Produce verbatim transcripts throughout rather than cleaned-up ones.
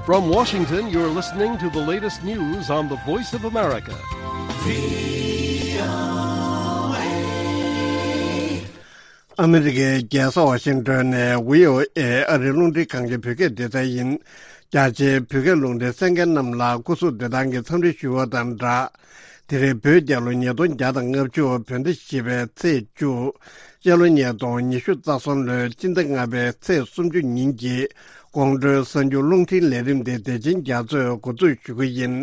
From Washington, you're listening to the latest news on the Voice of America. ཨ་མི་རི་ཀའི་རྒྱལ་ས་ཝ་ཤིང་ཏོན་ནས་བྷི་ཨོ་ཨེ་ཨ་རིའི་རླུང་འཕྲིན་ཁང་གི་བོད་སྐད་སྡེ་ཚན་ཡིན། རྒྱ་ཆེའི་བོད་སྐད་རླུང་འཕྲིན་གསན་མཁན་རྣམས་ལ་སྐུ་གཟུགས་བདེ་ཐང་གི་འཚམས་འདྲི་ཞུ་བ་དང་སྦྲགས། དེ་རིང་བོད་རྒྱལ་ལོ་ཉིས་སྟོང་བརྒྱ་དང་ལྔ་བཅུ་བོད་ཟླ་བཞི་པའི་ཚེས་བཅུ། སྤྱི་ལོ་ཉིས་སྟོང་ཉི་ཤུ་རྩ་གསུམ་ལོའི་སྤྱི་ཟླ་ལྔ་པའི་ཚེས་སུམ་ཅུ་ཉིན་གྱི་དགོང་དྲོའི་གསར་འགྱུར་རླུང་འཕྲིན་ལས་རིམ་དེ་བདེ་ཆེན་རྒྱ་མཚོས་འགོ་འཛུགས་ཞུ་གི་ཡིན།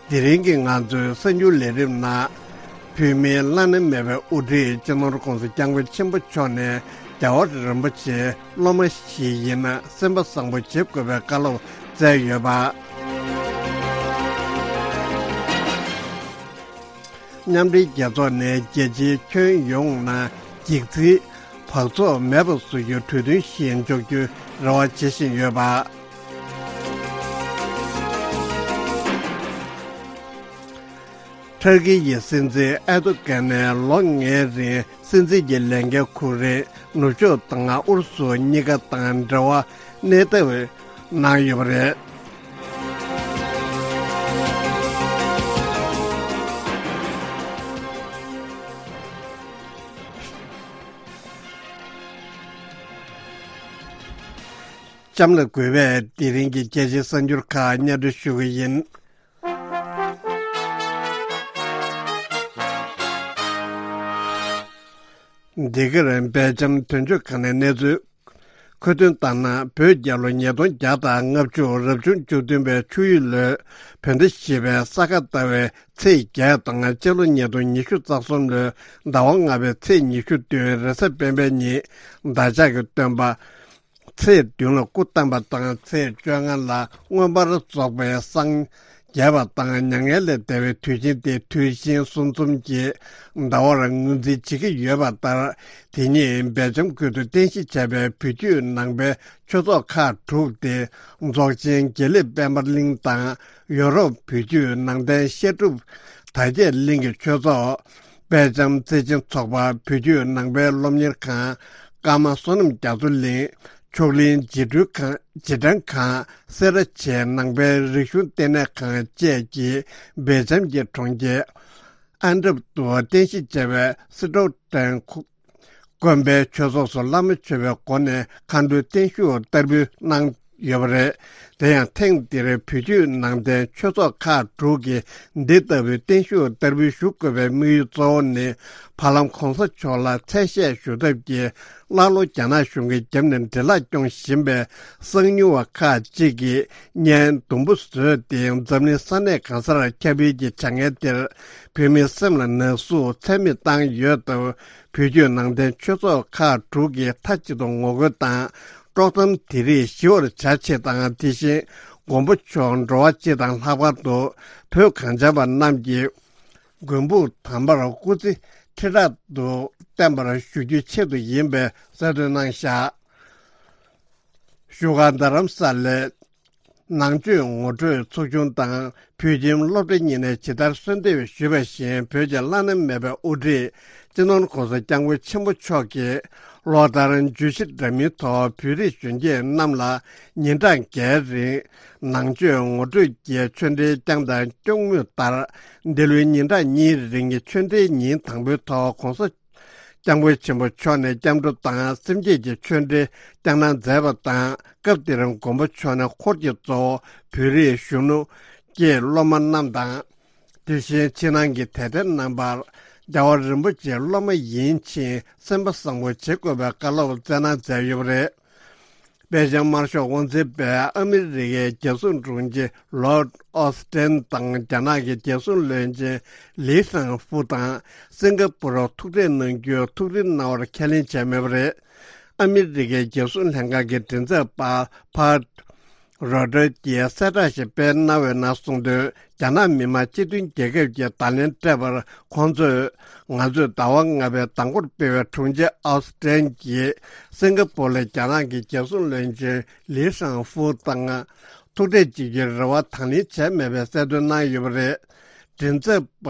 དེ་རིང་གི་ང་ཚོའི་གསར་འགྱུར་ལས་རིམ་ནང་། བོད་མིའི་བླ་ན་མེད་པའི་དབུ་ཁྲིད་སྤྱི་ནོར་༸གོང་ས་༸སྐྱབས་མགོན་ཆེན་པོ་མཆོག་ནས་རྒྱལ་བ་རིན་པོ་ཆེའི་སློབ་མ་ཞིག་ཡིན་ན་སེམས་པ་བཟང་པོ་བྱེད་དགོས་པའི་བཀའ་སློབ་སྩལ་ཡོད་པ། མཉམ་འབྲེལ་རྒྱལ་ཚོགས་ནས་རྒྱལ་སྤྱིའི་ཁྱོན་ཡོངས་ནང་འགྱིག་ཚིག་བག་ཚོགས་མེད་པ་བཟོ་རྒྱུའི་གྲོས་མཐུན་ཞིག་འཇོག་རྒྱུའི་རེ་བ་བྱེད་བཞིན་ཡོད་པ། ཐར་ཀི་ཡི་སྲིད་འཛིན་ཨེར་ཏོ་གྷན་ནས་ལོ་ལྔའི་རིང་སྲིད་འཛིན་གྱི་ལས་འགན་འཁུར་རིང་ནུབ་ཕྱོགས་དང་ཨུ་རུ་སུ་གཉིས་ཀ་དང་འབྲེལ་བ་གནས་ཐབས་གནང་ཡོད་པ་རེད། གཤམ་ལ་དགོས་པའི་དེ་རིང་གི་རྒྱལ་སྤྱིའི་གསར་འགྱུར་ཁག་སྙན་སྒྲོན་ཞུ་གི་ཡིན། འདི་གར་སྦེལ་ཇམ་དོན་གཅོད་ཁང་ནས་གནས་ཚུལ། མཁོ་འདོན་ལྟར་ན། བོད་རྒྱལ་ལོ་ཉིས་སྟོང་བརྒྱ་དང་ལྔ་བཅུ་རབ་བྱུང་བཅུ་བདུན་པའི་ཆུ་ཡོས་ལོའི་བོད་ཟླ་བཞི་པའི་ས་ག་ཟླ་བའི་ཚེས་བརྒྱད་དང་། སྤྱི་ལོ་ཉིས་སྟོང་ཉི་ཤུ་རྩ་གསུམ་ལོའི་ཟླ་བ་ལྔ་པའི་ཚེས་ཉི་ཤུ་བདུན་རེས་གཟའ་སྤེན་པའི་ཉིན་བདག་ཅག་གི་སྟོན་པ་ཚེས་བདུན་ལ་སྐུ་བལྟམས་པ་དང་། ཚེས་བཅོ་ལྔ་ལ་མངོན་པར་རྫོགས་པའི་སངས་རྒྱས་པ་དང་། མྱ་ངན་ལས་འདས་པའི་དུས་ཆེན་དེ་དུས་ཆེན་གསུམ་འཛོམས་ཀྱི་ཟླ་བར་ངོས་འཛིན་བྱེད་ཀྱི་ཡོད་པ་ལྟར། དེ་ཉིད་སྦེལ་ཇམ་ཁུལ་དུ་རྟེན་གཞི་བྱས་པའི་བོད་བརྒྱུད་ནང་པའི་ཆོས་ཚོགས་ཁག་དྲུག་སྟེ། རྫོགས་ཆེན་དགེ་ལེགས་དཔལ་འབར་གླིང་དང་། ཡོ་རོབ་བོད་བརྒྱུད་ནང་བསྟན་བཤད་སྒྲུབ་དར་རྒྱས་གླིང་གི་ཆོས་ཚོགས། དཔལ་ལྕམ་བརྩེ་ཆེན་ཚོགས་པ། བོད་བརྒྱུད་ནང་པའི་སློབ་གཉེར་ཁང་། ཀརྨ་བསོད་ནམས་རྒྱ་མཚོ་གླིང་། མཆོག་གླིང་རྗེས་སྤྲོད་ཁང་། རྗེས་དྲན་ཁང་། སེ་ར་བྱེས་ནང་པའི་རིག་གཞུང་ལྟེ་གནས་ཁང་བཅས་ཀྱིས་སྦེལ་ཇམ་གྱི་གྲོང་ཁྱེར་ཨན་ཊབ་ཏུ་རྟེན་གཞི་བྱས་པའི་སི་ཏྲོ་ཏན་དགོན་པའི་ཆོས་ཚོགས་སུ་བླ་མ་མཆོད་པའི་སྒོ་ནས་མཁའ་འགྲོའི་བརྟན་བཞུགས་བསྟར་འབུལ་གནང་ཡོད་པ་རེད། དེ་ཡང་ཐེངས་འདིར་བོད་བརྒྱུད་ནང་བསྟན་ཆོས་ཚོགས་ཁག་དྲུག་གིས་འདི་ལྟ་བུའི་བརྟན་བཞུགས་བསྟར་འབུལ་ཞུ་དགོས་པའི་དམིགས་ཡུལ་གཙོ་བོ་ནི། བར་ལམ་གོང་ས་མཆོག་ལ་མཚན་ཤས་ཞུ་ཐབས་ཀྱི་ཀླ་ཀློ་རྒྱ་ནག་གཞུང་གིས་བརྒྱབ་ནས་འདྲེ་ལག་སྐྱོང་བཞིན་པའི་གསང་ཉུལ་བ་ཁག་ཅིག་གིས་བརྙན་དུམ་བུ་བཟོས་ཏེ། འཛམ་གླིང་ས་གནས་གང་སར་ཁྱབ་སྤེལ་གྱི་བྱ་ངན་དེར། བོད་མིའི་སེམས་ལ་ན་ཟུག་ཚད་མེད་བཏང་ཡོད་སྟབས། བོད་བརྒྱུད་ནང་བསྟན་ཆོས་ཚོགས་ཁག་དྲུག་གིས་མཐའ་གཅིག་ཏུ་ངོ་རྒོལ་དང་། དཀྲོག་གཏམ་དེ་རིགས་ཞི་བར་བྱ་ཆེད་དང་། དེ་བཞིན་མགོན་པོ་མཆོག་འགྲོ་བ་སྤྱི་དང་ལྷག་པར་དུ་བོད་གངས་ཅན་པ་རྣམས་ཀྱི་མགོན་པོ་དམ་པར་སྐུ་ཚེ་ཁྲི་ཕྲག་ཏུ་བརྟན་པར་ཞུ་རྒྱུའི་ཆེད་དུ་ཡིན་པའི་གསལ་སྟོན་གནང་བཞག་བཞུགས་སྒར་རྡ་རམ་ས་ལའི་ནང་ཆོས་ངོ་སྤྲོད་ཚོགས་ཆུང་དང་བོད་ཁྱིམ་སློབ་གྲྭ་གཉིས་ནས་ཇི་ལྟར་གསོལ་འདེབས་ཞུས་པ་བཞིན། བོད་ཀྱི་བླ་ན་མེད་པའི་དབུ་ཁྲིད་སྤྱི་ནོར་༸གོང་ས་༸སྐྱབས་མགོན་ཆེན་པོ་མཆོག་གིས་ལོ་ལྟར་བརྗོད་གཞི་འདྲ་མིན་ཐོག་བོད་རིགས་གཞོན་སྐྱེས་རྣམས་ལ་ཉིན་གྲངས་བརྒྱད་རིང་ནང་ཆོས་ངོ་སྤྲོད་ཀྱི་ཆོས་འབྲེལ་བསྐྱངས་དང་སྐྱོང་མུས་ལྟར། འདི་ལོའི་ཉིན་གྲངས་གཉིས་རིང་གི་ཆོས་འབྲེལ་ཉིན་དང་པོའི་ཐོག་༸གོང་ས་༸སྐྱབས་མགོན་ཆེན་པོ་མཆོག་ནས་སྐྱབས་འགྲོ་དང་སེམས་བསྐྱེད་ཀྱི་ཆོས་འབྲེལ་བསྐྱངས་གནང་མཛད་པ་དང་། སྐབས་དེར་མགོན་པོ་མཆོག་ནས་འཁོར་གྱི་གཙོ་བོ་བོད་རིགས་གཞོན་ནུ་སྐྱེས་སློབ་མ་རྣམས་དང་། དེ་བཞིན་ཕྱི་ནང་གི་དད་ལྡན་རྣམ་པར་རྒྱལ་བ་རིན་པོ་ཆེའི་སློབ་མ་ཡིན་ཕྱིན་སེམས་པ་བཟང་པོ་བྱེད་དགོས་པའི་བཀའ་སློབ་སྩལ་གནང་མཛད་ཡོད་པ་རེད། སྦེལ་ཇམ་དམར་ཤོག་དབང་འཛིན་པས་ཨ་མི་རི་ཀའི་རྒྱལ་སྲུང་དྲུང་ཆེ་ལོར་ཨོ་སི་ཏན་དང་རྒྱ་ནག་གི་རྒྱལ་སྲུང་བློན་ཆེན་ལི་ཧྲང་ཧྥུ་དང་སིང་ག་པུར་ཐུག་འཕྲད་གནང་རྒྱུར་ཐུགས་རེ་གནང་བར་ཁས་ལེན་བྱས་མེད་པ་རེད། ཨ་མི་རི་ཀའི་རྒྱལ་སྲུང་ལྷན་ཁང་གི་མགྲིན་ཚབ་པ་ཕ་རོ་ཏྲོས་ཀྱིས་གསལ་བསྒྲགས་ཤིག་སྤེལ་གནང་བའི་ནང་གསུངས་དོན། རྒྱ་ནག་མི་དམངས་སྤྱི་མཐུན་རྒྱལ་ཁབ་ཀྱིས་བརྡ་ལན་སྤྲད་པར་ཁོང་ཚོས། ང་ཚོས་ཟླ་བ་ལྔ་པའི་མདང་དགོང་སྤེལ་བའི་དྲུང་ཆེ་ཨའོ་སི་ཀྲན་གྱིས་སིང་ག་པོ་ལ་རྒྱ་ནག་གི་རྒྱལ་སྲུང་བློན་ཆེན་ལི་ཧྲང་ཧྥུ་དང་ཐུག་འཕྲད་བྱེད་རྒྱུའི་རེ་བ་དང་ལེན་བྱས་མེད་པའི་གསལ་སྟོན་གནང་ཡོད་པ་རེད། མགྲིན་ཚབ་པ་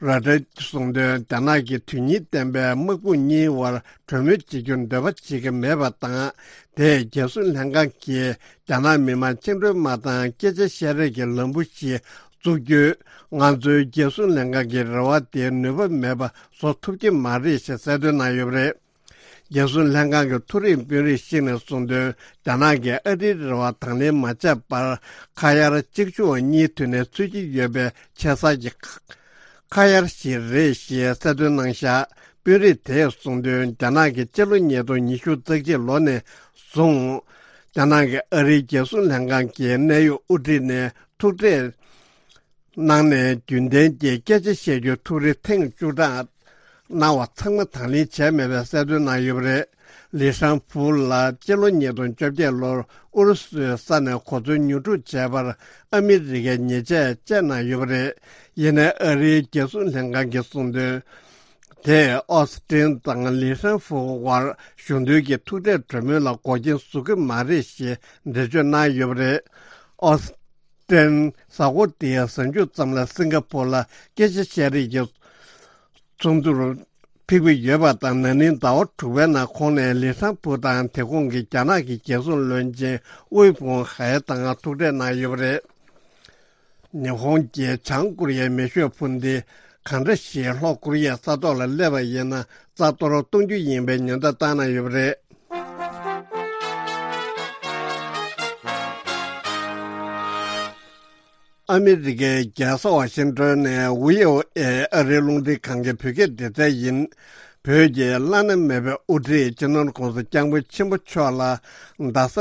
རོ་ཏྲེ་གསུངས་དོན། རྒྱ་ནག་གིས་དོན་སྙིང་ལྡན་པའི་དམག་དཔུང་གཉིས་དབར་གྲོས་མོལ་བྱེད་རྒྱུར་འདོད་པ་བྱེད་ཀྱི་མེད་པ་དང་། དེས་རྒྱལ་སྲུང་ལྷན་ཁང་གིས་རྒྱ་ནག་མི་དམངས་བཅིངས་འགྲོལ་དམག་དང་སྐད་ཆ་བཤད་རེས་ཀྱི་ལམ་བུ་ཞིག་བཙུགས་རྒྱུས། ང་ཚོའི་རྒྱལ་སྲུང་ལྷན་ཁང་གི་རེ་བ་དེ་ནུས་པ་མེད་པ་བཟོ་ཐུབ་ཀྱི་མ་རེད་ཞེས་གསལ་སྟོན་གནང་ཡོད་པ་རེད། རྒྱལ་སྲུང་ལྷན་ཁང་གི་མཐོ་རིམ་དཔོན་རིགས་ཤིག་ནས་གསུངས་དོན། རྒྱ་ནག་གིས་ཨ་རིའི་རེ་བ་དང་ལེན་མ་བྱས་པར། ཁ་གཡར་གཅིག་མཇུག་གཉིས་མཐུད་ནས་འཚོལ་གྱི་ཡོད་པའི་ཆེ་ས་ཀྱི་ཁ་གཡར་ཞིག་རེད་ཞེས་གསལ་སྟོན་གནང་བཞག་དཔོན་རིགས་དེས་གསུངས་དོན། རྒྱ་ནག་གིས་སྤྱི་ལོ་ཉིས་སྟོང་ཉི་ཤུ་རྩ་གཅིག་ལོ་ནས་བཟུང་། རྒྱ་ནག་གིས་ཨ་རིའི་རྒྱལ་སྲུང་ལྷན་ཁང་གི་གནད་ཡོད་དབུ་ཁྲིད་ནས་ཐུག་འཕྲད་གནང་ནས། རྒྱུན་ལྡན་གྱི་སྐད་ཆ་བཤད་རྒྱུའི་ཐུགས་རེ་ཐེངས་བཅུ་གྲངས་གནང་བ་ཚང་མ་དང་ལེན་བྱས་མེད་པའི་གསལ་སྟོན་གནང་ཡོད་པ་རེད། ལི་ཧྲན་ཧྥུའུ་ལགས་སྤྱི་ལོ་ཉིས་སྟོང་བཅོ་བརྒྱད་ལོར་ཨུ་རུ་སུའི་ས་ནས་གོ་མཚོན་ཉོ་སྒྲུབ་བྱས་པར་ཨ་མི་རི་ཀས་ཉེས་ཆད་བཅད་གནང་ཡོད་པ་རེད། ཡིན་ནའི་ཨ་རིའི་རྒྱལ་སྲུང་ལྷན་ཁང་གིས་གསུངས་དོན། དེས་ཨོ་སི་ཀྲིན་དང་ལི་ཧྲན་ཧྥུའུ་དབར་གཞུང་དོན་གྱི་ཐུག་འཕྲད་གྲོས་མོལ་ལ་འགོག་རྐྱེན་བཟོ་གི་མ་རེད་ཞེས་འགྲེལ་བརྗོད་གནང་ཡོད་པ་རེད། ཨོ་སི་ཀྲིན་གཟའ་འཁོར་འདིའི་གཟའ་མཇུག་ཙམ་ལ་སིང་ག་ཕོར་ལ་སྐད་ཆ་བཤད་རེས་ཀྱི་ཚོགས་འདུར་ཕེབས་ཀྱི་ཡོད་པ་དང་། ན་ནིང་ཟླ་བ་དྲུག་པའི་ནང་ཁོང་ནས་ལི་ཧྲན་ཧྥུའུ་དང་དེ་ཁོངས་ཀྱི་རྒྱ་ནག་གི་རྒྱལ་སྲུང་བློན་ཆེན་དབུའེ་ཕུང་ཧའེ་དང་ཐུག་འཕྲད་གནང་ཡོད་པ་རེད། ཉི་ཧོང་གིས་བྱང་ཀོ་རི་ཡའི་མེ་ཤོད་འཕུར་མདེལ་གང་འདྲ་ཞིག་ལྷོ་ཀོ་རི་ཡའི་ས་ཐོག་ལ་སླེབས་པ་ཡིན་ན་རྩ་གཏོར་གཏོང་རྒྱུ་ཡིན་པའི་ཉེན་བརྡ་བཏང་གནང་ཡོད་པ་རེད། ཨ་མི་རི་ཀའི་རྒྱལ་ས་ཝ་ཤིང་ཏོན་ནས་ཝི་ཨོ་ཨེ་ཨ་རིའི་རླུང་འཕྲིན་ཁང་གི་བོད་སྐད་སྡེ་ཚན་ཡིན། བོད་ཀྱི་བླ་ན་མེད་པའི་དབུ་ཁྲིད་སྤྱི་ནོར་༸གོང་ས་༸སྐྱབས་མགོན་ཆེན་པོ་མཆོག་ལ་རྡ་ས་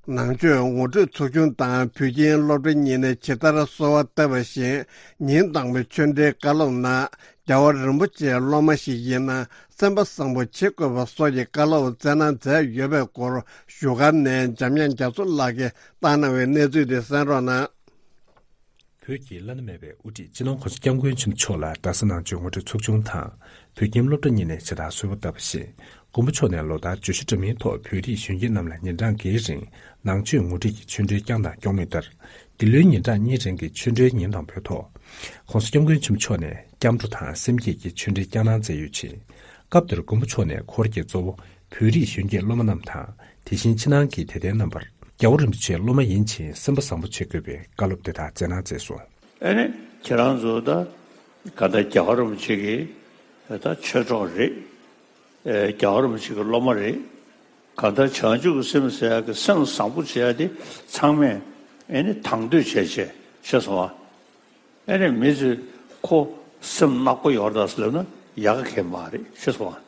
ནང་ཆོས་ངོ་སྤྲོད་ཚོགས་ཆུང་དང་བོད་ཁྱིམ་སློབ་གྲྭ་གཉིས་ནས་ཇི་ལྟར་གསོལ་བ་བཏབ་པ་བཞིན། ཉིན་དང་པོའི་ཆོས་འབྲེལ་བཀའ་སློབ་ནང་རྒྱལ་བ་རིན་པོ་ཆེའི་སློབ་མ་ཞིག་ཡིན་ན་སེམས་པ་བཟང་པོ་བྱེད་དགོས་པ་སོགས་ཀྱི་བཀའ་སློབ་སྩལ་གནང་མཛད་ཡོད་པའི་སྐོར་བཞུགས་སྒར་ནས་འཇམ་དབྱངས་རྒྱ་མཚོ་ལགས་ཀྱིས་བཏང་གནང་བའི་གནས་ཚུལ་དེ་གསན་རོགས་གནང་། བོད་ཀྱི་བླ་ན་མེད་པའི་དབུ་ཁྲིད་སྤྱི་ནོར་༸གོང་ས་༸སྐྱབས་མགོན་ཆེན་པོ་མཆོག་ལ་རྡ་ས་ནང་ཆོས་ངོ་སྤྲོད་ཚོགས་ཆུང་དང་བོད་ཁྱིམ་སློབ་གྲྭ་གཉིས་ནས་ཇི་ལྟར་གསོལ་བ་བཏབ་པ་བཞིན། མགོན་པོ་མཆོག་ནས་ལོ་ལྟར་བརྗོད་གཞི་འདྲ་མིན་ཐོག་བོད་རིགས་གཞོན་སྐྱེས་རྣམས་ལ་ཉིན་གྲངས་འགའི་རིང་ནང་ཆོས་ངོ་སྤྲོད་ཀྱི་ཆོས་འབྲེལ་བསྐྱངས་དང་སྐྱོང་མུས་ལྟར། འདི་ལོའི་ཉིན་གྲངས་གཉིས་རིང་གི་ཆོས་འབྲེལ་ཉིན་དང་པོའི་ཐོག༸གོང་ས་༸སྐྱབས་མགོན་ཆེན་པོ་མཆོག་ནས་སྐྱབས་འགྲོ་དང་སེམས་བསྐྱེད་ཀྱི་ཆོས་འབྲེལ་བསྐྱངས་གནང་མཛད་ཡོད་ཅིང་། སྐབས་དེར་མགོན་པོ་མཆོག་ནས་ཁོ་རང་གིས་གཙོ་བོ་བོད་རིགས་གཞོན་སྐྱེས་སློབ་མ་རྣམས་དང་། དེ་བཞིན་ཕྱི་ནང་གི་དད་ལྡན་རྣམ་པར་རྒྱལ་བ་རིན་པོ་ཆེའི་སློབ་མ་ཡིན་ཕྱིན་སེམས་པ་བཟང་པོ་བྱེད་དགོས་པའི་བཀའ་སློབ་དེ་དག་སྩལ་གནང་མཛད་སོང་། ཨ་ནི་ཁྱེད་རང་ཚོ་ད་ག་ད་རྒྱལ་བ་རིན་པོ་ཆེ་གི་ད་ཆོས་གྲོགས་རེད། ཨེ་རྒྱལ་བ་རིན་པོ་ཆེ་གི་སློབ་མ་རེད། གང་ལྟར་བྱང་ཆུབ་ཀྱི་སེམས་ཟེར་ཡག་གི་སེམས་བཟང་པོ་བྱེད་ཡག་དེ་ཚང་མས་ཨེ་ནི་དང་དོད་བྱས་བྱས་ཤེས་སོང་ཨ། ཨེ་ནི་མི་ཚོས་ཁོ་སེམས་ནག་པོ་ཡོད་རེད་ཟེར་ལབ་ན་ཡག་ག་གང་ཡང་མ་རེད་ཤེས་སོང་ཨ།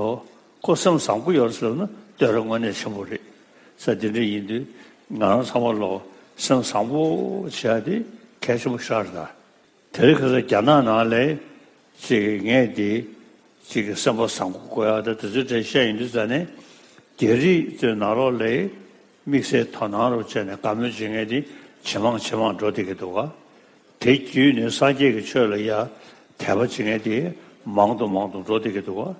ཨོ། ཁོ་སེམས་བཟང་པོ་ཡོད་རེད་ཟེར་ལབ་ན་བསྟོད་ར་དངོས་གནས་ཆེན་པོ་རེད། ས་དེ་འདྲ་ཡིན་དུས་ང་རང་ཚང་མ་ལོ་སེམས་བཟང་པོ་བྱེད་ཡག་དེ་གལ་ཆེན་པོ་ཤར་ད། དེ་རིང་ཁ་སང་རྒྱ་ནག་ནང་ལ་ཅིག་ངས་འདི་ཅིག་གི་སེམས་པ་བཟང་པོ་དགོས་ཡག་དང་དེ་ཚོའི་གྲས་བཤད་ཡོང་དུས་ཙ་ནས་རྒྱ་རིགས་ཚོའི་ནང་ལོགས་ལ་དམིགས་བསལ་དོ་སྣང་རུ་བྱས་ནས་བཀའ་མོལ་བྱེད་མཁན་དེ་ཇེ་མང་ཇེ་མང་འགྲོ་བསྡད་ཀྱི་འདུག་ག་དེ་བརྒྱུད་ནས་སངས་རྒྱས་ཀྱི་ཆོས་ལ་ཡ་དད་པ་བྱེད་མཁན་དེ་མང་དུ་མང་དུ་འགྲོ་བསྡད་ཀྱི་འདུག་ག་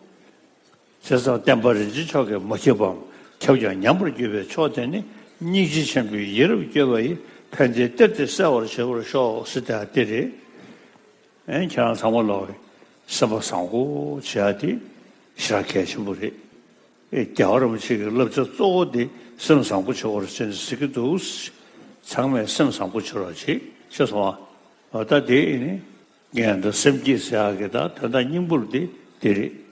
བྱས་ཙང་བསྟན་པ་རིན་ཆེན་མཆོག་གིས་མ་ཁྱབ་པའམ་ཁྱབ་ཀྱང་ཉམས་པར་གྱུར་པའི་ཕྱོགས་དེ་ནི་སྙིང་རྗེ་ཆེན་པོས་ཡིད་རབ་བསྐྱོད་པ་ཡིས་ཕན་བདེའི་གཏེར་དེ་གསལ་བར་བྱེད་པར་ཤོག་ཟེར་ཏེ་དེ་རེད། ཨེ་ཁྱེད་རང་ཚང་མ་ལོག་གི་སེམས་པ་བཟང་པོ་བྱེད་ཡ་དེ་ཞེ་དྲག་གལ་ཆེན་པོ་རེད། ཨེ་རྒྱལ་བ་རིན་པོ་ཆེ་གི་བསླབ་བྱ་གཙོ་བོ་དེ་སེམས་བཟང་པོ་བྱེད་དགོས་རེད་ཟེར་ནས་ཟེར་གྱི་འདུག་ཚང་མས་སེམས་བཟང་པོ་བྱེད་རོགས་བྱེད་ཤེས་སོང་ཨ། འོ་ད་དེ་ཨེ་ནི། ངས་འདི་སེམས་བསྐྱེད་ཟེར་ཡག་གི་ད་དོན་དག་སྙིང་པོ་དེ་དེ་རེད།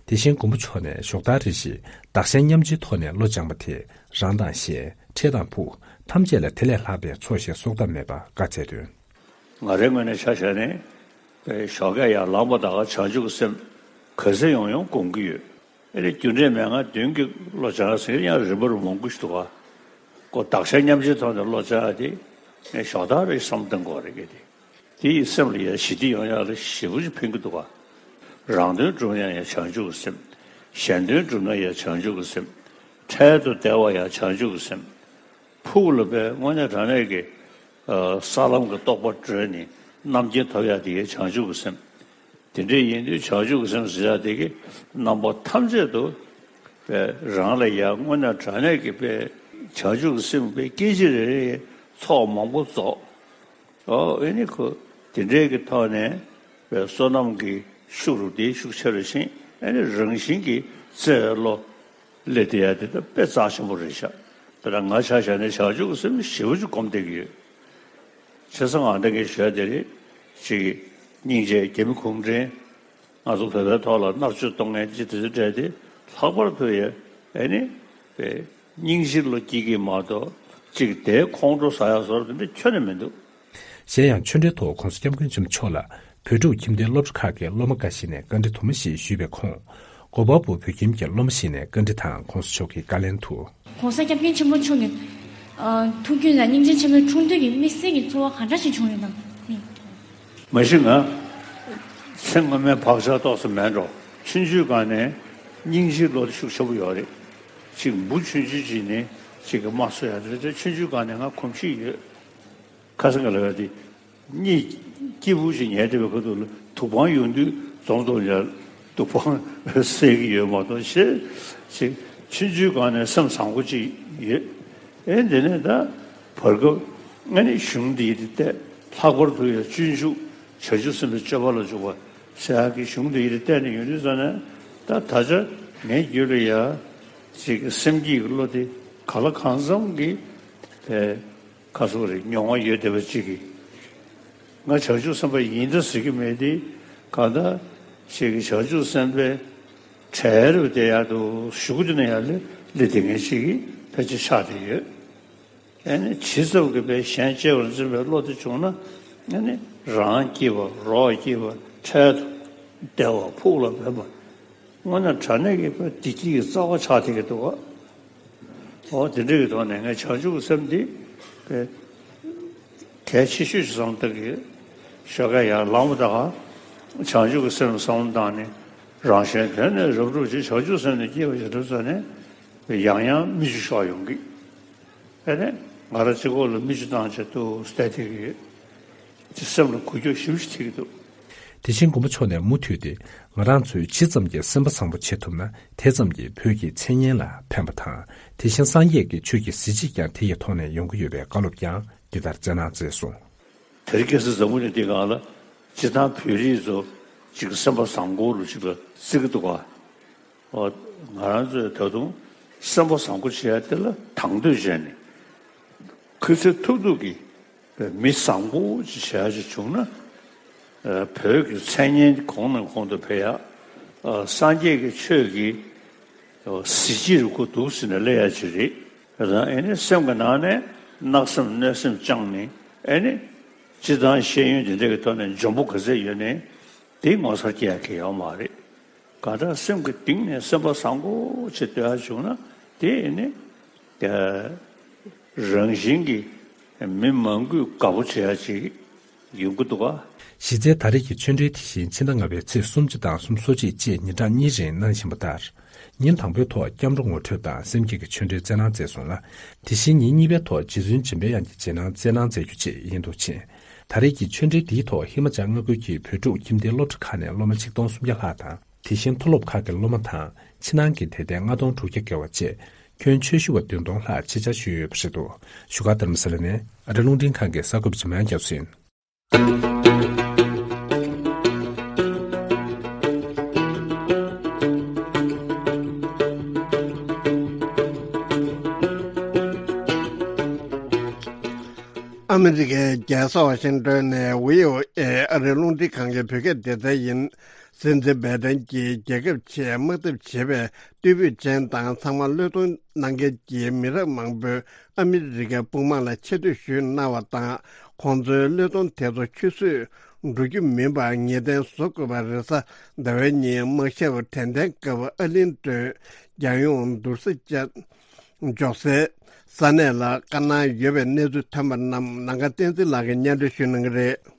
དེ་བཞིན་མགོན་པོ་མཆོག་ནས་ཞོགས་ལྟར་རེ་བཞིན་བདག་གཞན་མཉམ་བརྗེའི་ཐོག་ནས་བློ་སྦྱངས་པ་དེས་རང་དང་གཞན་འཕྲལ་དང་ཕུགས་ཐམས་ཅད་ལ་དེ་ལས་ལྷག་པའི་ཚོགས་ཞིག་གསོག་ཐབས་མེད་པ་བཀའ་སྩལ་དོན། ང་རའི་ངོས་ནས་ཆ་བཞག་ནས་ཞོགས་ཀས་ཡར་ལངས་པ་ད་ག་བྱང་ཆུབ་ཀྱི་སེམས་ག་ཚོད་ཡོང་ཡོང་སྒོམ་གྱི་ཡོད། ཨེ་རེད་རྒྱུ་འབྲས་མན་ངག་བདུན་གྱི་བློ་སྦྱང་ཟེར་ཡང་རིམ་པར་མང་པོ་ཞིག་འདུག་ག་ཁོ་བདག་གཞན་མཉམ་བརྗེའི་ཐོག་ནས་བློ་སྦྱང་ཡ་དེ་ངས་ཞོགས་ལྟར་རེ་བསམ་གཏོང་དགོས་རེད་གི་དེ། དེ་ཡི་སེམས་ལ་ཡང་ཞི་བདེ་ཡོང་ཡག་ལ་ཞེ་པོ་ཅིག་ཕན་གྱི་འདུག་ག་རང་དོན་སྒྲུབ་ན་ཡང་བྱང་ཆུབ་ཀྱི་སེམས། གཞན་དོན་སྒྲུབ་ན་ཡང་བྱང་ཆུབ་ཀྱི་སེམས། འཕྲལ་དུ་བདེ་བ་ཡང་བྱང་ཆུབ་ཀྱི་སེམས། ཕུགས་ལ་དཔེ་དངོས་གནས་དྲང་གནས་ཀྱི་ས་ལམ་གྱི་རྟོགས་པ་གྲོལ་ནས་རྣམ་མཁྱེན་ཐོབ་ཡག་དེ་ཡང་བྱང་ཆུབ་ཀྱི་སེམས། དེ་འདྲ་ཡིན་དུས་བྱང་ཆུབ་ཀྱི་སེམས་ཟེར་ཡག་དེ་གི་རྣམ་པ་ཐམས་ཅད་དུ་དཔེ་རང་ལ་ཡང་དངོས་གནས་དྲང་གནས་ཀྱི་དཔེ་བྱང་ཆུབ་ཀྱི་སེམས་དཔེ་སྐད་ཅིག་རེ་རེ་ཚོགས་མང་པོ་རྫོགས། ཨོ་ཨེ་ནི་ཁོ་ དེ་འདྲའི་གི་ཐོག་ནས་བསོད་ནམས་ཀྱི་ཤུགས་རུ་དེ་ཤུགས་ཆེ་རུ་ཕྱིན། ཨ་ནི་རང་བཞིན་གྱིས་བརྩེ་བའི་བློ་སླེབས་བསྡད་ཡ་དེ་ད་དཔེ་རྩ་ཆེན་པོ་རེད་ཤག་དེ་ལ་ང་ཆ་བཞག་ནས་བྱང་ཆུབ་ཀྱི་སེམས་ཞེ་པོ་ཅིག་སྒོམ་བསྡད་ཀྱི་ཡོད། བྱས་ཙང་ང་ད་གིན་ཞུ་ཡ་དེ་རེད། ཅིག་སྙིང་རྗེ་རྒྱ་མི་གུང་ཁྲན་ང་ཚོ་བོད་པའི་ཐོག་ལ་མནར་གཅོད་གཏོང་མཁན་ཅིག་དེ་ཚོའི་གྲས་དེ་ལྷག་པར་དུ་ཡ་ཨ་ནི་པའི་སྙིང་རྗེ་བློ་སྐྱེ་གི་མ་གཏོགས་ཅིག་དེའི་ཁོང་ཁྲོ་ཟ་ཡ་བཟོ་འདྲ་དེ་འདྲ་ཁྱོན་ནས་མི་འདུག་གཞན་ཡང་ཆོས་འབྲེལ་ཐོག་༧གོང་ས་༧སྐྱབས་མགོན་ཆེན་པོ་མཆོག་ལ་བོད་ཕྲུག་ཁྱིམ་སྡེའི་སློབ་གྲྭ་ཁག་གི་སློབ་མ་འགའ་ཞིག་ནས་བཀའ་འདྲི་དུ་མ་ཞིག་ཞུས་པའི་ཁོངས། གོ་པལ་པུར་བོད་ཁྱིམ་གྱི་སློབ་མ་ཞིག་ནས་བཀའ་འདྲི་དང་༧གོང་ས་མཆོག་གི་བཀའ་ལན་དུ། ༧གོང་ས་༧སྐྱབས་མགོན་ཆེན་པོ་མཆོག་གི་ཨ་ཐུགས་རྒྱུད་ལ་སྙིང་རྗེ་ཆེན་པོའི་འཁྲུངས་སྟོན་གྱི་དམིགས་བསལ་གྱི་ཚོར་བ་ག་འདྲ་ཞིག་བྱུང་ཡོད་དམ། མ་གཞི་ང་ཚེ་སྔོན་མའི་བག་ཆགས་ཏོག་ཙམ་མེད་འགྲོ། ཆུང་ཆུང་སྒང་ནས་སྙིང་རྗེའི་བློ་ཤུགས་ཆེན་པོ་ཡོད་རེད། ཅིག་འབུ་ཆུང་ཆུང་ཅིག་ནས་ཅིག་གི་རྨ་གསོ་ཡ་དེ་ཆུང་ཆུང་སྒང་ནས་ང་གོམས་གཤིས་ཡོད། ཁ་སང་གི་ལབ་ཡ་དེ། གཉིད་སྐྱིད་པོ་ཞིག་ཉལ་བསྡད་པའི་ཁ་ཐུག་ལ་དུག་སྦྲང་ཡོང་དུས་འཛོམས་འཛོམས་ཡ་དུག་སྦྲང་བསད་ཀྱི་ཡོད་མ་གཏོགས་ཞེ་ཅིག་ཆུང་ཆུང་སྒང་ནས་སེམས་བཟང་པོ་ཅིག་ཡོད། ཨེ་འདི་ནས་ད་བར་སྐབས་ཨ་ནི་གཞུང་འདི་ཡི་དེ་བལྟས། ལྷག་པར་དུ་ཡ་སྤྱོད་འཇུག་བྱང་ཆུབ་སེམས་དཔའི་སྤྱོད་པ་ལ་འཇུག་པ་ཟེར་ཡག་གི་གཞུང་འདི་ཡི་དེ་བལྟས་ནས་ཡོང་དུས་ཙ་ན་ད་ད་ཆ་ངའི་རྒྱུད་ལ་ཡ་ཅིག་སེམས་བསྐྱེད་ཀྱི་བློ་དེ་ག་ལ་གང་འཚམ་གྱི་བས། ཁ་སོ་རེ་མྱོང་བ་ཡོད་བསྡད་པ་ཅིག་གིས། ང་བྱང་ཆུབ་སེམས་དཔའ་ཡིན་ད་ཟེར་གྱི་མེད་དེ། གང་ལྟར་ཞིག་གིས་བྱང་ཆུབ་སེམས་དཔའི་གྲལ་རུ་བསྡད་ཡག་ཏུ་གཞུག་གུ་དེ་ནས་ཡར་སླེབས་བསྡད་མཁན་ཞིག་གིས་ཕལ་ཆེར་ཆགས་བསྡད་ཡོད། ཨ་ནི་ཇི་ཙམ་གྱིས་པའི་གཞན་གཅེས་པར་འཛིན་པའི་བློ་དེ་བྱུང་ན། ཨ་ནི་རང་སྐྱིད་པ་རོགས་སྐྱིད་པ་འཕྲལ་དུ་བདེ་བ་ཕུགས་ལ་འབེབས་པ། དངོས་གནས་དྲང་གནས་ཀྱི་བདེ་སྐྱིད་ཀྱི་རྩ་བ་ཆགས་བསྡད་ཀྱི་འདུག་ག་འོ་དེ་འདྲ་གི་ཐོག་ནས་ངས་བྱང་ཆུབ་ཀྱི་སེམས་འདི་གལ་ཆེ་ཤོས་ཤིག་བསམ་བཏང་གི་ཡོད། ཞོགས་ཀས་ཡར་ལངས་པ་དང་བྱང་ཆུབ་ཀྱི་སེམས་བསམ་བློ་བཏང་ནས་རང་གཞན་དོན་ནི་རབ་བསྒྲུབ་ཅིང་བྱང་ཆུབ་སེམས་ནི་བསྐྱེད་པ་ཞེས་གྲུབ་ཙ་ནས་ཡང་ཡང་མིག་ཆུ་ཤོར་ཡོང་གི། ཨ་ནི་ང་རང་གཅིག་པོ་ལ་མིག་ཆུ་བཏང་བྱས་འདུག་བལྟས་བསྡད་ཀྱི་ཡོད། ཅེས་སེམས་ལ་འགུལ་སྐྱོད་ཞེ་པོ་ཅིག་ཐེབས་ཀྱི་འདུག་དེ་བཞིན་མགོན་པོ་མཆོག་ནས་མུ་མཐུད་དེ་ང་རང་ཚོས་ཇི་ཙམ་གྱིས་སེམས་པ་བཟང་པོ་བྱེད་ཐུབ་ན་དེ་ཙམ་གྱིས་བོད་ཀྱི་མཚན་སྙན་ལ་ཕན་པ་དང་དེ་བཞིན་སངས་རྒྱས་ཀྱི་ཆོས་ཀྱི་གཟི་བརྗིད་ཀྱང་དེ་ཡི་ཐོག་ནས་ཡོང་གི་ཡོད་པའི་བཀའ་སློབ་ཀྱང་འདི་ལྟར་སྩལ་གནང་མཛད་སོང་། དེ་རིང་ཁ་སང་འཛམ་བུ་གླིང་འདི་སྒང་ལ་སྤྱིར་བཏང་བོད་རིགས་ཚོ་ཅིག་སེམས་པ་བཟང་པོ་ལ་ཅིག་ལ་བརྩི་གི་འདུག་ག་འོ། ང་རང་ཚོས་ད་དུང་སེམས་པ་བཟང་པོ་བྱེད་ཡ་དེ་ལ་དང་དོད་བྱས་ནས་ཁུ་ཚུར་ཐུབ་ཐུབ་ཀྱིས་མི་བཟང་པོ་ཅིག་བྱེད་ཡ་ཅིག་བྱུང་ན། ཨ། བོད་ཀྱི་མཚན་སྙན་གོང་ནས་གོང་དུ་འཕེལ་ཡ། ཨ། སངས་རྒྱས་ཀྱི་ཆོས་ཀྱི་གཟི་བརྗིད་རུ་ཁོ་འདུག་ཟེར་ནས་སླེབས་ཡ་ཅིག་རེད། ད་ཨེ་ནི་སེམས་ཀྱི་ནང་ནས་བརྣག་སེམས་གནོད་སེམས་བཅངས་ནས་ཨེ་ནི་སྤྱིར་བཏང་ཤེས་ཡོན་དེ་འདྲ་གི་ཐོག་ནས་འཇོན་པོ་ག་ཚད་ཡོད་ནའི་དེ་ངོ་མཚར་སྐྱེ་ཡ་གི་ཡོད་མ་རེད། གང་ལྟར་སེམས་ཀྱི་གཏིང་ནས་སེམས་པ་བཟང་པོ་ཅིག་འདོད་ཡ་བྱུང་ན་དེ་ནི་རང་བཞིན་གྱིས་མི་མང་པོས་དགའ་པོ་བྱེད་ཡ་ཅིག་ཡོང་གི་འདུག་ག་གཞི་རྩའི་ད་རེས་ཀྱི་ཆོས་འབྲེལ་དེ་བཞིན་ཕྱི་ཟླ་ལྔ་པའི་ཚེས་སུམ་ཅུ་དང་སུམ་ཅུ་སོ་གཅིག་བཅས་ཉིན་གྲངས་གཉིས་རིང་གནང་བཞིན་པ་ལྟར། ཉིན་དང་པོའི་ཐོག་སྐྱབས་འགྲོ་ངོ་སྤྲོད་དང་སེམས་བསྐྱེད་ཀྱི་ཆོས་འབྲེལ་སྩལ་གནང་མཛད་སོང་ལ། དེ་བཞིན་ཉིན་གཉིས་པའི་ཐོག་རྗེ་བཙུན་འཇམ་པའི་དབྱངས་ཀྱི་རྗེས་གནང་སྩལ་གནང་མཛད་རྒྱུ་བཅས་ཡིན་འདུག་ཅིང་། ད་རེས་ཀྱི་ཆོས་འབྲེལ་འདིའི་ཐོག་ཧི་མ་ཅལ་མངའ་ཁུལ་གྱི་བོད་ཕྲུག་ཁྱིམ་སྡེའི་སློབ་གྲྭ་ཁག་ནས་སློབ་མ་ཆིག་སྟོང་སུམ་བརྒྱ་ལྷག་དང་། དེ་བཞིན་མཐོ་སློབ་ཁག་གི་སློབ་མ་དང་ཕྱི་ནང་གི་དད་ལྡན་ལྔ་སྟོང་དྲུག་བརྒྱ་བརྒལ་བ་བཅས་ཁྱོན་ཆེ་ཤོས་པ་བདུན་སྟོང་ལྷག་ཆེད་བཅར་ཞུས་ཡོད་པ་རེད་འདུག་བཞུགས་སྒར་རྡ་རམ་ས་ལ་ནས་ཨ་རི་རླུང་འཕྲིན་ཁང་གི་གསར་འགོད་པ་འཇམ་དབྱངས་རྒྱ་མཚོ་ཡིན། ཨ་མི་རི་ཀའི་རྒྱལ་ས་ཝ་ཤིང་ཏོན་ནས་བྷི་ཨོ་ཨེ་ཨ་རིའི་རླུང་འཕྲིན་ཁང་གི་བོད་སྐད་སྡེ་ཚན་ཡིན། སྲིད་འཛིན་བའི་ཏན་གྱིས་རྒྱལ་ཁབ་ཆེད་དམག་འཐབ་བྱེད་པའི་སྟོབས་ཤུགས་ཅན་དང་ཚང་མ་བློས་གཏོང་གནང་མཁན་གྱི་མི་རབས་མང་པོས་ཨ་མི་རི་ཀའི་དཔུང་དམག་ལ་ཆེ་བསྟོད་ཞུས་གནང་བ་དང་། ཁོང་ཚོའི་བློས་གཏོང་དེ་ཚོ་ཆུད་ཟོས་འགྲོ་རྒྱུ་མིན་པར་ངེས་གཏན་བཟོ་དགོས་པ་རེད། གཟའ་ཟླ་བའི་ཉིན་དམག་ཞབས་དྲན་རྟེན་སྐབས་ཨར་ལིང་ཏོན་རྒྱལ་ཡོངས་དུར་ས་བཅག་འཇོག་སའི་ས་གནས་ལ་བཀའ་གནང་ཡོད་པའི་གནས་ཚུལ་ཐོན་པ་རྣམས་ནམ་མཁའ་བསྟན་འཛིན་ལགས་ཀྱིས་སྙན་སྒྲོན་ཞུ་གནང་གི་རེད།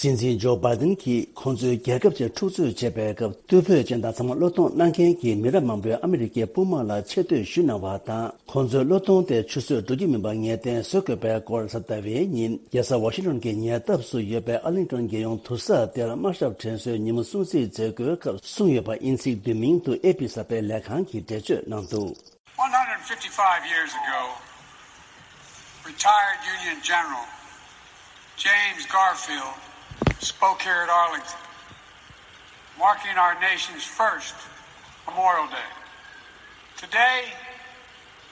སྲིད་འཛིན་ཇོ་བྷའི་ཏིན་གྱིས་ཁོང་ཚོའི་རྒྱལ་ཁབ་ཆེད་འཁྲུག་རྩོད་བྱེད་པའི་སྐབས་རྟུལ་ཕོད་ཅན་དང་ཚང་མ་བློས་གཏོང་གནང་མཁན་གྱི་མི་རབས་མང་པོས་ཨ་མི་རི་ཀའི་དཔུང་དམག་ལ་ཆེ་བསྟོད་ཞུས་གནང་བ་དང་། ཁོང་ཚོའི་བློས་གཏོང་དེ་ཆུད་ཟོས་འགྲོ་རྒྱུ་མིན་པ་ངེས་གཏན་བཟོ་དགོས་པའི་སྐོར་གཟའ་ཟླ་བའི་ཉིན་རྒྱལ་ས་ཝ་ཤིང་ཏོན་གྱི་ཉེ་འདབས་སུ་ཡོད་པའི་ཨར་ལིང་ཏོན་རྒྱལ་ཡོངས་དུར་ས་དེར་དམག་ཞབས་དྲན་གསོའི་ཉིན་མོ་སྲུང་བརྩི་མཛད་སྒོའི་སྐབས་གསུངས་ཡོད་པ་དབྱིན་ཚིག་བསྡུས་མིང་དུ་ཨེ་པི་གསར་སྤེལ་ལས་ཁང་གིས་འགྲེལ་བརྗོད་གནང་འདུག One hundred fifty-five years ago, Retired Union General James Garfield spoke here at Arlington, marking our nation's first Memorial Day. Today,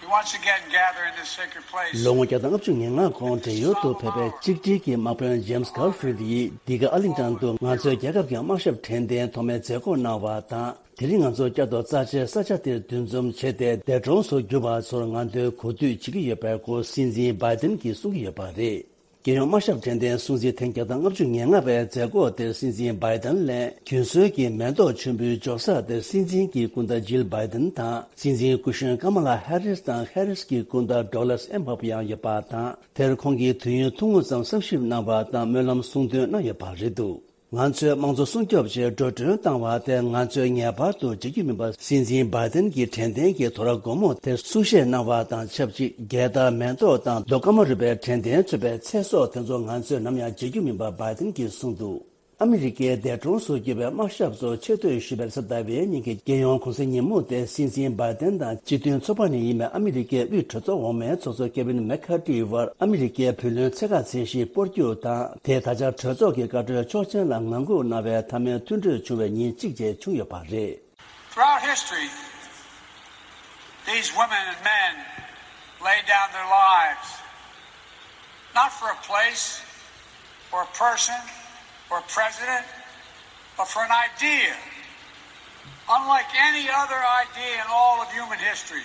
we once again gather in this sacred place. ལོ་ངོ་བརྒྱ་དང་ལྔ་བཅུ་ང་ལྔ་གོང་བགྲེས་ཡོལ་དུ་ཕེབས་པའི་གཅིག་སྒྲིལ་གྱི་དམག་དཔོན་James Garfield་ཡིས་འདི་ག་ཨར་ལིང་ཊོན་དུ་ང་ཚོའི་རྒྱལ་ཁབ་ཀྱི་དམག་ཞབས་དྲན་རྟེན་ཐོག་མའི་མཛད་སྒོ་གནང་བ་དང་། དེ་རིང་ང་ཚོ་བསྐྱར་དུ་རྩ་ཆེའི་ས་ཆ་དེར་འདུ་འཛོམས་བྱས་ཏེ། འདས་གྲོངས་སུ་གྱུར་པ་ཚོར་ངན་ཐོས་གོ་སྒྲིག་བྱེད་ཀྱི་ཡོད་པའི་སྐོར་སྲིད་འཛིན་བྷའི་ཏིན་གྱིས་གསུང་གི་ཡོད་པ་རེད། རྒྱལ་ཡོངས་དམག་ཞབས་དྲན་རྟེན་སྲུང་བརྩི་ཐེངས་བརྒྱ་དང་ལྔ་བཅུ་ང་ལྔ་པའི་མཛད་སྒོ་དེར་སྲིད་འཛིན་བྷའི་ཏིན་ལས་རྒྱུན་སྲོལ་གྱི་མེ་ཏོག་མཆོད་འབུལ་འབྱོར་ས་དེར་སྲིད་འཛིན་གྱི་སྐུ་ཟླ་ཇིལ་བྷའི་ཏིན་དང་། སྲིད་འཛིན་སྐུ་གཞོན་ཀ་མ་ལ་ཧེ་རིས་དང་ཧེ་རིས་ཀྱི་སྐུ་ཟླ་ཌོག་ལས་ཨེམ་ཧོབ་ཡང་ཡོད་པ་དང་། དེར་ཁོང་གིས་དུས་ཡུན་ཐུང་ངུ་ཙམ་བསམ་ཞིབ་གནང་བ་དང་སྨོན་ལམ་གསུང་འདོན་གནང་ཡོད་པ་རེད་འདུག། ང་ཚོའི་དམངས་གཙོ་སྲུང་སྐྱོབ་ཆེད་འགྲོ་གྲོན་བཏང་བ་དེ་ང་ཚོས་ངེས་པར་དུ་བརྗེད་རྒྱུ་མིན་པ། སྲིད་འཛིན་བྷའི་ཏིན་གྱིས་དྲན་རྟེན་གྱི་དོ་ར་སྒོར་མོ་དེར་གསུང་བཤད་གནང་བ་དང་ཆབས་ཅིག་རྒྱལ་དར་མེ་ཏོག་དང་རྡོ་སྐར་མ་རུས་པའི་དྲན་རྟེན་མཚོན་པའི་ཚེ་སྲོག་དེ་ཚོ་ང་ཚོས་ནམ་ཡང་བརྗེད་རྒྱུ་མིན་པ་བྷའི་ཏིན་གྱིས་གསུངས་འདུག། ཨ་མི་རི་ཀའི་འདས་གྲོངས་སུ་གྱུར་པའི་དམག་ཞབས་ཚོར་ཆེ་བསྟོད་ཞུ་བའི་རེས་གཟའ་ཟླ་བའི་ཉིན་གྱི་རྒྱལ་ཡོངས་གུང་སེང་ཉིན་མོ་དེ་སྲིད་འཛིན་བྷའི་ཏིན་དང་སྤྱི་མཐུན་ཚོགས་པ་ནས་ཡིན་པའི་ཨ་མི་རི་ཀའི་དབུས་གྲོས་ཚོགས་འོག་མའི་ཚོགས་གཙོ་ཀེ་ཝིན་མེག་ཁ་ཏི་བར་ཨ་མི་རི་ཀའི་བུ་ལོན་ཚད་བཀག་ཚད་གཞི་སྤོར་རྒྱུ་དང་། དེས་ད་ཆ་གྲོས་ཚོགས་ཀྱི་བཀའ་འཁྲོལ་ཆོག་མཆན་ལ་ངང་སྒུག་གནང་བའི་མཐའ་མའི་མཐུན་གྲོས་བྱུང་བའི་ཉིན་གཅིག་བཅས་བྱུང་ཡོད་པ་རེད། Throughout history, these women and men laid down their lives, not for a place, or a person, or a president, but for an idea, unlike any other idea in all of human history.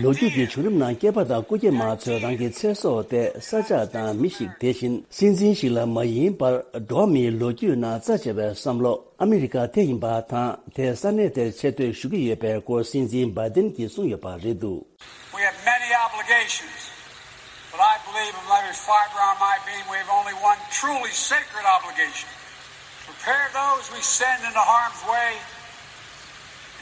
ལོ་རྒྱུས་ཀྱི་བྱུང་རིམ་ནང་སྐྱེས་པ་དང་སྐུ་སྐྱེས་མ་ཚོས་རང་གི་ཚེ་སྲོག་དེ་ས་ཆ་དང་མི་ཞིག་དེ་བཞིན་སྲིད་འཛིན་ཞིག་ལ་མ་ཡིན་པར། འགྲོ་བ་མིའི་ལོ་རྒྱུས་ནང་རྩ་ཆེ་བའི་བསམ་བློ་ཨ་མི་རི་ཀ་དེ་ཡིན་པ་དང་། དེས་ས་གནས་དེར་ཆེ་བསྟོད་ཞུ་གི་ཡོད་པའི་སྐོར་སྲིད་འཛིན་བྷའི་ཏིན་གྱིས་གསུངས་ཡོད་པ་རེད་འདུག། We have many obligations, but I believe of every fiber on my being, we have only one truly sacred obligation. Prepare those we send into harm's way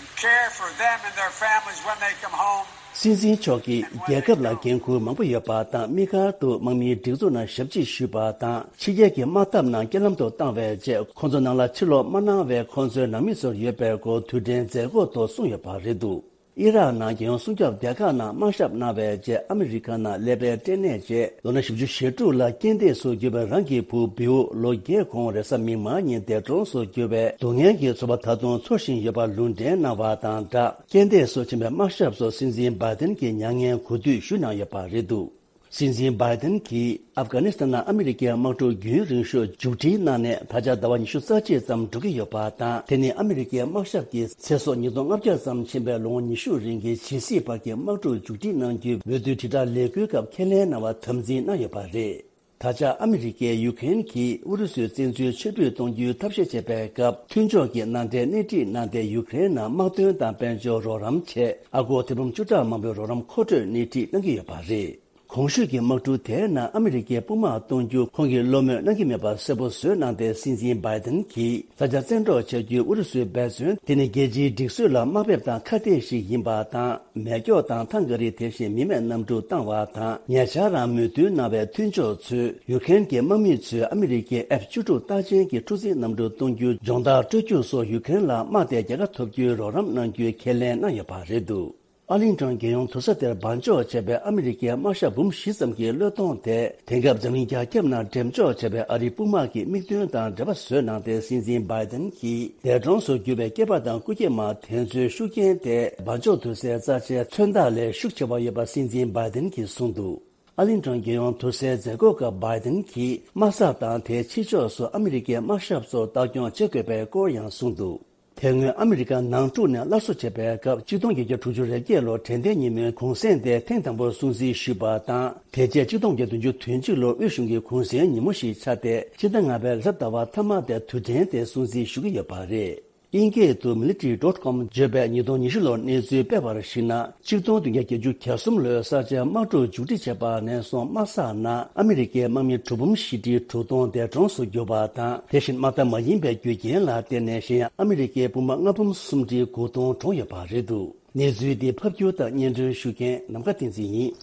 and care for them and their families when they come home. སྲིད་འཛིན་མཆོག་གིས་རྒྱལ་ཁབ་ལ་འགན་འཁུར་མང་པོ་ཡོད་པ་དང་། དམིགས་བཀར་དུ་དམག་མིའི་སྒྲིག་འཛུགས་ནང་ཞབས་ཕྱི་ཞུས་པ་དང་། ཕྱི་རྒྱལ་གྱི་དམག་འཐབ་ནང་རྐྱེན་ལམ་དུ་བཏང་བའི་རྗེས། ཁོང་ཚོ་ནང་ལ་ཕྱིར་ལོག་མ་གནང་བའི་ཁོང་ཚོའི་ནང་མི་ཚོར་ཡོད་པའི་སྐོར་དུས་དྲན་མཛད་སྒོ་ཐོག་གསུངས་ཡོད་པ་རེད་འདུག། ཨི་རག་ནང་རྒྱལ་ཡོངས་སྲུང་སྐྱོབ་སྡེ་ཁག་ནང་དམག་ཞབས་གནང་བའི་རྗེས། ཨ་མི་རི་ཀ་ནང་ཀླད་པའི་སྐྲན་ནད་བཅས་ལོ་ན་བཞི་བཅུ་ཞེ་དྲུག་ལ་རྐྱེན་འདས་སུ་གྱུར་པའི་རང་གི་བུ་བིའུ་ལོ་བརྒྱད་གོང་རེས་གཟའ་མིག་དམར་ཉིན་འདས་གྲོངས་སུ་གྱུར་བའི་སྡུག་བསྔལ་གྱི་ཚོར་བ་ད་དུང་ཚོར་བཞིན་ཡོད་པ་ལུང་འདྲེན་གནང་བ་དང་སྦྲགས། རྐྱེན་འདས་སུ་ཕྱིན་པའི་དམག་ཞབས་ཚོར་སྲིད་འཛིན་བྷའི་ཏིན་གྱིས་མྱ་ངན་གུས་འདུད་ཞུས་གནང་ཡོད་པ་རེད་འདུག། སྲིད་འཛིན་བྷའི་ཏིན་གྱིས་ཨབ་གྷ་ནི་སི་ཐན་ནང་ཨ་མི་རི་ཀའི་དམག་འཁྲུག་རྒྱུན་རིང་ཤོས་མཇུག་སྒྲིལ་གནང་ནས་ད་ཆ་ཟླ་བ་ཉི་ཤུ་རྩ་གཅིག་ཙམ་འགྲོ་གི་ཡོད་པ་དང་། དེ་ནི་ཨ་མི་རི་ཀའི་དམག་ཞབས་ཀྱིས་ཚེ་སྲོག་ཉིས་སྟོང་ལྔ་བརྒྱ་ཙམ་ཕྱིན་པའི་ལོ་ངོ་ཉི་ཤུ་རིང་གི་ཇི་སི་བར་གྱི་དམག་འཁྲུག་མཇུག་སྒྲིལ་གནང་རྒྱུའི་འོས་བསྡུའི་དྲིལ་བསྒྲགས་ལས་འགུལ་སྐབས་ཁས་ལེན་གནང་བ་དམ་འཛིན་གནང་ཡོད་པ་རེད། ད་ཆ་ཨ་མི་རི་ཀས་ཡུ་ཀེ་རེན་གྱིས་ཨུ་རུ་སུའི་བཙན་འཛུལ་ཕྱིར་འབུད་གཏོང་རྒྱུའི་ཐབས་ཤེས་བྱེད་པའི་སྐབས། མཐུན་ཕྱོགས་ཀྱི་མནའ་འབྲེལ་སྣེ་ཁྲིད་གནང་སྟེ། ཡུ་ཀེ་རེན་ནང་དམག་དོན་དང་དཔལ་འབྱོར་རོགས་རམ་ཆེད་ཨ་སྒོར་ཐེར་འབུམ་བཅུ་ཕྲག་མང་པོའི་རོགས་རམ་མཁོ་སྤྲོད་སྣེ་ཁྲིད་གནང་གི་ཡོད་པ་རེད། གོང་ཞུས་ཀྱི་དམག་འཁྲུག་དེའི་ནང་ཨ་མི་རི་ཀའི་དཔུང་དམག་གཏོང་རྒྱུ་ཁོང་གིས་བློ་མོས་གནང་གི་མེད་པ་གསལ་པོ་བཟོས་གནང་སྟེ། སྲིད་འཛིན་བྷའི་ཏིན་གྱིས་ས་ཆ་བཙན་འཕྲོག་བྱ་རྒྱུའི་ཨུ་རུ་སུའི་འབད་བརྩོན་དེ་ནི་རྒྱལ་སྤྱིའི་སྒྲིག་སྲོལ་ལ་དམའ་འབེབས་དང་ཁ་གཏད་ཞིག་ཡིན་པ་དང་། མེ་སྒྱོགས་དང་ཐང་ག་རི་དེ་བཞིན་མི་མེད་གནམ་གྲུ་བཏང་བ་དང་། ཉེ་ཆར་རང་མོས་མཐུན་གནང་བའི་མཐུན་ཕྱོགས་ཚོས་ཡུ་ཀེ་རེན་གྱི་དམག་མི་ཚོས་ཨ་མི་རི་ཀའི་ཨེཕ་བཅུ་དྲུག་རྟགས་ཅན་གྱི་འཁྲུག་འཛིང་གནམ་གྲུ་གཏོང་རྒྱུའི་སྦྱོང་བརྡར་སྤྲོད་རྒྱུ་སོགས་ཡུ་ཀེ་རེན་ལ་དམག་དེ་རྒྱལ་ཁ་ཐོབ་རྒྱུའི་རོགས་རམ་གནང་རྒྱུའི་ཁས་ལེན་གནང་ཡོད་པ་རེད་འདུག། ཨར་ལིང་ཊོན་རྒྱལ་ཡོངས་དུར་ས་དེར་འབར་འཇོག་བྱས་པའི་ཨ་མི་རི་ཀའི་དམག་ཞབས་འབུམ་བཞི་ཙམ་གྱི་གློད་གཏོང་དེ། དེང་སྐབས་འཛམ་གླིང་རྒྱ་ཁྱབ་ནང་འགྲེམས་འཇོག་བྱས་པའི་ཨ་རིའི་དཔུང་དམག་གི་དམིགས་དོན་དང་འབྲེལ་བ་བཟོས་གནང་སྟེ། སྲིད་འཛིན་བྷའི་ཏིན་གྱིས་འདས་གྲོངས་སུ་གྱུར་པའི་སྐྱེས་པ་དང་སྐུ་སྐྱེས་མ་དེ་ཚོའི་ཤུགས་རྐྱེན་དེ་འབར་འཇོག་དུར་སའི་རྩ་ཆེའི་མཚོན་རྟགས་ལས་ཤུགས་ཆེ་བ་ཡོད་པ་སྲིད་འཛིན་བྷའི་ཏིན་གྱིས་གསུངས་འདུག། ཨར་ལིང་ཊོན་རྒྱལ་ཡོངས་དུར་སའི་མཛད་སྒོ་སྐབས་བྷའི་ཏིན་གྱིས་དམག་ས་དང་དེའི་ཕྱི་ཕྱོགས་སུ་ཨ་མི་རི་ཀའི་དམག་ཞབས་ཚོར་ལྟ་སྐྱོང་བྱེད་དགོས་པའི་སྐོར་ཡང་གསུངས་འདུག། དེ་སྔོན་ཨ་མི་རི་ཀ་ནང་འཁྲུག་ནས་སླར་གསོ་བྱེད་པའི་སྐབས། གཅིག་སྟོང་བརྒྱད་བརྒྱ་དྲུག་ཅུ་རེ་བརྒྱད་ལོར་དྲན་རྟེན་ཉིན་མོའི་གུང་སེང་དེ་ཐེངས་དང་པོར་སྲུང་བརྩི་ཞུས་པ་དང་། དེ་རྗེས་གཅིག་སྟོང་བརྒྱད་བརྒྱ་བདུན་ཅུ་དོན་གཅིག་ལོར་དབུས་གཞུང་གི་གུང་སེང་ཉིན་མོ་ཞིག་ཆགས་ཏེ། ཕྱི་ཟླ་ལྔ་པའི་རེས་གཟའ་ཟླ་བ་མཐའ་མ་དེར་དུས་དྲན་དེ་སྲུང་བརྩི་ཞུ་གི་ཡོད་པ་རེད། དབྱིན་སྐད་དུ་military dot com བརྗོད་པས་ཉིས་སྟོང་ཉི་ཤུ་ལོར་གནས་ཚུལ་སྤེལ་བར་གཞིགས་ན། གཅིག་སྟོང་བདུན་བརྒྱ་བརྒྱད་ཅུ་གྱ་གསུམ་ལོའི་གསར་བརྗེའི་དམག་འཁྲུག་མཇུག་སྒྲིལ་བྱས་པ་ནས་བཟུང་། དམག་ས་ནང་ཨ་མི་རི་ཀའི་དམག་མི་དྲུག་འབུམ་བཞི་ཁྲི་དྲུག་སྟོང་འདས་གྲོངས་སུ་གྱུར་པ་དང་། དེ་བཞིན་དམག་འཐབ་མ་ཡིན་པའི་རྒྱུ་རྐྱེན་ལ་བརྟེན་ནས་གཞན་ཡང་ཨ་མི་རི་ཀའི་དཔུང་དམག་ལྔ་འབུམ་སུམ་ཁྲི་དགུ་སྟོང་གྲོངས་ཡོད་པ་རེད་འདུག། གནས་ཚུལ་འདི་ཕབ་སྒྱུར་དང་སྙན་སྒྲོན་ཞུ་མཁན་ནམ་མཁའ་བསྟན་འཛིན་ཡིན།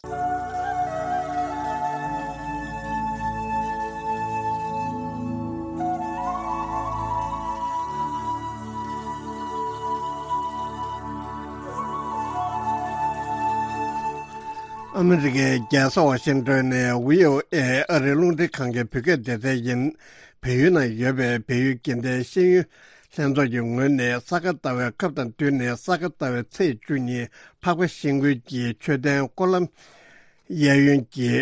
ཨ་མི་རི་ཀའི་རྒྱལ་ས་ཝ་ཤིང་ཏོན་ནས་བྷི་ཨོ་ཨེ་ཨ་རིའི་རླུང་འཕྲིན་ཁང་གི་བོད་སྐད་སྡེ་ཚན་ཡིན། བལ་ཡུལ་ནང་ཡོད་པའི་བལ་ཡུལ་དགེ་ལྡན་ཤེས་ཡོན་ལྷན་ཚོགས་ཀྱི་ངོས་ནས་ས་ག་ཟླ་བའི་སྐབས་དང་བསྟུན་ནས་ས་ག་ཟླ་བའི་ཚེས་བཅུ་གཉིས་འཕགས་པ་ཤིང་ཀུན་གྱི་མཆོད་རྟེན་སྐོར་ལམ་གཡས་གཡོན་གྱི་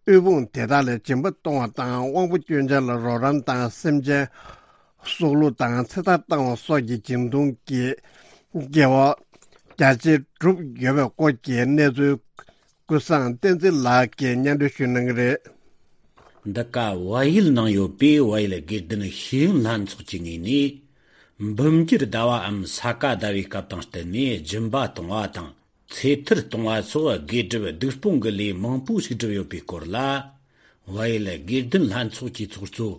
དབུལ་ཕོངས་དེ་དག་ལ་སྦྱིན་པ་གཏོང་བ་དང་། དབང་པོ་སྐྱོན་ཅན་ལ་རོགས་རམ་དང་། སེམས་ཅན་སྲོག་བླུ་དང་ཚེ་ཐར་བཏང་བ་སོགས་ཀྱི་སྦྱིན་གཏོང་གི་དགེ་བ་རྒྱ་ཆེར་བསྒྲུབས་ཡོད་པའི་སྐོར་གྱི་གནས་ཚུལ། ཀུན་བཟང་བསྟན་འཛིན་ལགས་ཀྱིས་སྙན་སྒྲོན་ཞུ་གནང་གི་རེད། འདི་ག་བལ་ཡུལ་ནང་ཡོད་པའི་བལ་ཡུལ་དགེ་ལྡན་ཤེས་ཡོན་ལྷན་ཚོགས་ཀྱི་ངོས་ནས། འབུམ་འགྱུར་ཟླ་བའམ་ས་ག་ཟླ་བའི་སྐབས་དང་བསྟུན་ནས་སྦྱིན་པ་གཏོང་བ་དང་། ཚེ་ཐར་གཏོང་བ་སོགས་དགེ་སྒྲུབ་སྡིག་སྤོང་གི་ལས་མང་པོ་ཞིག་བསྒྲུབས་ཡོད་པའི་སྐོར་ལ། བལ་ཡུལ་དགེ་ལྡན་ལྷན་ཚོགས་ཀྱི་ཚོགས་གཙོ་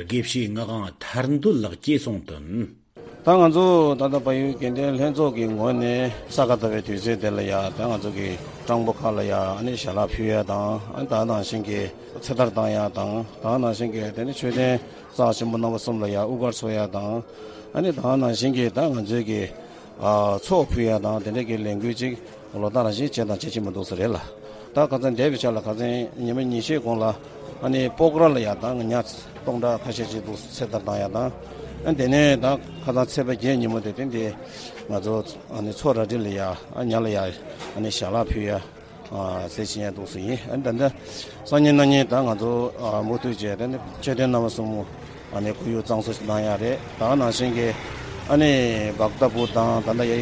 དགེ་བཤེས་ངག་དབང་ཐར་འདོད་ལགས་ཀྱིས་གསུངས་དོན། ད་ང་ཚོ་ད་ལྟ་བལ་ཡུལ་དགེ་ལྡན་ལྷན་ཚོགས་ཀྱི་ངོས་ནས་ས་ག་ཟླ་བའི་དུས་ཚོད་དེ་ལ་ཡ། ད་ང་ཚོ་གི་སྤྲང་པོ་ཁག་ལ་ཡ་ཨ་ནི་ཞལ་ལག་ཕུལ་ཡ་དང་། ཨ་ནི་ད་ནང་བཞིན་གྱི་ཚེ་ཐར་བཏང་ཡ་དང་། ད་ནང་བཞིན་གྱི་དེ་ནི་མཆོད་རྟེན་རྩ་ཆེན་པོ་རྣམ་པ་གསུམ་ལ་ཡ་དབུ་སྐར་འཚོགས་ཡ་དང་། ཨ་ནི་ད་ནང་བཞིན་གྱི་ད་ང་ཚོའི་གི་ཨ་ཚོགས་ཕུལ་ཡ་དང་། དེ་འདྲ་གི་ལས་འགུལ་ཅིག་ལོ་ལྟར་རང་བཞིན་བྱས་དང་བྱེད་ཀྱི་མི་འདུག་ས་རེད་ལ། ད་ཁ་སང་འདས་པའི་ཆར་ལ་ཁ་སང་ཉི་མ་ཉི་ཤུའི་གོང་ལ་ཨ་ནི་སྤོག་ར་ལ་ཡ་ད་ཉ་སྟོང་ཕྲག་ཁ་ཤས་ཅིག་འདུག་ཚེ་ཐར་བཏང་ཡ་དང་། ཨ་དེ་ནས་ད་ཁ་སང་ཚེས་པ་བརྒྱད་ཉིན་མོ་དེ་སྟེང་དེ་ང་ཚོ་ཨ་ནི་མཚོ་རལ་གྲི་ལ་ཡ་ཨ་ཉ་ལ་ཡ་ཨ་ནི་ཞལ་ལག་ཕུལ་ཡ་ཨ་ཟེར་བྱེད་ཡ་འདུག་སེ་ཡིན། ཨ་ད་ལྟ་སང་ཉིན་གནངས་ཉིན་ད་ང་ཚོ་ཨ་མུ་མཐུད་བྱས་ཏེ་ནི་མཆོད་རྟེན་རྣམ་པ་གསུམ་ཨ་ནི་ཁོར་ཡུག་གཙང་བཟོ་ཞིག་གནང་ཡ་རེད། ད་ནང་བཞིན་གྱི་ཨ་ནི་བག་ཏ་པུར་དང་ད་ལྟ་ཡ་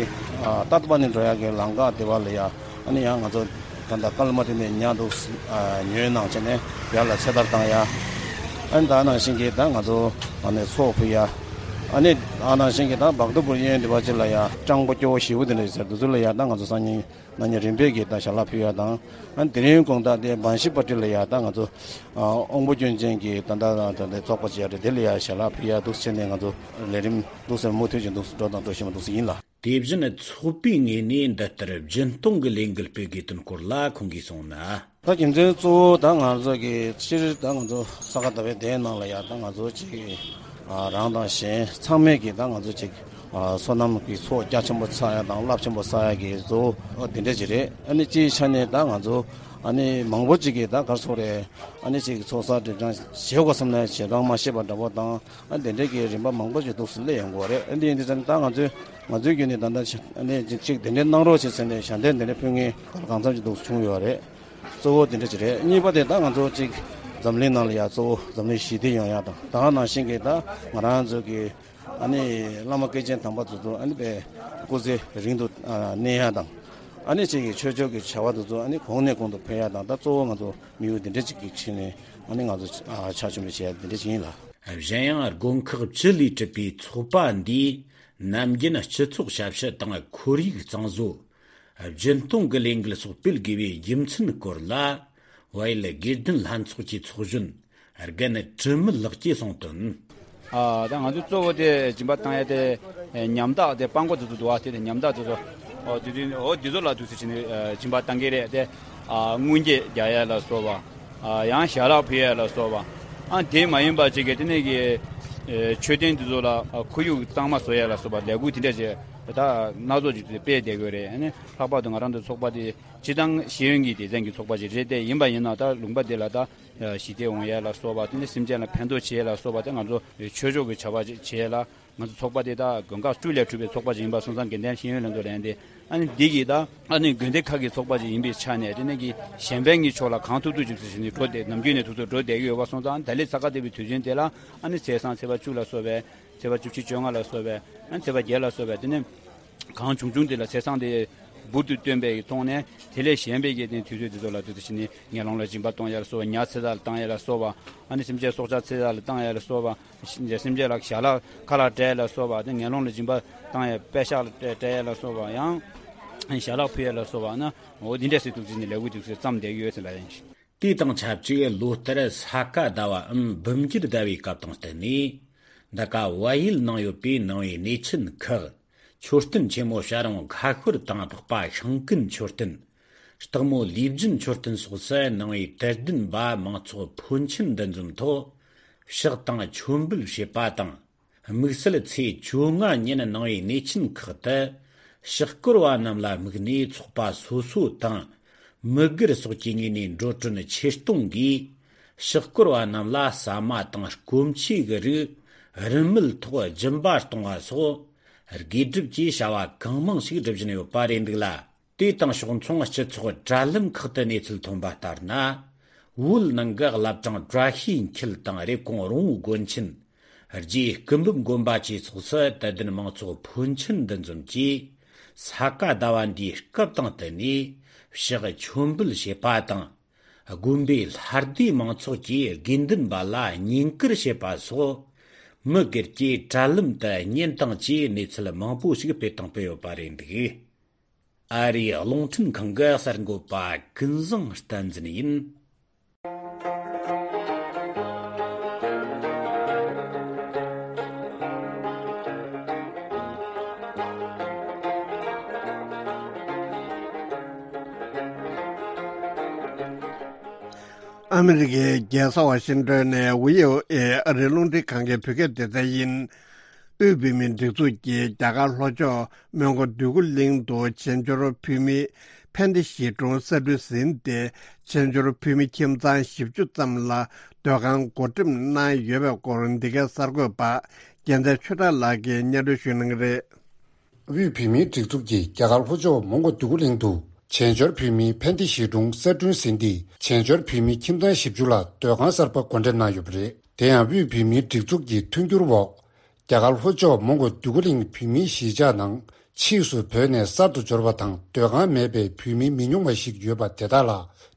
ཨ་ཏ་ཏ་པ་ནི་འགྲོ་ཡ་གི་ལམ་ཁ་དེ་བ་ལ་ཡ་ཨ་ནི་ཡང་ང་ཚོ་ད་ལྟ་ཀལ་མ་དེ་ནས་ཉ་འདུག་ཨ་ཉོས་གནང་བྱས་ནས་ཡར་ལ་ཚེ་ཐར་བཏང་ཡ། ཨ་ནི་ད་ནང་བཞིན་གྱི་ད་ང་ཚོ་ཨ་ནི་ཚོགས་ཕུལ་ཡ། ཨ་ནི་ད་ནང་བཞིན་གྱི་ད་བག་ཏ་པུར་གཡས་གཡོན་དེ་བ་ཅིག་ལ་ཡ་སྤྲང་པོ་སྐྱོ་བོ་ཞེ་པོ་དེ་འདྲ་ཡོད་ས་རེད། དེ་ཚོ་ལ་ཡ་ད་ང་ཚོ་སང་ཉིན་ན་ནི་རིམ་པས་ཀྱིས་ད་ཞལ་ལག་ཕུལ་ཡ་དང་། ཨ་དེ་རིང་དགོང་དག་དེ་བན་ཤི་པ་ཏི་ལ་ཡ་ད་ང་ཚོ་ཨ་དབང་པོ་སྐྱོན་ཅན་གྱི་ད་ལྟ་ད་ལྟ་ཚོགས་པ་ཅིག་ཡ་རེད། དེ་ལ་ཡ་ཞལ་ལག་ཕུལ་ཡ་འདུག་བྱས་ནས་ང་ཚོ་ལས་རིམ་འདུག་སེ་མུ་མཐུད་ཅིག་འདུག་སེ་འགྲོ་དང་འགྲོ་བཞིན་པ་འདུག་སེ་ཡིན་ལ། དེ་བཞིན་ཚོགས་པའི་ངོས་ནས་འདི་ལྟར་སྦྱིན་གཏོང་གི་ལས་འགུལ་སྤེལ་དགོས་དོན་སྐོར་ལ་ཁོང་གིས་གསུངས་ན། ད་རྒྱུ་མཚན་གཙོ་བོ་ད་ང་ཚོ་གི་སྤྱིར་ད་ང་ཚོ་ས་ག་ཟླ་བའི་དེའི་ནང་ལ་ཡ་ད་ང་ཚོ་ཅིག་ཨ་རང་དང་གཞན་ཚང་མས་ཀྱི་ད་ང་ཚོ་ཅིག་ཨ་བསོད་ནམས་ཀྱི་ཚོགས་རྒྱ་ཆེན་པོ་བསགས་ཡ་དང་རླབས་ཆེན་པོ་བསགས་ཡ་གི་གཙོ་བོ་འོ་དེ་འདྲ་ཅིག་རེད། ཨ་ནི་སྤྱིའི་ཆ་ནས་ད་ང་ཚོ་ཨ་ནི་མང་པོ་ཅིག་གིས་ད་ག་རེ་ཟེར་དགོས་རེད། ཨ་ནི་ཅིག་ཚོགས་བསགས་སྒྲིབ་སྦྱང་བྱེད་དགོས་བསམ་ནས་བྱེད་སྟངས་མ་ཤེས་པ་འདྲ་པོ་དང་། ཨ་དེ་འདྲ་གི་རིམ་པ་མང་པོ་ཅིག་འདུག་སེ་སླེབས་ཡོང་གི་ཡོད་རེད། ཨ་འདི་ཡིན་དུས་ཙང་ད་ང་ཚོས་ང་ཚོའི་བརྒྱུད་ནས་ད་ལྟ་ཨ་ནི་ཅིག་དེ་འདྲ་གནང་རོགས་བྱེད་ཟེར་ནས་ཞལ་འདེབས་དེ་འདྲ་ཕུལ་མཁན་གང་འཚམ་ཅིག་འདུག་སེ་བྱུང་ཡོད་རེད། གཙོ་བོ་དེ་འདྲ་ཅིག་རེད། གཉིས་པ་དེ་ད་ང་ཚོ་ཅིག་འཛམ་གླིང་ནང་ལ་ཡ་གཙོ་བོ་འཛམ་གླིང་ཞི་བདེ་ཡོང་ཡ་དང་། ད་ག་ནང་བཞིན་གྱི་ད་ང་རང་ཚོ་གི་ཨ་ནི་བླ་མ་སྐྱེས་ཆེན་དམ་པ་ཚོ་ཚོ་ཨ་ནི་དཔེ་སྐུ་ཚེ་རིང་དུ་ཨ་གནས་ཡ་དང་། ཨ་ནི་ཅིག་གི་ཆོས་ཕྱོགས་ཀྱི་བྱ་བ་དེ་ཚོ་ཨ་ནི་གོང་ནས་གོང་དུ་འཕེལ་ཡ་དང་། ད་གཙོ་བོ་ང་ཚོ་དམིགས་ཡུལ་དེ་འདྲ་ཅིག་གི་ཆེད་ནས་ཨ་ནི་ང་ཚོ་ཨ་ཕྱག་མཆོད་འབུལ་བྱེད་ཡ་དེ་འདྲ་ཅིག་ཡིན་ལ། གཞན་ཡང་དགོན་ཁག་བཅུ་ལས་གྲུབ་པའི་ཚོགས་པ་འདིས་ནམ་རྒྱུན་སྤྱི་ཚོགས་ཞབས་ཞུ་དང་ཁོར་ཡུག་གཙང་བཟོ། སྦྱིན་གཏོང་གི་ལས་འགུལ་སོགས་སྤེལ་དགོས་པའི་རྒྱུ་མཚན་སྐོར་ལ། བལ་ཡུལ་དགེ་ལྡན་ལྷན་ཚོགས་ཀྱི་ཚོགས་གཞོན་རྒན་དྲི་མེད་ལགས་ཀྱིས་གསུངས་དོན། ཨ་ད་ང་ཚོ་གཙོ་བོ་དེ་སྦྱིན་པ་བཏང་ཡ་དེ་ཉམ་ཐག་དེ་སྤྲང་པོ་དེ་ཚོ་འདུག་བ། དེ་དེ་ཉམ་ཐག་དེ་ཚོ་ཨོ་དེ་དེ་ཨོ་དེ་ཚོ་ལ་དུས་ཚོད་བྱས་ནས་སྦྱིན་པ་བཏང་གི་རེད་དེ། ཨ་སྔོན་སྐྱེལ་རྒྱག་ཡ་ལ་སོགས་པ། ཨ་ཡང་ཞལ་ལག་ཕུལ་ཡ་ལ་སོགས་པ། ཨ་དེ་མ་ཡིན་པ་ཅིག་གི་དེ་ནས་ཀྱི་ཨེ་མཆོད་རྟེན་དེ་ཚོ་ལ་ཨ་ཁོར་ཡུག་གཙང་མ་བཟོ་ཡ་ལ་སོགས་པ་ལས་འགུལ་དེ་འདྲ་ཅིག་ད་སྣ་ཚོགས་ཅིག་དེ་སྤེལ་བསྡད་དགོས་རེད། ཨ་ནི་ལྷག་པར་དུ་ང་རང་ཚོ་ཚོགས་པ་དེ་སྤྱིར་བཏང་ཤེས་ཡོན་གྱི་སྡེ་ཚན་གྱི་ཚོགས་པ་ཅིག་རེད། དེ་ཡིན་པ་ཡིན་ན་ད་ལུང་པ་དེ་ལ་ད་ཞི་བདེ་འོང་ཡ་ལ་སོགས་པ། དེ་ནས་སེམས་ཅན་ལ་ཕན་ཐོགས་བྱེད་ཡ་ལ་སོགས་པ། དེ་ང་ཚོ་ཆོས་ཕྱོགས་ཀྱི་བྱ་བ་ཅིག་བྱེད་ཡ་ལ། ང་ཚོ་ཚོགས་པ་དེ་དག་དགོན་ཁག་བཅུ་ལས་གྲུབ་པའི་ཚོགས་པ་ཅིག་ཡིན་པ་སོང་ཙང་། དགེ་ལྡན་ཤེས་ཡོན་ལྷན་ཚོགས་ལབ་ཡ་དེ་ཨ་ནི་འདི་གིས་ད་ཨ་ནི་དགོན་སྡེ་ཁག་གི་ཚོགས་པ་ཅིག་ཡིན་པའི་ཆ་ནས། དེ་ནས་ཀྱི་གཞན་ཕན་གྱི་ཕྱོགས་ལ་གང་ཐུབ་ཐུབ་ཅིག་ཟེར་བཞིན་འགྲོ་བསྡད། ནམ་རྒྱུན་ནས་དུས་ཚོད་འགྲོ་བསྡད་ཀྱི་ཡོད་པ་སོང་ཙང་། ད་ལོའི་ས་ག་ཟླ་བའི་དུས་ཆེན་དེ་ལ་ཨ་ནི་ཚེས་བཟང་ཚེས་པ་བཅུ་ལ་སོགས་པའི། ཚེས་པ་བཅུ་གཅིག་བཅོ་ལྔ་ལ་སོགས་པའི། ཨ་ནི་ཚེས་པ་བརྒྱད་ལ་སོགས་པའི། དེ་ནས་གང་བྱུང་བྱུང་དེ་ལ་ཚེས་བཟང་དེ་འབུར་དུ་བཏོན་པའི་ཐོག་ནས། དེ་ལས་གཞན་པའི་གི་དེ་དུས་ཚོད་དེ་ཚོ་ལ་དུས་ཚོད་བྱས་ནས་ངན་སློང་ལ་སྦྱིན་པ་གཏོང་ཡ་ལ་སོགས་པ། ཉ་ཚེ་ཐར་ལ་བཏང་ཡ་ལ་སོགས་པ། ཨ་ནི་སེམས་ཅན་སྲོག་ཆགས་ཚེ་ཐར་ལ་བཏང་ཡ་ལ་སོགས་པ། སེམས་ཅན་ལ་ཞལ་ལག་ཁ་ལག་སྤྲད་ཡ་ལ་སོགས་པ། དེ་ངན་སློང་ལ་སྦྱིན་པ་བཏང་ཡ་པད་ཤག་ལ་སྤྲད་སྤྲད་ཡ་ལ་སོགས་པ། ཡང་ཞལ་ལག་ཕུལ་ཡ་ལ་སོགས་པ། ཨ་ནི་འོ་འདི་འདྲ་ཟེར་དུས་ཚོད་ནས་ལས་འགུལ་དུས་ཚོད་བརྩམས་བསྡད་ཡོད་ཟེར་ལ་ཡིན། དེ་དང་ཆབས་ཅིག་ལོ་ལྟར་ས་ག་ཟླ་བའམ་འབུམ་འགྱུར་ཟླ་བའི་སྐབས་དང་བསྟུན་ནས། འདི་ག་བལ་ཡུལ་ནང་ཡོད་པའི་ནང་པའི་གནས་ཆེན་ཁག་མཆོད་རྟེན་ཆེན་མོ་བྱ་རུང་ཁ་ཤོར་དང་འཕགས་པ་ཤིང་ཀུན་མཆོད་རྟེན། སྟག་མོ་ལུས་སྦྱིན་མཆོད་རྟེན་སོགས་སུ་ནང་པའི་དད་ལྡན་པ་མང་ཚོགས་ཕོན་ཆེན་འདུ་འཛོམས་ཐོག་ཕྱག་དང་མཆོད་འབུལ་བྱེད་པ་དང་། དམིགས་བསལ་ཚེས་བཅོ་ལྔ་ཉིན་ནང་པའི་གནས་ཆེན་ཁག་ཏུ་ཕྱག་སྐོར་བ་རྣམས་ལ་དམིགས་ནས་ཚོགས་པ་སོ་སོ་དང་ མི་སྒེར་སོགས་ཀྱི་ངོས་ནས་འགྲོ་གྲོན་ཆེད་གཏོང་གིས་ཕྱག་སྐོར་བ་རྣམས་ལ་ཟ་མ་དང་སྐོམ་ཆུ་གི་རིགས་རིན་མེད་ཐོག་སྦྱིན་པ་གཏོང་བ་སོགས། དགེ་སྒྲུབ་ཀྱི་བྱ་བ་གང་མང་ཞིག་སྒྲུབ་བཞིན་ཡོད་པ་རེད་འདུག་ལ། དེ་དང་ཕྱོགས་མཚུངས་སྤྱི་ཚོགས་དྲ་ལམ་ཁག་ཏུ་གནས་ཚུལ་ཐོན་པ་ལྟར་ན། བོད་ནང་གི་བླ་བྲང་བཀྲ་ཤིས་འཁྱིལ་དང་རེབ་གོང་རོང་བོ་དགོན་ཆེན། རྗེ་སྐུ་འབུམ་དགོན་པ་བཅས་སོགས་སུ་དད་ལྡན་མང་ཚོགས་ཕོན་ཆེན་འདུ་འཛོམས་ཀྱིས། ས་ག་ཟླ་བ་འདིའི་སྐབས་དང་བསྟུན་ནས་ཕྱག་མཆོད་འབུལ་བྱེད་པ་དང་། དགོན་པའི་ལྷ་སྡེའི་མང་ཚོགས་ཀྱིས་དགེ་འདུན་པ་ལ་བསྙེན་བཀུར་བྱེད་པ་སོགས། མི་སྒེར་གྱིས་དྲ་ལམ་དུ་བརྙན་དང་བཅས་གནས་ཚུལ་མང་པོ་ཞིག་སྤེལ་དང་སྤེལ་ཡོད་པ་རེད་འདུག། ཨ་རིའི་རླུང་འཕྲིན་ཁང་གི་གསར་འགོད་པ་ཀུན་བཟང་བསྟན་འཛིན་ཡིན། ཨ་མི་རི་ཀའི་རྒྱལ་ས་ཝ་ཤིང་ཏོན་ནས་བྷི་ཨོ་ཨེ་ཨ་རིའི་རླུང་འཕྲིན་ཁང་གི་བོད་སྐད་སྡེ་ཚན་ཡིན། དབུས་བོད་མིའི་སྒྲིག་འཛུགས་ཀྱིས་རྒྱ་གར་ལྷོ་ཕྱོགས་མོན་གྷོ་འདོད་རྒུ་གླིང་དུ་བྱེས་འབྱོར་བོད་མི་ཕན་བདེ་གཞིས་གྲོང་གསར་སྐྲུན་ཟིན་ཏེ། བྱེས་འབྱོར་བོད་མི་ཁྱིམ་ཚང་བཞི་བཅུ་ཙམ་ལ་སྡོད་ཁང་བགོ་འགྲེམས་གནང་ཡོད་པའི་སྐོར། འདི་གའི་གསར་འགོད་པ་རྒྱལ་མཚན་ཆོས་གྲགས་ལགས་ཀྱིས་སྙན་སྒྲོན་ཞུ་གནང་གི་རེད། དབུས་བོད་མིའི་སྒྲིག་འཛུགས་ཀྱིས་རྒྱ་གར་ལྷོ་ཕྱོགས་མོན་གྷོ་འདོད་རྒུ་གླིང་དུ་བྱེས་འབྱོར་བོད་མིའི་ཕན་བདེ་གཞིས་གྲོང་གསར་སྐྲུན་ཟིན་ཏེ། བྱེས་འབྱོར་བོད་མི་ཁྱིམ་ཚང་བཞི་བཅུ་ལ་སྡོད་ཁང་གསར་པ་བགོ་འགྲེམས་གནང་ཡོད་པ་རེད། དེ་ཡང་དབུས་བོད་མིའི་སྒྲིག་འཛུགས་ཀྱི་མཐུན་འགྱུར་འོག་རྒྱ་གར་ལྷོ་ཕྱོགས་མོན་གྷོ་འདོད་རྒུ་གླིང་བོད་མིའི་གཞིས་ཆགས་ནང་ཕྱིས་སུ་བོད་ནས་གསར་དུ་འབྱོར་བ་དང་སྡོད་ཁང་མེད་པའི་བོད་མི་མི་ཉུང་བ་ཞིག་ཡོད་པ་དེ་དག་ལ་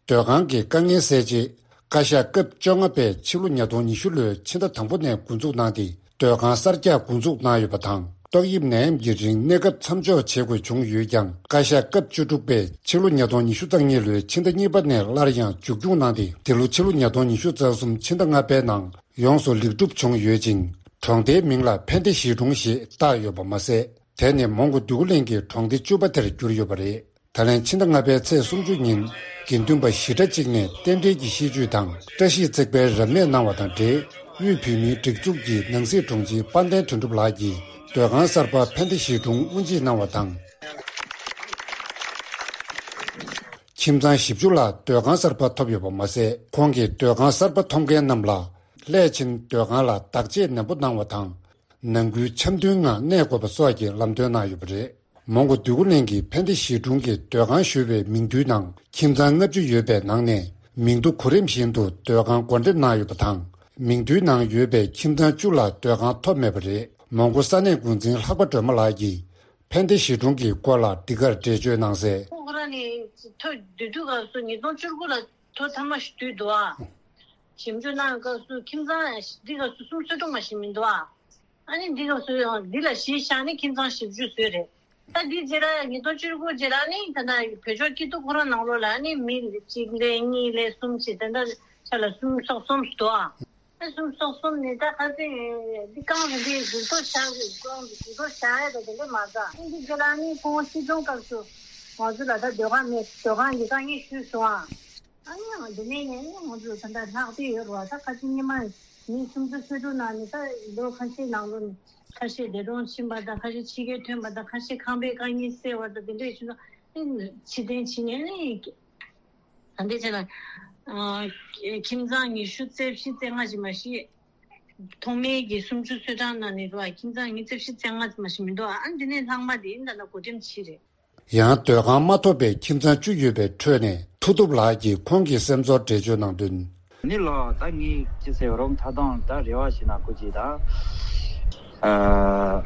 སྡོད་ཁང་གི་དཀའ་ངལ་སེལ་ཆེད། བཀའ་ཤག་སྐབས་བཅོ་ལྔ་པས་ཕྱི་ལོ་ཉིས་སྟོང་ཉི་ཤུ་ལོའི་ཕྱི་ཟླ་དང་པོ་ནས་འགོ་འཛུགས་གནང་སྟེ། སྡོད་ཁང་གསར་རྒྱག་འགོ་འཛུགས་གནང་ཡོད་པ་དང་། ཏོག་དབྱིབས་ནད་ཡམས་ཀྱི་རིང་གནས་སྐབས་མཚམས་འཇོག་བྱེད་དགོས་བྱུང་ཡོད་ཀྱང་། བཀའ་ཤག་སྐབས་བཅུ་དྲུག་པས་ཕྱི་ལོ་ཉིས་སྟོང་ཉི་ཤུ་རྩ་གཉིས་ལོའི་ཕྱི་ཟླ་གཉིས་པ་ནས་སླར་ཡང་མཇུག་སྐྱོང་གནང་སྟེ། འདི་ལོ་ཕྱི་ལོ་ཉིས་སྟོང་ཉི་ཤུ་རྩ་གསུམ་ཕྱི་ཟླ་ལྔ་པའི་ནང་ཡོངས་སུ་ལེགས་གྲུབ་བྱུང་ཡོད་ཅིང་། གྲོང་སྡེའི་མིང་ལ་ཕན་བདེ་གཞིས་གྲོང་ཞེས་བཏགས་ཡོད་པ་མ་ཟད། དེ་ནི་མོན་གྷོ་འདོད་རྒུ་གླིང་གི་གྲོང་སྡེ་བཅུ་པ་དེར་གྱུར་ཡོད་པ་རེད། ད་ལན་ཕྱི་ཟླ་ལྔ་པའི་ཚེས་སུམ་ཅུ་ཉིན་དགེ་འདུན་པ་ཞི་གྲྭ་གཅིག་ནས་རྟེན་འབྲེལ་གྱི་ཤིས་བརྗོད་དང་བཀྲ་ཤིས་བརྩེགས་པའི་རབ་གནས་གནང་བ་དང་འབྲེལ། དབུས་བོད་མིའི་སྒྲིག་འཛུགས་ཀྱི་ནང་སྲིད་དྲུང་ཆེ་དཔལ་ལྡན་དོན་གྲུབ་ལགས་ཀྱིས་སྡོད་ཁང་གསར་པ་ཕན་བདེ་གཞིས་གྲོང་དབུ་འབྱེད་གནང་བ་དང་། ཁྱིམ་ཚང་བཞི་བཅུ་ལ་སྡོད་ཁང་གསར་པ་ཐོབ་ཡོད་པ་མ་ཟད། ཁོང་གིས་སྡོད་ཁང་གསར་པ་ཐོབ་མཁན་རྣམས་ལ་སླད་ཕྱིན་སྡོད་ཁང་ལ་བདག་གཅེས་ནན་པོ་གནང་བ་དང་། ནང་ཁུལ་འཆམ་མཐུན་ངང་གནས་དགོས་པ་སོགས་ཀྱི་ལམ་སྟོན་གནང་ཡོད་པ་རེད། མོན་གྷོ་འདོད་རྒུ་གླིང་གི་ཕན་བདེ་གཞིས་གྲོང་གི་སྡོད་ཁང་ཞུ་བའི་མིང་ཐོའི་ནང་ཁྱིམ་ཚང་ལྔ་བཅུ་ཡོད་པའི་ནང་ནས་མིང་ཐོ་གོ་རིམ་བཞིན་དུ་སྡོད་ཁང་བགོ་འགྲེམས་གནང་ཡོད་པ་དང་། མིང་ཐོའི་ནང་ཡོད་པའི་ཁྱིམ་ཚང་བཅུ་ལ་སྡོད་ཁང་ཐོབ་མེད་པ་རེད། མོན་གྷོ་ས་གནས་འགོ་འཛིན་ལྷག་པ་སྒྲོལ་མ་ལགས་ཀྱིས་ཕན་བདེ་གཞིས་གྲོང་གི་སྐོར་ལ་འདི་གར་འགྲེལ་བརྗོད་གནང་གསལ། ཁོ་རང་ནི་ཐོ་བསྡུ་དུས་སྐབས་སུ་ཉིས་སྟོང་བཅུ་དགུ་ལ་ཐོ་ཐ་མ་ཞིག་བསྡུས་འདུག་ཨ། ཞིབ་འཇུག་གནང་བའི་སྐབས་སུ་ཁྱིམ་ཚང་འདི་སྐབས་སུ་སུམ་ཅུ་སོ་དྲུག་མ་ཞིག་མི་འདུག་ཨ། ཨ་ནི་འདི་སྐབས་སུ་ཡང་འདི་ལ་གཞི་བཞག་ནས་ཁྱིམ་ཚང་བཞི་བཅུ་བཟོས་རེད། ད་འདི་རྗེས་ལ་ཉིས་སྟོང་བཅུ་དགུ་རྗེས་ལ་ནི་ད་ལྟ་བོད་ཕྱོགས་སྐྱིད་སྡུག་ཁོ་རང་ནང་ལོགས་ལ་ནི་མི་གཅིག་ལས་གཉིས་ལས་གསུམ་བྱས་ད་ལྟ་ཆ་ལ་སུམ་ཅུ་སོ་གསུམ་འདུག་ཨ། ཨ་སུམ་ཅུ་སོ་གསུམ་ནི་ད་ཁ་སང་འདི་རྐང་རིམ་པས་འགྱུར་ལྡོག་བྱ་འགྱུར་ལྡོག་བྱ་ཡ་ད་དེ་འདྲ་མ་ཟ། འདི་རྗེས་ལ་ནི་ཁོང་སྲིད་སྐྱོང་སྐབས་སུ་ང་ཚོ་ལ་ད་སྡོད་ཁང་མེད། སྡོད་ཁང་གི་དཀའ་ངལ་ཞུས་སོང་ཨ། ཨ་ནི་ཡང་འདི་ནས་ནས་ནི་ང་ཚོ་ད་ལྟ་ལྷག་བསྡད་ཡོད་རེད་བ། ད་ཁ་ཤས་སྔོན་མ་ནས་མི་སུམ་ཅུ་སོ་དྲུག་ནང་ནས་ད་ལོ་ཁ་ཤས་ནང་ལོགས་ནས་ཁ་ཤས་འདས་གྲོངས་ཕྱིན་པ་དང་ཁ་ཤས་ཕྱི་རྒྱལ་ཐོན་པ་དང་ཁ་ཤས་ཁང་པའི་དཀའ་ངལ་སེལ་བ་དང་དེ་འདྲས་བྱུང་ན་ནི་ཕྱིར་འཐེན་བྱེད་མཁན་ནི་ད་ལྟའི་ཆ་ལ་ཨ་ཁྱིམ་ཚང་ཉི་ཤུ་རྩ་བཞི་རྩ་ལྔ་ཞིག་མ་གཞི་ཐོག་མའི་གི་སུམ་ཅུ་སོ་གྲངས་ནང་ནས་རེད་བ། ཁྱིམ་ཚང་ཉི་ཤུ་རྩ་བཞི་རྩ་ལྔ་ཞིག་མ་གཞི་མི་འདུག་ཨ་འདི་ནས་ལྷག་མ་དེ་ཡིན་ད་ལྟ་བགོ་འགྲེམས་བྱས་རེད། ཡང་སྡོད་ཁང་མ་ཐོབ་པའི་ཁྱིམ་ཚང་བཅུ་ཡོད་པའི་ཁྲོད་ནས་མཐུ་སྟོབས་ལགས་ཀྱིས་ཁོང་གི་སེམས་ཚོར་འགྲེལ་བརྗོད་གནང་དོན། ནི་ལོ་ད་ངས་ཅི་ཟེར་རོགས་ཐ་དང་ད་རེ་བ་ཞིག་ན་ཁོ་ཅིག་ད་ཨ་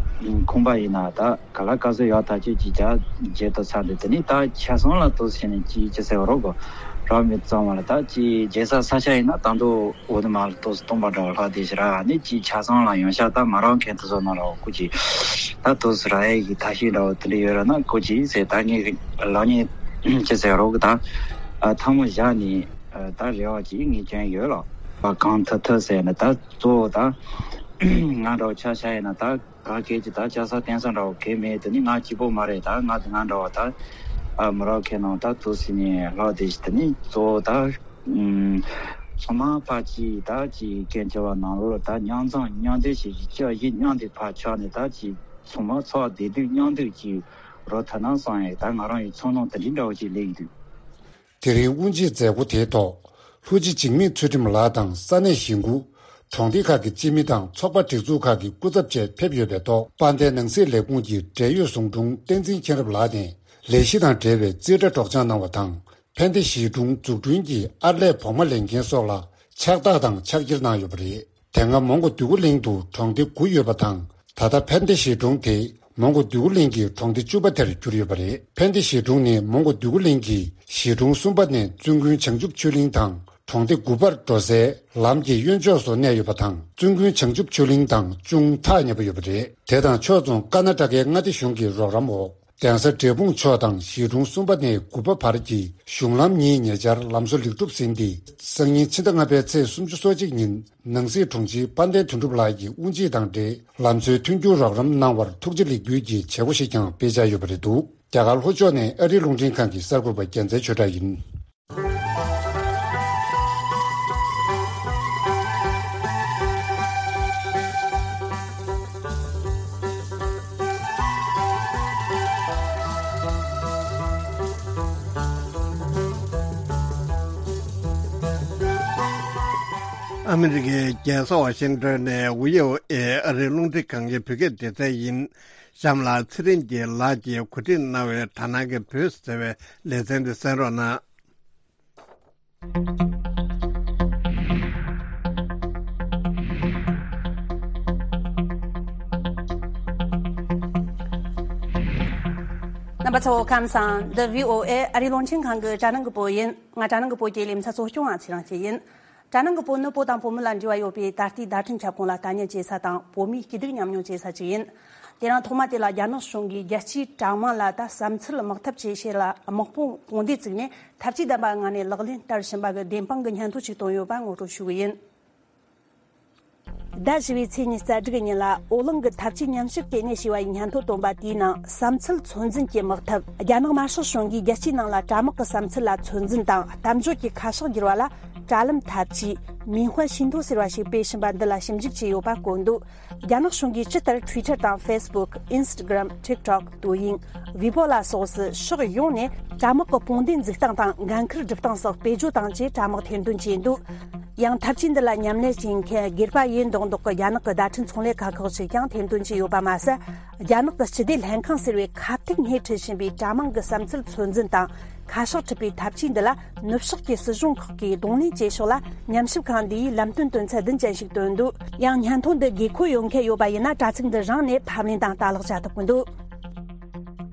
ཁོང་པ་ཡིན་ན་ད་ག་ལ་ག་ཚོད་ཡག་ཐག་ཆོད་ཅིག་རྒྱ་རྒྱལ་དུ་ཚར་འདུག་དེ་ནི་ད་ཆ་ཚང་ལ་ཏོག་ཙམ་ནས་ཅི་ཅི་ཟེར་རོགས་གོ་རག་མི་གཙང་བ་ལ་ད་ཅི་རྒྱལ་ས་ས་ཆ་ཡིན་ན་ད་མདོ་འོ་དེ་མ་ལ་ཏོག་ཙམ་སྟོང་པ་འདྲ་བ་ལྷག་བསྡད་ཤི་ར་ནི་ཅི་ཆ་ཚང་ལ་ཡོང་ཤག་ད་མ་རག་མཁན་དེ་ཚོ་ན་ར་བ་ཁོ་ཅིག་ད་དུས་སུ་ར་ཡའི་གི་ཐ་ཤི་འདྲ་བོ་དེ་འདྲ་ཡོད་ར་ན་ཁོ་ཅིག་ཟེར་ད་ངས་ལག་ཉེས་ཅི་ཟེར་རོགས་གི་ད་ཨ་ཐ་མ་བཞག་ནི་ཨ་ད་རེ་བ་ཅིག་ངས་བསྐྱོན་ཡོད་ལ་བ་གང་ཐུབ་ཐུབ་ཟེར་ནི་ད་གཙོ་བོ་ད་ང་འདྲ་བོ་ཆ་ཆ་ཡིན་ན་ད་ག་གེ་ཅི་ད་ཅ་ས་བསྟན་ས་འདྲ་བོ་གེ་མེད་དེ་ནི་ང་གཅིག་པོ་མ་རེད། ད་ང་ང་འདྲ་བོ་ད་ཨ་མི་རོགས་ཁེ་ནང་ད་དུས་སུ་ནི་ལྷག་བསྡད་ཤི་དེ་ནི་གཙོ་བོ་ད། ཚང་མ་ཕར་ཅིག་ད་ཅིག་སྐད་ཆ་བ་ནང་ལོགས་ད་མཉམ་འཛོམས་མཉམ་འདེགས་བྱེད་ཀྱི་ཅག་བཞི་མཉམ་དུ་ཕར་ཆགས་ནས་ད་ཅིག་ཚང་མ་ཚོགས་བདེ་སྡུག་མཉམ་སྡུག་ཅིག་རོ་ཐ་ན་སང་ཡང་ད་ང་རང་ཡི་ཚོར་སྣང་དེ་འདྲའི་འདྲ་བོ་ཅིག་སླེབས་ཀྱི་འདུག་དེ་རིང་དབུ་འབྱེད་མཛད་སྒོ་དེའི་ཐོག་ལྷུ་ཅི་འཇིགས་མེད་ཚུལ་ཁྲིམས་ལགས་དང་ས་གནས་གཞིས་འགོ། གྲོང་སྡེ་ཁག་གི་སྤྱི་མི་དང་ཚོགས་པ་སྒྲིག་འཛུགས་ཁག་གི་སྐུ་ཚབ་བཅས་ཕེབས་ཡོད་པའི་ཐོག་དཔལ་ལྡན་ནང་སྲིད་ལས་ཁུངས་ཀྱི་འབྲེལ་ཡོད་ཟུང་དྲུང་བསྟན་འཛིན་མཁྱེན་རབ་ལགས་ནས་ལས་གཞི་དང་འབྲེལ་བའི་རྩིས་ཁྲ་སྒྲོག་སྦྱང་གནང་བ་དང་། ཕན་བདེ་གཞིས་གྲོང་འཛུགས་སྐྲུན་གྱི་ཨར་ལས་བོགས་མ་ལེན་མཁན་སོགས་ལ་ཕྱག་རྟགས་དང་ཕྱག་འཁྱེར་གནང་ཡོད་པ་རེད། དེ་སྔ་མོན་གྷོ་འདོད་རྒུ་གླིང་དུ་གྲོང་སྡེ་དགུ་ཡོད་པ་དང་། ད་ལྟ་ཕན་བདེ་གཞིས་གྲོང་དེ་མོན་གྷོ་འདོད་རྒུ་གླིང་གི་གྲོང་སྡེ་བཅུ་པ་དེར་གྱུར་ཡོད་པ་རེད། ཕན་བདེ་གཞིས་གྲོང་ནི་མོན་གྷོ་འདོད་རྒུ་གླིང་གི་གཞིས་གྲོང་གསུམ་པ་ནས་བཙུན་དགོན་བྱང་ཆུབ་ཆོས་གླིང་དང་གྲོང་སྡེ་དགུ་པར་འགྲོ་སའི་ལམ་གྱི་གཡོན་ཕྱོགས་སུ་གནས་ཡོད་པ་དང་། བཙུན་དགོན་བྱང་ཆུབ་ཆོས་གླིང་དང་ཅུང་ཐག་ཉེ་པོ་ཡོད་པ་རེད། དེ་དང་ཕྱོགས་མཚུངས་ཀར་ན་ཊ་ཀའི་མངའ་སྡེ་གཞུང་གི་རོགས་རམ་འོག་གདན་ས་འབྲས་སྤུངས་ཕྱོགས་དང་གཞིས་གྲོང་གསུམ་པ་ནས་དགུ་པ་བར་གྱི་གཞུང་ལམ་གཉིས་ཉེ་ཆར་ལམ་བཟོ་ལེགས་གྲུབ་ཟིན་ཏེ། སང་ཉིན་ཕྱི་ཟླ་ལྔ་པའི་ཚེས་སོ་གཅིག་ཉིན་ནང་སྲིད་དྲུང་ཆེ་དཔལ་ལྡན་དོན་གྲུབ་ལགས་ཀྱིས་དབུ་འབྱེད་དང་འབྲེལ་ལམ་བཟོའི་མཐུན་འགྱུར་རོགས་རམ་གནང་བར་ཐུགས་རྗེ་ལེགས་འབུལ་གྱི་བྱེད་སྒོ་ཞིག་ཀྱང་སྤེལ་འཆར་ཡོད་པ་རེད་འདུག་རྒྱ་གར་ལྷོ་ཕྱོགས་ནས་ཨ་རིའི་རླུང་འཕྲིན་ཁང་གི་གསར་འགོད་པ་རྒྱལ་མཚན་ཆོས་གྲགས་ཡིན། ཨ་མི་རི་ཀའི་རྒྱལ་ས་ཝ་ཤིང་ཏོན་ནས་ཝི་ཨོ་ཨེ་ཨ་རིའི་རླུང་འཕྲིན་ཁང་གི་བོད་སྐད་སྡེ་ཚན་ཡིན། གཤམ་ལ་ཚེ་རིང་རྒྱལ་ལགས་ཀྱིས་གོ་སྒྲིག་གནང་བའི་དྲ་སྣང་གི་བོད་ཟེར་བའི་ལེ་ཚན་འདི་གསན་རོགས་གནང་། རྣམ་པ་ཚོ་ཁམས་བཟང་། འདི་བྷི་ཨོ་ཨེ་ཨ་རིའི་རླུང་འཕྲིན་ཁང་གི་དྲ་སྣང་གི་པོ་ཡིན། ང་དྲ་སྣང་གི་པོ་གི་ལེ་ཚན་གཙོ་སྐྱོང་བ་ཚེ་རིང་སྐྱིད་ཡིན། དྲ་སྣང་གི་པོ་ནི་བོད་དང་བོད་མི་ལ་འབྲེལ་བ་ཡོད་པའི་ད་ལྟའི་བརྡ་འཕྲིན་ཁྱབ་ཁོངས་ལ་ལྟ་ཉན་བྱེད་ས་དང་བོད་མིའི་སྐྱིད་སྡུག་མཉམ་མྱོང་བྱེད་ས་ཅིག་ཡིན། དེ་རིང་ཐོག་མ་དེ་ལ་རྒྱ་ནག་གཞུང་གིས་རྒྱལ་སྤྱིའི་དྲ་དམངས་ལ་ད་བསམ་ཚུལ་དམག་འཐབ་བྱེད་ཆེད་ལ་དམག་དཔུང་དཔུང་སྡེ་བཙུགས་ནས་འཐབ་ཇུས་ལྡན་པའི་ངང་ནས་ལག་ལེན་བསྟར་བཞིན་པ་གི་བདེན་དཔང་གི་སྙན་ཐོ་ཞིག་བཏོན་ཡོད་པ་ངོ་སྤྲོད་ཞུ་གི་ཡིན། ཟླ་བཞི་བའི་ཚེས་ཉི་ཤུ་རྩ་དྲུག་ཉིན་ལ་ཨོ་གླིང་གི་འཐབ་ཇུས་ཉམས་ཞིབ་ལྟེ་གནས་ཞེས་པ་ཡིས་སྙན་ཐོ་བཏོན་པ་དེའི་ནང་བསམ་ཚུལ་ཚོད་འཛིན་གྱི་དམག་འཐབ། རྒྱ་ནག་དམར་ཤོག་གཞུང་གིས་རྒྱལ་སྤྱིའི་ནང་ལ་དྲ་དམག་གི་བསམ་ཚུལ་ལ་ཚོད་འཛིན་དང་གཏམ་བརྗོད་ཀྱི་ཁ་ཕྱོགས་བསྒྱུར་བ་ལ་དྲ་ལམ་འཐབ་ཇུས་མིང་དཔོན་ཤིན་ཐོ་ཟེར་བ་ཞིག་སྤེལ་བཞིན་པ་འདི་ལ་ཞིབ་འཇུག་བྱས་ཡོད་པ་བཀོད་འདུག་རྒྱ་ནག་གཞུང་གིས་ཇི་ལྟར་Twitter་དང་Facebook། Instagram། TikTok། 抖音། Weibo་ལ་སོགས་སུ་ཕྱོགས་ཡོངས་ནས་དྲ་དམག་གི་དཔུང་སྡེ་འཛུགས་སྟངས་དང་འགན་འཁུར་སྒྲུབ་སྟངས་སོགས་བེད་སྤྱོད་བཏང་ཆེད་དྲ་དམག་ཐེར་འདོན་བྱས་འདུག་ཡང་འཐབ་ཇུས་འདི་ལ་མཉམ་ལས་བྱེད་མཁན་སྒེར་པ་ཡིན་མདོག་མདོག་གི་རྒྱ་ནག་གི་བརྡ་འཕྲིན་ཚོང་ལས་ཁ་ཁག་ཅིག་ཀྱང་ཐེར་འདོན་བྱས་ཡོད་པ་མ་ཟད། རྒྱ་ནག་གི་སྤྱི་བདེ་ལྷན་ཁང་ཟེར་བའི་ཁ་ཐུག་སྣེ་ཁྲིད་བཞིན་པའི་དྲ་དམངས་ཀྱི་བསམ་ཚུལ་ཚོད་འཛིན་དང་ཁ་ཕྱོགས་ཁྲིད་པའི་འཐབ་ཇུས་འདི་ལ་ནུབ་ཕྱོགས་ཀྱི་སྲིད་གཞུང་ཁག་གིས་གདོང་ལེན་བྱེད་ཕྱོགས་ལ་ཉམས་ཞིབ་ཁང་འདིས་ལམ་སྟོན་དོན་ཚན་བདུན་ཅན་ཞིག་བཏོན་འདུག་ཡང་སྙན་ཐོ་འདི་དགོས་མཁོ་ཡོད་མཁན་ཡོད་པ་ཡིན་ན་དྲ་ཚིགས་འདི་རང་ནས་ཕབ་ལེན་དང་ལྟ་ཀློག་བྱ་ཐུབ་ཀྱི་འདུག་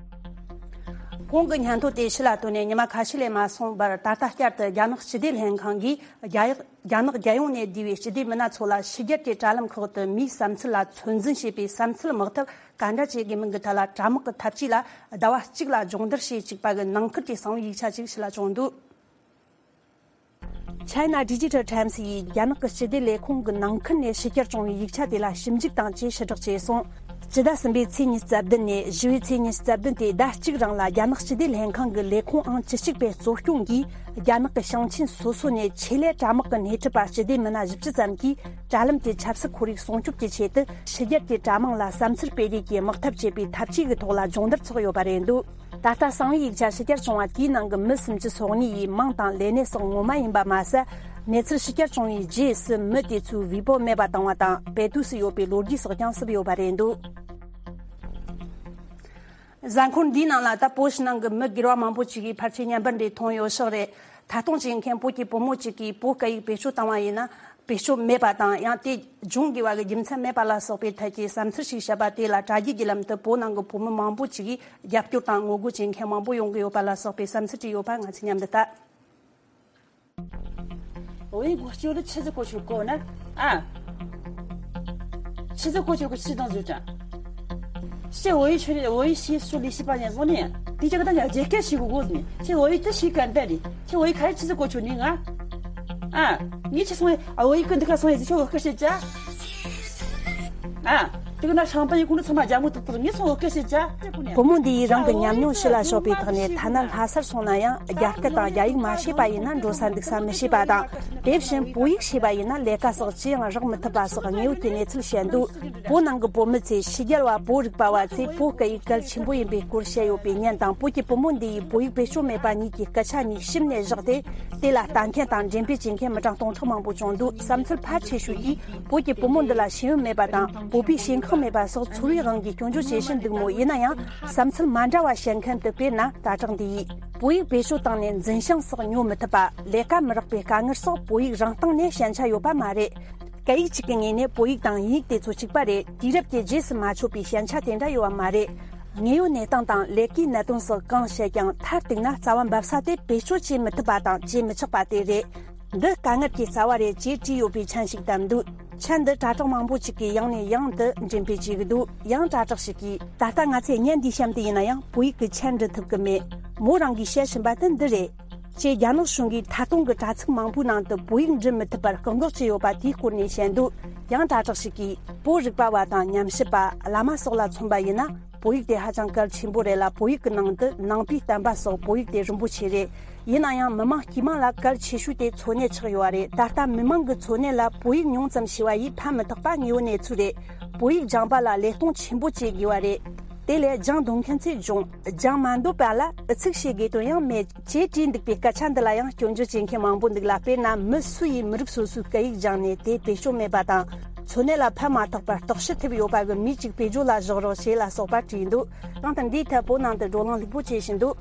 གོང་གི་སྙན་ཐོ་དེ་ཕྱི་ལ་བཏོན་ནས་ཉི་མ་ཁ་ཤས་ལས་མ་སོང་བར། ད་ལྟ་བསྐྱར་དུ་རྒྱ་ནག་སྤྱི་བདེ་ལྷན་ཁང་གིས་རྒྱ་ཡག་རྒྱ་ནག་རྒྱལ་ཡོངས་ནས་བསྡུས་པའི་སྤྱི་བདེ་མི་སྣ་ཚོ་ལ་ཕྱི་རྒྱལ་གྱི་དྲ་ལམ་ཁག་ཏུ་མིའི་བསམ་ཚུལ་ལ་ཚོད་འཛིན་བྱེད་པའི་བསམ་ཚུལ་དམག་འཐབ་ག་འདྲ་བྱེད་དགོས་མིན་གྱི་ཐད་ལ་དྲ་དམག་གི་འཐབ་ཇུས་ལ་ཟླ་བ་གཅིག་ལ་སྦྱོང་བརྡར་བྱེད་བཅུག་པ་གི་ནང་ཁུལ་གྱི་གསང་བའི་ཡིག་ཆ་ཅིག་ཕྱི་ལ་བྱུང་འདུག China Digital Times་ཡིས་རྒྱ་ནག་གི་སྤྱི་བདེ་ལས་ཁུངས་ཀྱི་ནང་ཁུལ་ནས་ཕྱི་གྱར་བྱུང་བའི་ཡིག་ཆ་དེ་ལ་ཞིབ་འཇུག་དང་བཅས་ཕྱིར་བསྒྲགས་བྱས་སོང་། སྤྱི་ཟླ་གསུམ་པའི་ཚེས་ཉི་ཤུ་རྩ་བདུན་ནས་བཞི་པའི་ཚེས་ཉི་ཤུ་རྩ་བདུན་ཏེ་ཟླ་གཅིག་རིང་ལ་རྒྱ་ནག་སྤྱི་བདེ་ལྷན་ཁང་གི་ལས་ཁུངས་ཨང་བཅུ་གཅིག་པའི་གཙོ་སྐྱོང་གིས་རྒྱ་ནག་གི་ཞིང་ཆེན་སོ་སོ་ནས་ཆེད་ལས་དྲ་དམག་གི་སྣེ་ཁྲིད་པ་སྤྱི་བདེ་མི་སྣ་བཞི་བཅུ་ཙམ་གྱིས་དྲ་ལམ་དེའི་ཆབ་སྲིད་ཁོར་ཡུག་སྲུང་སྐྱོབ་ཀྱི་ཆེད་དུ་ཕྱི་རྒྱལ་གྱི་དྲ་དམངས་ལ་བསམ་ཚུལ་སྤེལ་རེས་ཀྱི་དམག་འཐབ་བྱེད་པའི་འཐབ་ཇུས་ཀྱི་ཐོག་ལ་སྦྱོང་བརྡར་ཚོགས་ཡོད་པ་རེད་འདུག་ད་ལྟ་གསང་བའི་ཡིག་ཆ་ཕྱི་གྱར་བྱུང་བ་དེའི་ནང་གི་མི་སུམ་ཅུ་སོ་གཉིས་ཡི་མིང་དང་ལས་གནས་སོགས་ངོ་མ་ཡིན་པ་མ་ཟད། གནས་ཚུལ་ཕྱི་གྱར་བྱུང་བའི་རྗེས་སུ་མི་དེ་ཚོའི་ཝི་པོ་མེད་པ་བཏང་བ་དང་བེ་ཏུས་སུ་ཡོད་པའི་ལོ་རྒྱུས་སོགས་ཀྱང་བསུབས་ཡོད་པ་རེད་འདུག་གཟའ་འཁོར་འདིའི་ནང་ལ་ད་བོད་ཕྱི་ནང་གི་མི་སྒེར་བ་མང་པོ་ཅིག་གིས་ཕལ་ཆེར་བརྙན་པར་འདི་མཐོང་ཡོད་ཤག་རེད། ཐད་གཏོང་བྱེད་མཁན་བོད་ཀྱི་བུ་མོ་གཅིག་གིས་བོད་སྐད་ཡིག་བེད་སྤྱོད་བཏང་བ་ཡིན་ན། བེད་སྤྱོད་མེད་པ་དང་ཡང་དེ་སྦྱོང་དགོས་པ་གི་རྒྱུ་མཚན་མེད་པ་ལ་སོགས་པའི་ཐད་ཀྱི་བསམ་ཚུལ་ཞིག་བཤད་པ་དེ་ལ་དྲ་རྒྱའི་བརྒྱུད་ལམ་དུ་བོད་ནང་གི་བོད་མི་མང་པོ་ཅིག་གིས་རྒྱབ་སྐྱོར་དང་ངོ་རྒོལ་བྱེད་མཁན་མང་པོ་ཡོང་གི་ཡོད་པ་ལ་སོགས་པའི་བསམ་ཚུལ་བྲིས་ཡོད་པ་ང་ཚོས་མཉམ་དུ་ལྟ། 我一过去了，车子过去过呢，啊，车子过去过去当组长。是我一去，我一些说的是半年多呢，的确跟大家解决是个过程，是我一直是干的哩，是我一开始过去呢啊，啊，你去送啊，我一跟这个送也是我个是家，啊。དེ་ག་ན་ཤང་པ་ཡི་ཁུང་ཚང་མ་རྒྱ་མོ་ཏག་ཏག་ངས་སོང་སྐད་བཤད་ཅ་དེ་ཁུ་ནས། བུ་མོ་འདི་ཡིས་རང་གི་ཉམས་མྱོང་ཕྱི་ལ་ཕྱོགས་པའི་ཐོག་ནས་ཐ་ན་ལྷ་སར་སོང་ན་ཡང་རྒྱ་སྐད་དང་རྒྱ་ཡིག་མ་ཤེས་པ་ཡིན་ན་འགྲོ་ས་འདུག་ས་མི་ཤེས་པ་དང་། དེ་བཞིན་བོད་ཡིག་ཤེས་པ་ཡིན་ན་ལས་ཀ་སོགས་ཅི་ཡང་རག་མི་ཐུབ་པ་སོགས་དངོས་ཡོད་ཀྱི་གནས་ཚུལ་བཤད་འདུག་བོད་ནང་གི་བོད་མི་ཚོས་ཕྱི་རྒྱལ་བ་བོད་རིག་པ་བ་ཚོས་བོད་སྐད་ཡིག་གལ་ཆེན་པོ་ཡིན་པའི་སྐོར་བཤད་ཡོད་པའི་ཉན་དང་། བོད་ཀྱི་བུ་མོ་འདི་ཡིས་བོད་ཡིག་བེད་སྤྱོད་མེད་པ་གཉིས་ཀྱི་སྐད་ཆ་གཉིས་ཞིབ་ནས་བཞག་སྟེ། དེ་ལ་ལྟ་མཁན་དང་འགྲེམས་སྤེལ་བྱེད་མཁན་མི་གྲངས་སྟོང་ཕྲག་མང་པོ་བྱུང་འདུག་བསམ་ཚུལ་ཕལ་ཆེ་ཤོས་ཀྱིས་བོད་ཀྱི་བུ་མོ་འདི་ལ་ཤེས་ཡོན་མེད་པ་དང་བོད་པའི་ཞེན་ཁོག་མེད་པ་སོགས་ཚོར་བའི་དབང་གིས་སྐྱོན་བརྗོད་བྱེད་བཞིན་འདུག་མོད། ཡིན་ན་ཡང་བསམ་ཚུལ་མ་འདྲ་བ་བཤད་མཁན་དུ་དཔེར་ན་ད་དྲག་འདི་ཡིས་བོད་ཡིག་བེད་སྤྱོད་བཏང་ནས་འཛིན་བྱང་སོགས་ཉོ་མི་ཐུབ་པ། ལས་ཀ་མི་རག་པའི་དཀའ་ངལ་སོགས་བོད་ཡིག་རང་སྟེང་ནས་ཞན་ཆ་ཡོད་པ་མ་རེད། སྐད་ཡིག་གཅིག་གི་ངོས་ནས་བོད་ཡིག་དང་དབྱིན་ཡིག་དེ་ཚོ་གཅིག་པ་རེད། དུས་རབས་ཀྱི་རྗེས་སུ་མ་ཆོད་པའི་ཞན་ཆ་དེ་འདྲ་ཡོད་པ་མ་རེད། དངོས་ཡོད་གནས་སྟངས་དང་ལས་ཀའི་གནད་དོན་སོགས་གང་བཤད་ཀྱང་མཐར་གཏུགས་ན་རྩ་བ་འབབ་ས་དེ་བེད་སྤྱོད་བྱེད་མི་ཐུབ་པ་དང་བྱེད་མི་ཆོག་པ་དེ་རེད། འདི་དཀའ་ངལ་གྱི་རྩ་བ་རེད་ཅེས་བྲིས་ཡོད་པའི་མཆན་ཞིག་བཏབ་འདུག་མཆན་འདི་དྲ་གྲོགས་མང་པོ་ཞིག་གིས་ཡང་ནས་ཡང་དུ་འགྲེམས་སྤེལ་བྱེད་ཀྱི་འདུག་ཡང་དྲ་གྲགས་ཤིག་གིས་ད་ལྟ་ང་ཚོས་བརྙན་འདིའི་གཤམ་དུ་ཡིན་ན་ཡང་བོད་ཡིག་གི་མཆན་འབྲི་ཐུབ་ཀྱི་མེད། མོ་རང་གིས་བཤད་བཞིན་པ་དེ་འདི་རེད། ཅེས་རྒྱ་ནག་གཞུང་གིས་ད་དུང་གི་དྲ་ཚིགས་མང་པོའི་ནང་དུ་བོད་ཡིག་འབྲི་མི་ཐུབ་པར་བཀག་འགོག་བྱས་ཡོད་པ་དེའི་སྐོར་ནས་བཤད་འདུག་ཡང་དྲ་གྲགས་ཤིག་གིས་བོད་རིག་པ་བ་དང་ཉམས་ཞིབ་པ། བླ་མ་སོགས་ལ་མཚོན་པ་ཡིན་ན། བོད་ཡིག་དེ་ཧ་ཅང་གལ་ཆེན་པོ་རེད་ལ། བོད་ཡིག་གི་ནང་དུ་ནང་པའི་བསྟན་པ་སོགས་བོད་ཡིག་དེ་རིན་པོ་ཆེ་རེད། ཡིན་ན་ཡང་མི་མང་དཀྱུས་མ་ལ་གལ་ཆེ་ཤོས་དེ་འཚོ་གནས་ཆགས་ཡོད་པ་རེད། ད་ལྟ་མི་མང་གི་འཚོ་གནས་ལ་བོད་ཡིག་ཉུང་ཙམ་ཤེས་པ་ཡིས་ཕན་མི་ཐོགས་པ་དངོས་ཡོད་གནས་ཚུལ་རེད། བོད་ཡིག་སྦྱང་པ་ལ་ལས་གཏོང་ཆེན་པོ་བྱེད་དགོས་པ་རེད། དེ་ལས་སྦྱང་འདོད་མཁན་ཚོས་སྦྱོང་། སྦྱང་མ་འདོད་པ་ལ་ཨུ་ཚུགས་བྱེད་དགོས་དོན་ཡང་མེད། ཅེས་བྲིས་འདུག་པའི་སྐད་ཆ་འདི་ལ་ཡང་སྐྱོན་བརྗོད་བྱེད་མཁན་མང་པོ་འདུག་ལ། དཔེར་ན་མི་སུ་ཡིས་མི་རིགས་སོ་སོའི་སྐད་ཡིག་སྦྱངས་ནས་དེ་བེད་སྤྱོད་མེད་པ་དང་། འཚོ་གནས་ལ་ཕན་མ་ཐོགས་པར་རྟོག་ཞིབ་ཐེབས་ཡོད་པ་གི་མི་གཅིག་བེད་སྤྱོད་ལ་བཞག་རོགས་ཞེས་ལ་སོགས་པ་བྲིས་འདུག་གང་ལྟར་འདིའི་ཐད་བོད་ནང་དུ་བགྲོ་གླེང་ལྷུག་པོ་བྱེད་བཞིན་འདུག་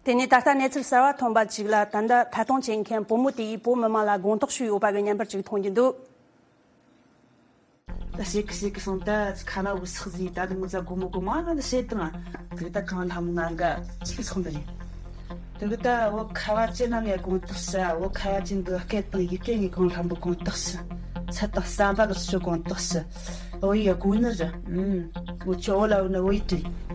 དེ་ནས་ད་ལྟ་གནས་ཚུལ་གསར་བ་ཐོན་པ་ཅིག་ལ། ད་ལྟ་ཐད་གཏོང་བྱེད་མཁན་བུ་མོ་དེ་ཡིས་བོད་མི་མང་ལ་དགོངས་དག་ཞུས་ཡོད་པ་གི་བརྙན་པར་ཅིག་མཐོང་རྒྱུ་འདུག་ད་ཞེ་གི་ཞེ་གི་སོང་། ད་ཁ་ན་འུ་སག་ཟིན། ད་དུང་ངུ་ཚ་སྒོ་མོ་སྒོ་མ་ན་ད་ཞེ་དང་། དེ་ད་གང་ལྷམ་ང་ག་ཅིག་སོང་ད་རེད། དེ་གི་ད་འོ་ཁ་བ་ཅན་ན་ངས་དགོངས་དག་ཞུ། འོ་ཁ་བ་ཅན་གི་སྐད་དང་ཡི་གེ་ངས་གང་ལྷམ་པོ་དགོངས་དག་ཞུ། ཚད་དང་བསམ་པ་གི་ཚུལ་དགོངས་དག་ཞུ། འོ་ཡ་གོ་ནི་རེད། ཨུམ། འོ་ཆོ་འོ་ལ་འོ་ན་འོ་ཡི་དྲི།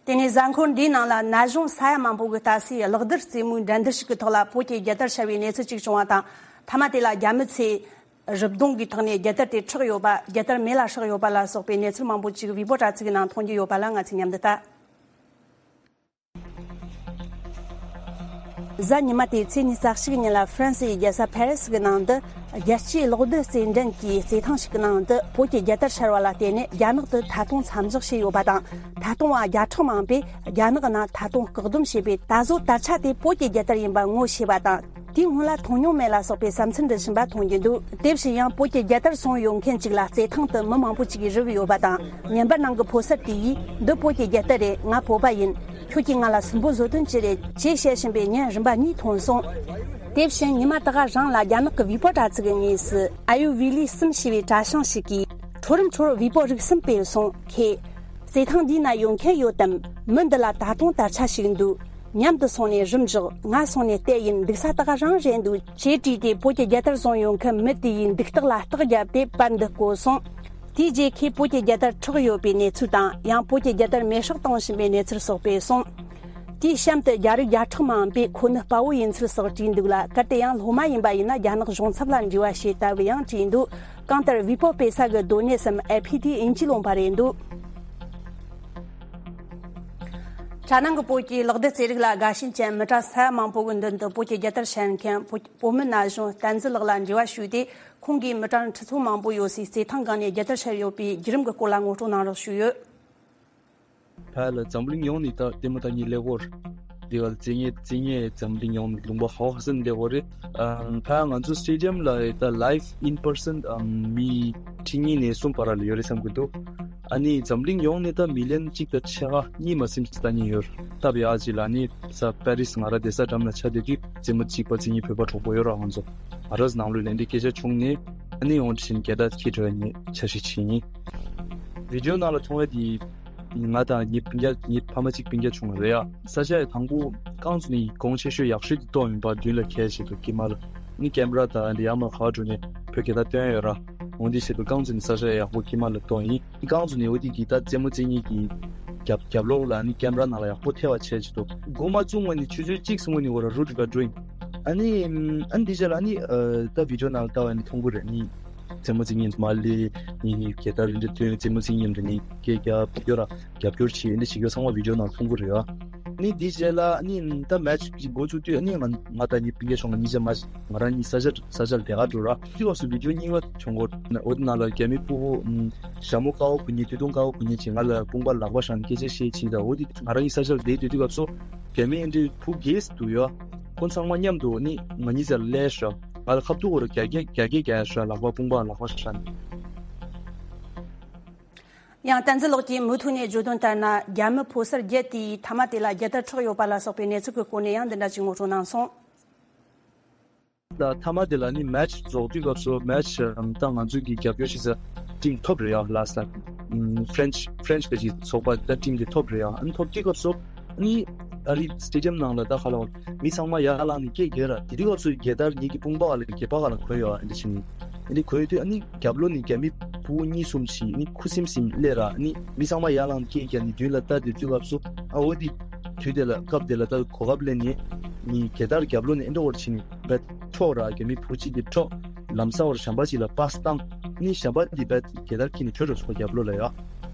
དེ་ནས་གཟའ་འཁོར་འདིའི་ནང་ལ་ན་གཞོན་ས་ཡ་མང་པོ་གིས་ལྟ་སའི་གློག་རྡུལ་རྩེད་མོའི་འགྲན་བསྡུར་ཞིག་གི་ཐོག་ལ་བོད་ཀྱི་རྒྱལ་དར་ཤར་བའི་གནས་ཚུལ་ཅིག་བྱུང་བ་དང་། མཐའ་མ་དེ་ལ་རྒྱ་མི་ཚོས་རི་གདོང་གི་ཐོག་ནས་རྒྱལ་དར་དེ་འཕྲོག་ཡོད་པ། རྒྱལ་དར་མེ་ལ་སྲེག་ཡོད་པ་ལ་སོགས་པའི་གནས་ཚུལ་མང་པོ་ཅིག་བི་བོ་དྲ་ཚིགས་ནང་མཐོང་རྒྱུ་ཡོད་པ་ལ་ང་ཚོས་མཉམ་དུ་ལྟ། གཟའ་ཉི་མ་སྟེ་ཚེས་ཉི་ཤུ་རྩ་གཅིག་ཉིན་ལ་ཧྥ་རན་སིའི་རྒྱལ་ས་ཕ་རི་སི་གི་ནང་དུ་རྒྱལ་སྤྱིའི་གློག་རྡུལ་རྩེད་འགྲན་གྱི་རྩེད་ཐང་ཞིག་གི་ནང་དུ་བོད་ཀྱི་རྒྱལ་དར་ཤར་བ་ལ་བརྟེན་ནས་རྒྱ་ནག་ཏུ་ཐད་གཏོང་མཚམས་འཇོག་བྱས་ཡོད་པ་དང་། ཐད་གཏོང་བ་བརྒྱ་ཕྲག་མང་པོས་རྒྱ་ནག་ནང་ཐད་གཏོང་བཀག་སྡོམ་བྱས་པས། ད་གཟོད་དར་ཆ་དེ་བོད་ཀྱི་རྒྱལ་དར་ཡིན་པ་ངོ་ཤེས་པ་དང་། དེའི་སྔོན་ལ་མཐོང་མྱོང་མེད་ལ་སོགས་པའི་བསམ་ཚུལ་འདི་བཞིན་པ་མཐོང་རྒྱུ་འདུག་དེ་བཞིན་ཡང་བོད་ཀྱི་རྒྱལ་དར་བཟུང་ཡོད་མཁན་ཅིག་ལ་རྩེད་ཐང་དུ་མི་མང་པོ་ཅིག་གིས་རུབ་ཡོད་པ་དང་། ཉན་པར་ནང་གི་ཕོ་གསར་དེ་ཡིས་འདི་བོད་ཀྱི་རྒྱལ་དར་རེད། ང་བོད་པ་ཡིན། ཁྱོད་ཀྱིས་ང་ལ་སུན་པོ་བཟོ་དོན་ཅི་རེད། ཅེས་བཤད་བཞིན་པའི་ཉིན་རིམ་པ་གཉིས་ཐོན་སོང་། དེ་བཞིན་ཉི་མ་ད་ག་རང་ལ་རྒྱ་ནག་གི་བི་པོ་དྲ་ཚིགས་ཀྱི་ངོས་སུ་ཨ་ཡུ་བི་ལི་གསུམ་ཞེས་པའི་དྲ་བྱང་ཞིག་གིས། ཁྲོ་རུམ་ཁྲོར་བི་པོ་རིགས་གསུམ་སྤེལ་སོང་། ཁྱེད་རྩེད་ཐང་འདིའི་ནང་ཡོང་མཁན་ཡོད་དམ། མི་འདི་ལ་ད་དུང་དར་ཆ་ཞིག་འདུག་མཉམ་དུ་སོང་ནས་རིམ་འཇོག་ང་སོང་ནས་བལྟས་ཡིན། འདུག་ས་ད་ག་རང་རེད་འདུག་ཅེས་བྲིས་ཏེ་བོད་ཀྱི་རྒྱལ་དར་བཟུང་ཡོད་མཁན་མི་དེ་ཡི་འདུག་སྟེགས་ལ་རྟགས་བརྒྱབ་སྟེ་པར་འདི་བཀོད་སོང་། དེའི་རྗེས་ཁོས་བོད་ཀྱི་རྒྱལ་དར་འཕྲོག་ཡོད་པའི་གནས་ཚུལ་དང་། ཡང་བོད་ཀྱི་རྒྱལ་དར་མེ་སྲེག་གཏོང་བཞིན་པའི་གནས་ཚུལ་སོགས་སྤེལ་སོང་། དེའི་གཤམ་དུ་རྒྱ་རིགས་བརྒྱ་ཕྲག་མང་པོས་ཁོ་ནི་དཔའ་བོ་ཡིན་ཚུལ་སོགས་བྲིས་འདུག་ལ། གལ་ཏེ་ཡང་སློབ་མ་ཡིན་པ་ཡིན་ན་རྒྱ་ནག་གཞུང་ཚབ་ལ་འབྲེལ་བ་བྱས་ལྟ་བུ་ཡང་བྲིས་འདུག་གང་ལྟར་བི་པོ་སྤེལ་ས་གི་སྡོད་གནས་སམ་ཨེ་ཕི་དེ་དབྱིན་ཇིའི་ལུང་པ་རེད་འདུག་དྲ་ནང་གི་བོད་ཀྱི་གློག་རྡུལ་རྩེད་རིགས་ལ་དགའ་ཞེན་ཅན་མི་གྲངས་ས་ཡ་མང་པོ་གི་མདུན་དུ་བོད་ཀྱི་རྒྱལ་དར་ཤར་མཁན་བོད་བོད་མི་ན་གཞོན་བསྟན་འཛིན་ལགས་ལ་འབྲེལ་བ་ཞུས་ཏེ། ཁོང་གིས་མི་གྲངས་ཁྲི་ཚོ་མང་པོ་ཡོད་སའི་རྩེད་ཐང་སྒང་ནས་རྒྱལ་དར་ཤར་ཡོད་པའི་བརྒྱུད་རིམ་གྱི་སྐོར་ལ་ངོ་སྤྲོད་གནང་རོགས་ཞུས་ཡོད། ཕ་ལ་འཛམ་གླིང་ཡོངས་ནས་ད་ལྟད་མོ་ལྟ་མཁན་ཀླད་ཀོར་འདི་ག་ལ་རྩེད་མཁན་རྩེད་མཁན་འཛམ་གླིང་ཡོངས་ནས་ལུང་པ་ག་པར་ཟིན་ཀླད་ཀོར་རེད། ཨམ་ཕ་ང་ཚོ་སི་ཊེ་ཌི་ཡམ་ལ་ད་live in person ཨམ་མི་ཁྲི་གཉིས་ནས་གསུམ་བར་ལ་ཡོད་རེད་བསམ་གྱི་འདུག་ཨ་ནི་འཛམ་གླིང་ཡོངས་ནས་ད་མི་ལི་ཡན་གཅིག་དང་ཕྱེད་ཀ་གཉིས་མ་ཟིན་ཅིག་ལྟ་མཁན་ཡོད་རེད། ད་བི་ཨ་ཅི་ལ་ཨ་ནི་ས་པེ་རི་སི་ང་རང་བསྡད་ས་འགྲམ་ལ་ཆ་དེ་དུས་རྩེད་མོ་གཅིག་པ་རྩེད་མཁན་བོད་པ་གྲོགས་པོ་ཡོད་ར། ང་ཚོ་ང་རང་ཚོ་ནང་ལོགས་ལན་འདི་སྐད་ཆ་བྱུང་ནས་ཨ་ནི་ཡོང་དྲི་ཆེན་སྐད་བརྡ་ཁྱེད་འགྲོ་ཡ་ཉེ་འཆར་གཞི་བྱེད་ཡིན། བི་ཌི་ཡོ་ནང་ལ་མཐོང་བ་དེ་ང་དང་ངའི་སྤུན་ཀྱག་ངའི་ཕ་མ་གཅིག་སྤུན་ཀྱག་བྱུང་བ་རེད་ཡ། ས་ཆ་ཡ་དང་པོ་རྐང་བཙུགས་ནས་གོང་ཆེ་ཤོས་ཡག་ཤོས་དེ་གཏོང་ཡིན་པ་མདུན་ལ་ཁྱེར་བྱེད་དུ་ཀི་མ་ལ་ནི་ཀེམ་ར་དང་འདི་ཡར་མར་ག་བ་འགྲོ་ནས་བོད་སྐད་བརྡ་སྟོན་ཡོད་ར། འོན་ཏེ་བྱེད་དུ་རྐང་བཙུགས་ནས་ས་ཆ་ཡ་ཡག་པོ་ཀི་མ་ལ་གཏོང་ཡིན། རྐང་བཙུགས་ནས་འོ་དེ་གི་ད་རྩེད་མོ་རྩེད་མཁན་གྱི་རྒྱབ་རྒྱབ་ལོགས་ལ་ནི་ཀེམ་ར་ནང་ལ་ཡག་པོ་ཐེ་བ་བྱེད་བྱེད་དུ་འགོ་མ་བཙུགས་སྔོན་ནས་ཆུ་ཚོད་གཅིག་སྔོན་ནས་འོ་ར་རུ་འགྲོ་ག་འགྲོ་ཡིན། ཨ་ནི་ཨ་ནི་འདི་རྗེས་ལ་ཨ་ནི་ད་བི་ཌིའོ་ནང་ལ་ལྟ་བ་ནི་མཐོང་གི་རེད། ནི་རྩེད་མོ་རྩེ་མཁན་མ་ལེ་ནི་རྒྱལ་དར་འདི་འདྲ་སྟོན། རྩེད་མོ་རྩེ་མཁན་འདི་ནི་སྐད་རྒྱབ་བི་ཌིའོ་ར་རྒྱབ་སྐྱོར་བྱེད། འདི་བྱེད་རྒྱུ་ཚང་མ་བི་ཌིའོ་ནང་མཐོང་གི་རེད་ཨ། ནི་འདི་རྗེས་ལ་ནི་ད་མེ་ཆི་འགོ་བཙུགས་དུས་ནི་ང་ང་དང་ངའི་སྤུན་ཀྱག་ཆུང་ང་གཉིས་ཆ་མ་ང་རང་གཉིས་ས་ཆ་ས་ཆ་ལ་དེ་ག་འགྲོ་ར། དུས་སྐབས་སུ་བི་ཌིའོ་གཉིས་པ་བྱུང་གོ། འོ་དེ་ནང་ལ་རྒྱ་མི་ཕྲུ་གུ་ཞྭ་མོ་དཀར་པོ་གོན་མཁན་དུས་ཐུང་དཀར་པོ་གོན་མཁན་ཅིག་ང་ལ་དཔུང་པ་ལག་པ་བཞག་ནས་སྐད་ཆ་བཤད་ཅིག་དང་། འོ་དེ་ང་རང་གཉིས་ས་ཆ་ལ་བསྡད་དུས་དུས་སྐབས་སུ་རྒྱ་མི་ཨེ་འདྲའི་ཕྲུ་གུ་གེ་སི་འདུག་ཡ། ཁོ་ཚང་མ་མཉམ་དུ་ནི་ང་གཉིས་ས་ལ་སླེབས་ཤག་ང་ལ་ཁ་ཐུག་གོ་ར་རྒྱ་སྐད་རྒྱ་སྐད་རྒྱག་ཤག་ལག་པ་དཔུང་པ་ལག་པ་བཞག་ནས། ཡང་བསྟན་འཛིན་ལགས་ཀྱིས་མུ་མཐུད་ནས་བརྗོད་དོན་ལྟར་ན། རྒྱ་མི་ཕོ་གསར་བརྒྱད་དེའི་མཐའ་མ་དེ་ལ་རྒྱལ་དར་འཕྲོག་ཡོད་པ་ལ་སོགས་པའི་གནས་ཚུལ་གྱི་སྐོར་ནས་ཡང་འདི་འདྲ་ཅིག་ངོ་སྤྲོད་གནང་སོང་། ད་མཐའ་མ་དེ་ལ་ནི་མེ་ཆི་རྫོགས་དུས་སྐབས་སུ་མེ་ཆི་ད་ང་ཚོས་ཀྱི་རྒྱབ་སྐྱོར་བྱེད་ས་ཊིམ་ཐོབ་རེད་ཡ། ལ་སི་ཊ་ཕྲེན་ཆི་ཕྲེན་ཆི་གི་ཚོགས་པ་ད་ཊིམ་དེ་ཐོབ་རེད་ཡ། ཨ་ནི་ཐོབ་དུས་སྐབས་སུ་ནི་ཨ་རི་སི་ཊེ་ཌི་ཡམ་ནང་ལ་ད་ཁ་ལ་མི་ཚང་མ་ཡར་ལངས་ནས་སྐད་རྒྱག་ར། དེ་དུས་སྐབས་སུ་རྒྱལ་དར་ངེད་ཀྱི་དཔུང་པ་ག་ལ་སྐེད་པ་ག་ལ་གོན་ཡོད་ཨ། འདི་བྱས་ནས་ཨ་ནི་གོན་ཡོད་དུས་ཨ་ནི་རྒྱབ་ལོགས་ནས་རྒྱ་མི་ཕྲུ་གུ་གཉིས་གསུམ་ཞིག་ནི་ཁུ་སིམ་སིམ་སླེབས་ར། ནི་མི་ཚང་མ་ཡར་ལངས་སྐད་རྒྱག་ནས་མདུན་ལ་ལྟ་དེ་དུས་སྐབས་སུ་ཨ་འོ་དེ་དུས་དེ་ལ་སྐབས་དེ་ལ་ད་གོ་སྐབས་ལེན་ནས་ནི་རྒྱལ་དར་རྒྱབ་ལོགས་ནས་ཨེ་འདྲ་བོར་ཕྱིན་ནས་བེད་འཕྲོག་ར། རྒྱ་མི་ཕྲུ་གུ་གཅིག་དེ་འཕྲོག་ལམ་སང་བར་ཞམ་པ་གཅིག་ལ་པཱ་སི་བཏང་། ནི་ཞམ་པ་དེ་བེད་རྒྱལ་དར་འཁྱེར་ནས་བྲོས་འགྲོ་སོང་རྒྱབ་ལོགས་ལ་ཡ།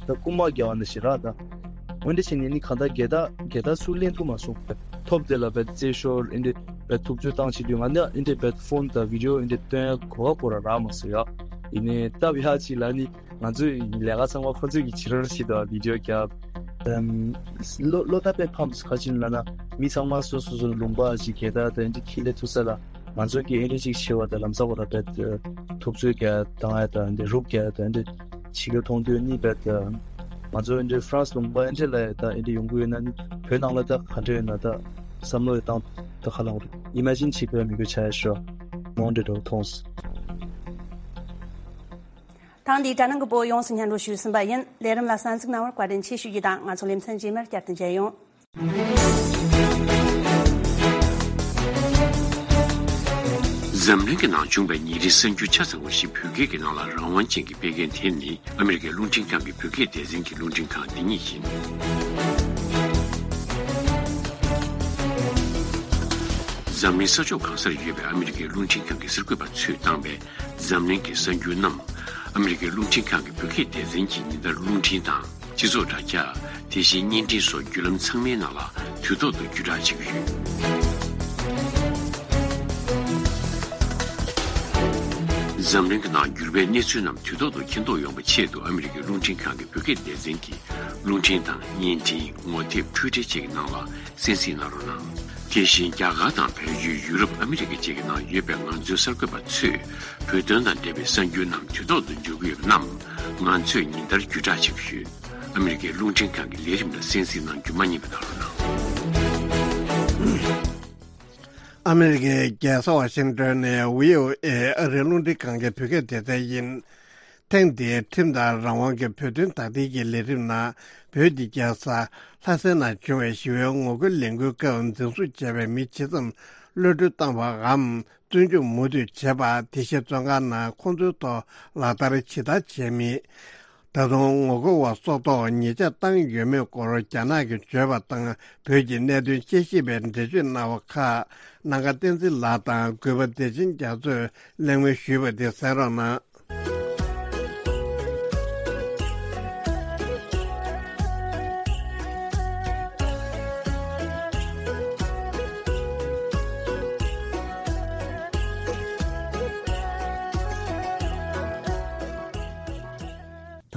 ད་རྐུན་མ་རྒྱག་པ་འདྲ་ཞིག་ར། ད་འོན་ཏེ་བྱས་ནས་ནི་གང་ལྟར་རྒྱལ་དར་རྒྱལ་དར་ཚུར་ལེན་ཐུབ་མ་སོང་། ཐོབ་དེ་ལ་བེད་རྩེད་ཤོར་ཨེ་འདྲ་བེད་ཐུབ་ཚོད་བཏང་བྱེད་དུས་ང་ནི་ཨེ་འདྲ་བེད་ཕོན་དང་བི་ཌིའོ་ཨེ་འདྲ་སྟོན་གོ་བ་གོ་ར་རག་མ་སོང་ཡ། ཡིན་ནའི་སྟབས་ཡག་ཅིག་ལ་ནི་ང་ཚོའི་ལས་ཀ་ཚང་མ་ཁོ་ཚོས་ཀྱིས་བྱེད་རོགས་བྱེད་དང་བི་ཌིའོ་རྒྱབ། ཨམ། བློ་བློ་ཐག་དཔེ་ཕམ་སོང་། ག་ཅི་ལབ་ན་མི་ཚང་མ་སོ་སོ་སོ་ལུང་པ་ཞིག་གི་ད་དེ་འདྲ་ཁྱི་ལས་ཐུག་ས་ལ་ང་ཚོ་གི་ཨེ་འདྲ་ཅིག་བྱེད་པ་དང་ལམ་སང་བ་ད་བེད་ཐུབ་ཚོད་ཀྱི་བཏང་ཡ་དང་འདི་རུབ་ཀྱི་ད་འདི་བྱེད་རྒྱུ་མཐོང་དུས་ནི་བེད་ང་ཚོ་ཨེ་འདྲ་ཧྥ་རན་སི་ལུང་པ་ཨེ་འདྲ་ལ་ད་ཨེ་འདྲ་ཡོང་གི་ཡོད་ན་ནི་བོད་ནང་ལ་ད་ག་འདྲ་ཡོད་ན་ད་བསམ་བློ་ཡི་བཏང་ད་ཁ་ལང་རེད། ཨི་མ་ཇིན་བྱེད་དགོས་མི་དགོས་ཆ་ཡ་ཤོ་མོང་འདྲ་འགྲོ་མཐོང་སོང་། ཐེངས་འདིའི་དྲ་སྣང་གི་པོ་ཡོངས་སུ་སྙན་སྒྲོན་ཞུས་ཟིན་པ་ཡིན། ལས་རིམ་ལ་གསན་གཟིགས་གནང་བར་བཀའ་དྲིན་ཆེ་ཞུ་རྒྱུ་དང་། ང་ཚོ་ལེ་ཚན་རྗེས་མར་བསྐྱར་དུ་མཇལ་ཡོང་། འཛམ་གླིང་གི་ནང་བྱུང་བའི་ཉིན་རེའི་གསར་འགྱུར་ཆ་ཚང་བ་ཞིག་བོད་སྐད་ཀྱི་ནང་ལ་རང་དབང་ཅན་གྱིས་སྤེལ་མཁན་དེ་ནི་ཨ་མི་རི་ཀའི་རླུང་འཕྲིན་ཁང་གི་བོད་སྐད་སྡེ་ཚན་གྱི་རླུང་འཕྲིན་ཁང་འདི་ཉིད་ཡིན། འཛམ་གླིང་ས་ཕྱོགས་གང་སར་ཡོད་པའི་ཨ་མི་རི་ཀའི་རླུང་འཕྲིན་ཁང་གི་གསར་འགོད་པ་ཚོས་བཏང་བའི་འཛམ་གླིང་གི་གསར་འགྱུར་རྣམས་ཨ་མི་རི་ཀའི་རླུང་འཕྲིན་ཁང་གི་བོད་སྐད་སྡེ་ཚན་གྱིས་ཉིན་ལྟར་རླུང་འཕྲིན་དང་། སྤྱི་ཚོགས་དྲ་རྒྱ། དེ་བཞིན་བརྙན་འཕྲིན་སོགས་བརྒྱུད་ལམ་ཚང་མའི་ནང་ལ་དུས་ཐོག་ཏུ་བརྒྱུད་བསྒྲགས་བྱེད་ཀྱི་ཡོད། འཛམ་གླིང་གི་ནང་འགྱུར་བའི་གནས་ཚུལ་རྣམས་དུས་ཐོག་ཏུ་མཁྱེན་རྟོགས་ཡོང་བའི་ཆེད་དུ་ཨ་མི་རི་ཀའི་རླུང་འཕྲིན་ཁང་གི་བོད་སྐད་སྡེ་ཚན་གྱིས་རླུང་འཕྲིན་དང་བརྙན་འཕྲིན། ངོ་དེབ། འཕྲུལ་འཕྲིན་བཅས་ཀྱི་ནང་ལ་གསན་གཟིགས་གནང་རོགས་གནང་། དེ་བཞིན་རྒྱ་གར་དང་བལ་ཡུལ། ཡུ་རོབ། ཨ་མི་རི་ཀ་བཅས་ཀྱི་ནང་ཡོད་པའི་ང་ཚོའི་གསར་འགོད་པ་ཚོས་བོད་དོན་དང་འབྲེལ་བའི་གསར་འགྱུར་རྣམས་དུས་ཐོག་ཏུ་འབྱོར་གྱི་ཡོད་པ་རྣམས་ང་ཚོས་ཉིན་ལྟར་བརྒྱུད་བསྒྲགས་བྱེད་ཀྱི་ཡོད། ཨ་མི་རི་ཀའི་རླུང་འཕྲིན་ཁང་གི་ལས་རིམ་ལ་གསན་གཟིགས་གནང་རྒྱུ་མ་བསྙེལ་བ་གནང་རོགས་གནང་། ཨ་མི་རི་ཀའི་རྒྱལ་ས་ཝ་ཤིང་ཏོན་ནས་བྷི་ཨོ་ཨེ་ཨ་རིའི་རླུང་འཕྲིན་ཁང་གི་བོད་སྐད་སྡེ་ཚན་ཡིན། ཐེངས་འདིའི་ཁྲིམས་དང་རང་དབང་གི་བོད་དོན་དག་ཐེར་གྱི་ལས་རིམ་ནང་། བོད་ཀྱི་རྒྱལ་ས་ལྷ་སའི་ནང་བྱུང་བའི་ཞི་བའི་ངོ་རྒོལ་ལས་འགུལ་སྐབས་འཛིན་བཟུང་བྱས་པའི་མི་ཇི་ཙམ་གློད་གྲོལ་བཏང་བའམ། བཙོན་འཇུག་མུ་མཐུད་བྱས་པ། དེ་བཞིན་བཙོན་ཁང་ནང་ཁོང་ཚོའི་ཐོག་ལག་བསྟར་ཇི་ལྟར་བྱས་མིན། ད་དུང་ངོ་རྒོལ་བ་སོགས་ཐོག་ཉེས་ཆད་བཏང་ཡོད་མེད་སྐོར་རྒྱ་ནག་གིས་བརྗོད་པ་དང་། བོད་ཀྱི་གནད་དོན་དཔྱད་ཞིབ་པས་འགྲེལ་བརྗོད་གནང་བ་ཁག་སྣང་དཀར་བསྟན་འཛིན་ལགས་དང་གུས་པ་བདེ་ཆེན་རྒྱ་མཚོས་གླེང་མོལ་ཞུས་པ་དེ་གསན་རོགས་གནང་།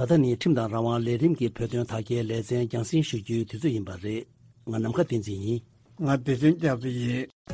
ད་ལྟ་ནི་ཁྲིམས་དང་རང་དབང་ལས་རིམ་གྱི་བོད་དོན་དག་སྐྱེལ་ལེ་ཚན་རྒྱང་སྲིང་ཞུ་རྒྱུའི་དུས་ཚོད་ཡིན་པ་རེད། ང་ནམ་མཁའ་བསྟན་འཛིན་ཡིན། ང་བདེ་ཆེན་རྒྱ་མཚོ་ཡིན།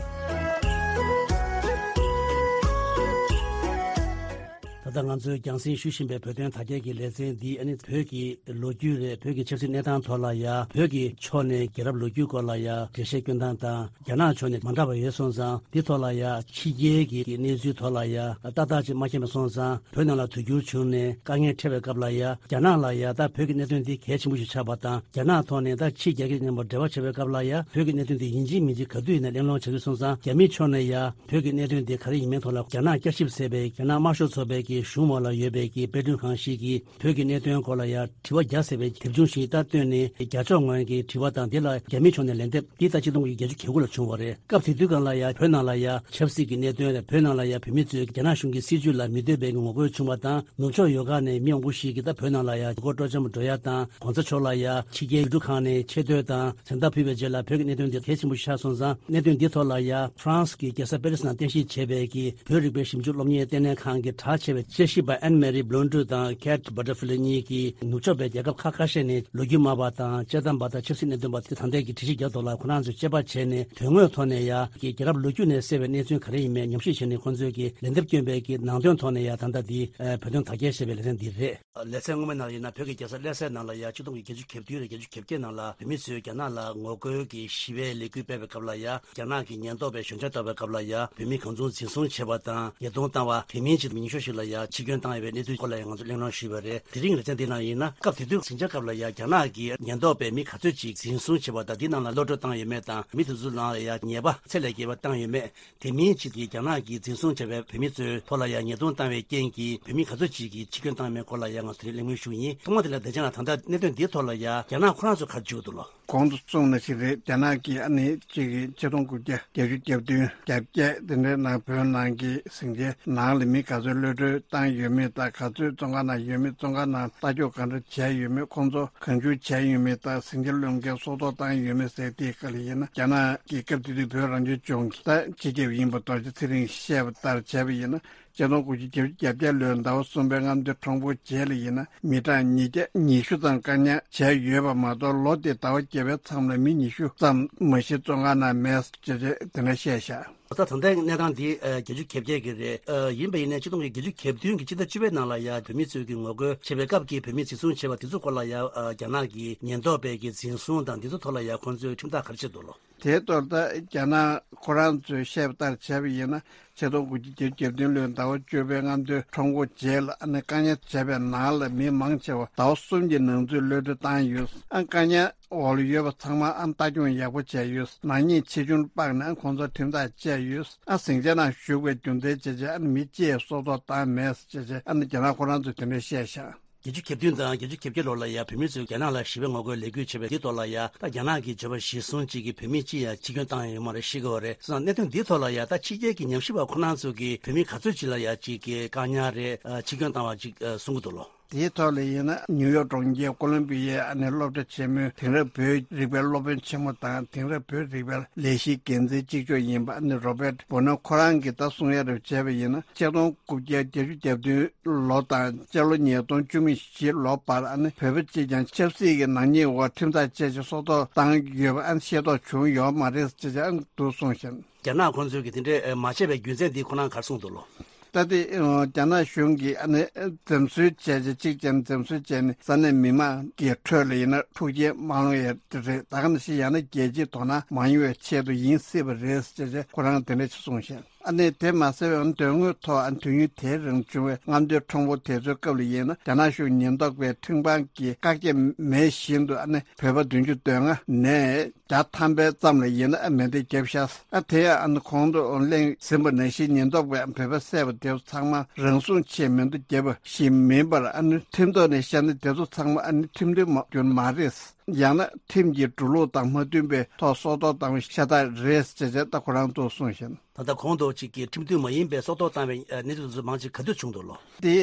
ད་ལྟ་ང་ཚོས་རྒྱང་སྲིང་ཞུ་བཞིན་པའི་བོད་དོན་དག་སྐྱེལ་གྱི་ལེ་ཚན་འདི་ཨ་ནི་བོད་ཀྱི་ལོ་རྒྱུས་རེད། བོད་ཀྱི་ཆབ་སྲིད་གནས་སྟངས་ཐོག་ལ་ཡ། བོད་ཀྱི་ཕྱོགས་ནས་རྒྱལ་རབས་ལོ་རྒྱུས་སྐོར་ལ་ཡ་འགྲེལ་བཤད་སྐྱོན་སྟངས་དང་། རྒྱ་ནག་ཕྱོགས་ནས་མ་འདྲ་བ་ཡོད་སོང་ཙང་འདི་ཐོག་ལ་ཡ་ཕྱི་རྒྱལ་གྱི་གནས་ཚུལ་ཐོག་ལ་ཡ་ཏག་ཏག་ཅིག་མ་མཁྱེན་པ་སོང་ཙང་། བོད་ནང་ལ་དུས་འགྱུར་བྱུང་ནས་དཀའ་ངལ་འཕྲད་པའི་སྐབས་ལ་ཡ་རྒྱ་ནག་ལ་ཡ་ད་བོད་ཀྱི་གནད་དོན་འདི་གལ་ཆེན་པོ་ཞིག་ཆགས་པ་དང་། རྒྱ་ནག་ཐོག་ནས་ད་ཕྱི་རྒྱལ་ཁབ་མཉམ་པོ་འབྲེལ་བ་བྱེད་པའི་སྐབས་ལ་ཡ་བོད་ཀྱི་གནད་དོན་འདི་ཡིན་གཅིག་མིན་གཅིག་ག་དུས་ཡིན་ན་གླེང་སློང་བྱ་དུས་སོང་ཙང་། རྒྱ་མིའི་ཕྱོགས་ནས་ཡ་བོད་ཀྱི་གནད་དོན་འདི་ག་རེ་ཡིན་མིན་ཐོག་ལ་རྒྱ་ནག་བསྐྱར་ཞིབ་ཟེར་བའི་རྒྱ་ནག་དམར་ཤོག་ཚོགས་པའི་གི་གཞུང་འོག་ལ་ཡོད་པའི་གི་དཔེ་སྐྲུན་ཁང་ཞིག་གིས་བོད་ཀྱི་གནད་དོན་སྐོར་ལ་ཡང་དྲི་བ་བརྒྱ་ཟེར་བའི་དེབ་ཆུང་ཞིག་ད་བཏོན་ནས། རྒྱ་ཕྱོགས་ངོས་ཀྱི་དྲི་བ་དང་། དེ་ལ་རྒྱ་མིའི་ཕྱོགས་ནས་ལན་འདེབས། འདི་ད་ཆིག་སྟོང་དགུ་བརྒྱ་བརྒྱད་ཅུ་གྱ་དགུ་ལ་བྱུང་བ་རེད། སྐབས་དེ་དུས་སྒང་ལ་ཡང་བོད་ནང་ལ་ཡང་ཆབ་སྲིད་ཀྱི་གནད་དོན་རེད། བོད་ནང་ལ་ཡང་བོད་མི་ཚོས་རྒྱ་ནག་གཞུང་གི་སྲིད་བྱུས་ལ་མི་འདོད་པའི་ངོ་རྒོལ་བྱུང་བ་དང་། ནུབ་ཕྱོགས་ཡུལ་ཁག་ནས་མི་མང་པོ་ཞིག་གིས་ད་བོད་ནང་ལ་ཡང་ཡུལ་སྐོར་སྤྲོ་འཆམ་འགྲོ་ཡ་དང་། གོང་ས་མཆོག་ལ་ཡང་ཕྱི་རྒྱལ་ཡུལ་གྲུ་ཁག་ནས་ཆེ་བསྟོད་དང་མཚན་རྟགས་ཕུལ་བའི་རྗེས་ལ། བོད་ཀྱི་གནད་དོན་འདི་གལ་ཆེན་པོ་ཞིག་ཆགས་སོང་ཙང་། གནད་དོན་འདི་ཐོག་ལ་ཡང་ཧྥ་རན་སི་གི་རྒྱལ་ས་པེ་རི་སི་ནང་རྟེན་གཞི་བྱས་པའི་གི་བོད་རིག་པའི་ཞིབ་འཇུག་སློབ་གཉེར་ལྟེ་གནས་ཁང་གི་གྲགས་ཆེ་བའི་དཔྱད་ཞིབ་པ་ཨན་མེ་རི་བྷི་ལོན་ཌུ་དང་ཁེ་ཊི་བྷ་ཊར་ཕི་ལི་གཉིས་ཀྱིས་ནུབ་ཕྱོགས་པའི་རྒྱལ་ཁབ་ཁག་ཁ་ཤས་ནས་ལོ་རྒྱུས་སྨྲ་བ་དང་དཔྱད་གཏམ་པ་དང་ཆབ་སྲིད་གནད་དོན་པ་དེ་ད་ལྟའི་གི་དྲི་ཞིབ་རྒྱག་ཐོག་ལ་ཁོ་རང་ཚོས་དཔྱད་པ་བྱས་ནས། དོན་དངོས་ཐོག་ནས་ཡང་གི་རྒྱལ་རབས་ལོ་རྒྱུས་ནས་གསལ་བའི་གནས་ཚུལ་ག་རེ་ཡིན་མིན་ཉམས་ཞིབ་བྱས་ནས། ཁོང་ཚོས་ཀྱི་ལན་འདེབས་བསྐྱོན་པའི་གི་ནང་དོན་ཐོག་ནས་ཡང་ད་ལྟ་འདི་བོད་དོན་དར་རྒྱས་ཞེས་པའི་ལེ་ཚན་འདི་རེད། ལེ་ཚན་སྔོན་མའི་ནང་ཡིན་ན། བོད་ཀྱི་རྒྱལ་ས་ལྷ་སའི་ནང་ལ་ཡང་ཆིག་སྟོང་དགུ་བརྒྱ་བརྒྱད་ཅུ་གྱ་བདུན་རེད། བརྒྱད་ཅུ་གྱ་བརྒྱད་ནང་ལ་བོད་མི་ཚོས་རྒྱ་ནག་ལ་ངོ་རྒོལ་གྱི་ཞི་བའི་ལས་འགུལ་སྤེལ་བའི་སྐབས་ལ་ཡང་། རྒྱ་ནག་གི་ཉེན་རྟོག་པས་ཞོད་འཇགས་བཏང་བའི་སྐབས་ལ་ཡང་། བོད་མི་གང་བྱུང་འཛིན་བཟུང་བྱས་པ་དང་། ཉེས་རྡུང་བཏང་བ། དེ་མིན་གྱི་མི་ཉི་ཤུ་ཞིག་ལ་ཡང་འཆི་སྐྱོན་བཏང་ཡོད་པའི་གནས་ཚུལ་སྐོར་ལ་ཡང་ང་ཚོས་གླེང་སློང་ཞུས་པ་རེད། དེ་རིང་ལེ་ཚན་འདི་ནང་ཡིན་ན། སྐབས་དེ་དུས་ཟིང་ཆ་སྐབས་ལ་ཡང་རྒྱ་ནག་གི་ཉེན་རྟོག་པས་མི་ག་ཚོད་ཅིག་འཛིན་བཟུང་བྱས་པ་དང་། འདི་རྣམས་ལ་གློད་བཀྲོལ་བཏང་ཡོད་མེད་དང་། མི་དེ་ཚོའི་ནང་ལ་ཡང་ཉེས་པ་ཚད་ལས་བརྒལ་བ་བཏང་ཡོད་མེད། དེ་མིན་ཅིག་གིས་རྒྱ་ནག་གིས་འཛིན་བཟུང་བྱས་པའི་བོད་མི་ཚོའི་ཐོག་ལ་ཡང་ཉེས་རྡུང་བཏང་བའི་རྐྱེན་གྱིས་བོད་མི་ག་ཚོད་ཅིག་གིས་འཆི་སྐྱོན་བཏང་མེད་སྐོར་ལ་ཡང་ང་ཚོས་གླེང་མོལ་ཞུ་གི་ཡིན། ཐོག་མ་དེ་ལ་བསྡད་ཀྱང་། ད་ལྟ་གནད་དོན་འདིའི་ཐོག་ལ་ཡང་རྒྱ་ནག་ཁོ་རང་ཚོས་ག་རེ་བརྗོད་འདུག་ལོ། གོང་དུ་གསུངས་ནང་བཞིན་རེད། རྒྱ་ནག་གིས་ཨ་ནི་གཅིག་གིས་ཆིག་སྟོང་དགུ་བརྒྱ་བརྒྱད་ཅུ་གྱ་བདུན་གྱ་བརྒྱད་དེ་འདྲའི་ནང་བོད་ནང་གི་ཟིང་ཆའི་ནང་ལ་མི་ག་ཚོད་གློད་བཀྲོལ་བཏང་ཡོད་མེད་དང་། ག་ཚོད་བཙོན་ཁང་ནང་ཡོད་མེད། བཙོན་ཁང་ནང་ལྟ་སྐྱོང་ག་འདྲ་བྱས་ཡོད་མེད། ཁོང་ཚོ་གང་བྱུང་བྱས་ཡོད་མེད་དང་། ཟིང་ཆ་གློད་མཁན་སྲོག་ཐོག་བཏང་ཡོད་མེད་ཟེར་དེའི་སྐོར་ལ་ཡིན་ན། རྒྱ་ནག་གིས་སྐབས་དེ་དུས་བོད་རང་སྐྱོང་ལྗོངས་ཀྱི་ད་སྤྱི་ཁྱབ་ཡིན་པ་རྡོ་རྗེ་ཚེ་རིང་བཤད་པ་ལྟར་བྱས་པ་ཡིན་ན། ཆིག་སྟོང་དགུ་བརྒྱ་བརྒྱད་ཅུ་གྱ་བརྒྱད་ལོའི་ཟླ་བ་གསུམ་པའི་རྔམ་སྟོན་ཁྲོམ་སྐོར་རྗེས་ལ་ཡིན་ན། མི་གྲངས་ཉིས་བརྒྱ་ཉི་ཤུ་ཙམ་བཀག་ཉར་བྱས་ཡོད་པ་མ་གཏོགས། ལོ་དེའི་ཟླ་བ་བརྒྱད་པའི་མཚམས་ལ་མི་ཉི་ཤུ་ཙམ་མ་གཞི་བཙོན་ཁང་ནང་མེད་ཅེས་དེ་འདྲ་བཤད་བཞག། ད་ད་ལྟའི་གནས་སྟངས་འདི་ཨ་བརྒྱད་ཅུ་གྱ་བརྒྱད་ཀྱི་རེད། ཨ་ཡིན་པ་ཡིན་ནའི་ཆིག་སྟོང་དགུ་བརྒྱ་བརྒྱད་ཅུ་གྱ་བདུན་གྱི་ཕྱི་ཟླ་བཅུ་པའི་ནང་ལ་ཡང་བོད་མི་ཚོས་ཀྱི་ངོ་རྒོལ་བྱེད་པའི་སྐབས་ཀྱི་བོད་མི་འཛིན་བཟུང་བྱས་པ་དེ་ཚོའི་སྐོར་ལ་ཡང་ཨ་རྒྱ་ནག་གི་ཉེན་རྟོག་པས་ཀྱི་འཛིན་བཟུང་དང་འདི་ཚོའི་ཐོག་ལ་ཡང་ཁོང་ཚོས་ཁྲིམས་ཐག་ག་རེ་བཅད་འདུག་ལོ། དེའི་ཐོག་ད་རྒྱ་ནག་ཁོ་རང་ཚོས་བཤད་པ་ལྟར་བྱས་པ་ཡིན་ན། ཆིག་སྟོང་དགུ་བརྒྱ་བརྒྱད་ཅུ་གྱ་བདུན་ལོའི་ཟླ་བ་བཅུ་པའི་རྔམ་སྟོན་ཁྲོམ་སྐོར་རྗེས་ལ་ཨ་ནི་བཀག་ཉར་བྱས་པའི་ནང་ལ་མི་མང་ཆེ་བ་ཟླ་བ་གསུམ་གྱི་ནང་ཚུད་གློད་བཀྲོལ་བཏང་ཡོད། ཨ་བཀག་ཉར་འོག་ལ་ཡོད་པ་ཚང་མ་ཨ་ལྟ་སྐྱོང་ཡག་པོ་བྱས་ཡོད། ནག་ཉེས་ཆེ་ཆུང་དཔག་ནས་ཨ་ཁོང་ཚོར་ཁྲིམས་ཐག་བཅད་ཡོད། ཨ་ཟིང་ཆ་ནང་ཞུགས་པའི་རྒྱུ་མཚན་བྱས་རྗེས་ཨ་ནི་མི་གཅིག་སྲོག་ཐོག་བཏང་མེད་ཅེས་བྱས་ཨ་ནི་རྒྱ་ནག་ཁོ་རང་ཚོས་དེ་འདྲ་བཤད་བཞག། བརྒྱད་ཅུ་གྱ་བདུན་དང་བརྒྱད་ཅུ་གྱ་བརྒྱད་ལོ་ལ་ཡང་བོད་མི་ཚོས་རྒྱ་ནག་ལ་ཞི་བའི་ངོ་རྒོལ་ལས་འགུལ་བྱས་པའི་དེའི་ཐོག་ལ་ཡང་། ད་རྒྱ་ནག་གིས་བརྗོད་པ་གཞིར་བཟུང་གཅིག་གིས་བོད་མི་གཅིག་ཡང་འཆི་སྐྱོན་བཏང་ཡོད་མ་རེད། ཤི་དགོས་པ་རེད། སོང་ཙང་གནད་དོན་འདིའི་ཐོག་ལ་ཡང་ད་ཕྱི་རྒྱལ་གྱི་ཉམས་ཞིབ་པ་ཁོ་རང་ཚོ་གིས་བོད་མི་ག་ཚོད་ཅིག་ལ་ཡང་གཅིག་གིས་བཀག་ཉར་རེད། འཆི་སྐྱོན་བཏང་བ་ཅིག་གསུང་གི་འདུག་ལོ། དེའི་ཐོག་ལ་ཡིན་ན། ནིའུ་ཡོག་གྲོང་ཁྱེར་ཀོ་ལོམ་པི་ཡའི་ཨ་ནི་སློབ་གྲྭ་ཆེན་མོའི་དེང་རབས་བོད་རིག་པའི་སློབ་དཔོན་ཆེན་མོ་དང་། དེང་རབས་བོད་རིག་པའི་ལས་གཞིའི་འགན་འཛིན་གཅིག་ལྕོགས་ཡིན་པ་ཨ་ནི་རོ་བེར་ཏ་བྷོ་ནོ་ཁོ་རང་གིས་ད་གསུང་ཡ་རེ་བྱས་པ་ཡིན་ན། ཆིག་སྟོང་དགུ་བརྒྱ་བརྒྱད་ཅུ་གྱ་བདུན་ལོ་དང་སྤྱི་ལོ་ཉིས་སྟོང་བཅུ་མེད་བཞི་ལོ་བར་ཨ་ནི་བོད་པ་གཅིག་ཀྱང་ཆབ་སྲིད་ཀྱི་ནག་ཉེས་འོག་ཁྲིམས་ཐག་བཅད་ཅིང་སྲོག་ཐོག་བཏང་ཡོད་པ་ཨ་ནི་ཤེས་རྟོགས་བྱུང་ཡོད་མ་རེད་ཅེས་ཨ་ནི་འདུག་གསུངས་ཤིང་། རྒྱ་ནག་ཁོང་ཚོས་ཀྱིས་དེ་འདྲའི་མ་བྱས་པའི་རྒྱུ་མཚན་འདི་ཁོ་རང་ག་རེ་གསུངས་འདུག་ལོ། ད་ལྟའི་རྒྱ་ནག་གཞུང་གིས་ཨ་ནི་འཛེམ་ཟོན་བྱས་རྗེས་གཅིག་ཀྱང་འཛེམ་ཟོན་བྱས་ནས་ས་གནས་མི་མང་གི་ཁྲོད་ལ་ཡིན་ན་འཁྲུག་རྐྱེན་མ་སློང་ཡས་རེད། ད་ག་ནང་བཞིན་ཡང་ན་རྒྱལ་སྤྱིའི་དོ་སྣང་མ་ཡོང་བའི་ཆེད་དུ་ཡིན་སྲིད་པ་རེད་ཅེས་ཁོ་རང་དེ་འདྲ་ཞིག་གསུངས་ཤིང་། ཨ་ནི་དེ་མ་ཟད་པའི་དོན་དངོས་ཐོག་ཨ་ནི་དུས་ཡུན་དེའི་རིང་བྱུང་བའི་རྔམ་སྟོན་ཁྲོམ་སྐོར་དེ་ཚོའི་སྐབས་ལ་ཡིན་ན། རྒྱ་ནག་གཞུང་ཉེན་རྟོག་པའི་ཁྲིམས་ཁང་གིས་བཀག་རྒྱ་མེད་བཞིན་དུ་ཨ་ནི་བོད་པ་བདུན་ཅུ་དོན་ལྔ་ནས་བརྒྱ་ཐམ་པའི་ཙམ་ལ་ཡིན་ན་ཨ་མེ་མདའ་བརྒྱབ་ཤག། ཨ་དེ་ཡང་ཨ་ནི་གོང་དུ་གླེང་ཟིན་པ་ནང་བཞིན་ཉེན་རྟོག་པས་བོད་པ་བསད་པ་དེ་ཚོ་ཚང་མ་རང་སྲུང་ཆེད་མེ་མདའ་བརྒྱབ་པ་ཞིག་མིན་པར། ཨ་ནི་ཁྲིམས་ཐོག་ནས་བཤད་ན་དེ་ཚོ་ཚང་མ་ཨ་ནི་ཁྲིམས་མཐུན་མ་རྒྱུ་མ་རེད། ཡང་ན་ཁྲིམས་ཀྱི་འགྲོ་ལུགས་དང་མ་མཐུན་པའི་ཐོག་སྲོག་ཐོག་བཏང་བའི་ཤ་སྟག་རེད་ཅེས་ད་ཁོ་རང་ཚོས་གསུངས་ཤིང་། ད་ལྟ་གོང་དུ་གཅིག་གིས་ཁྲིམས་མཐུན་མ་ཡིན་པའི་སྲོག་ཐོག་བཏང་བའི་གནས་ཚུལ་དེ་ཚོ་མང་ཆེ་ག་དུས་བྱུང་འདུག་ལོ། དེ་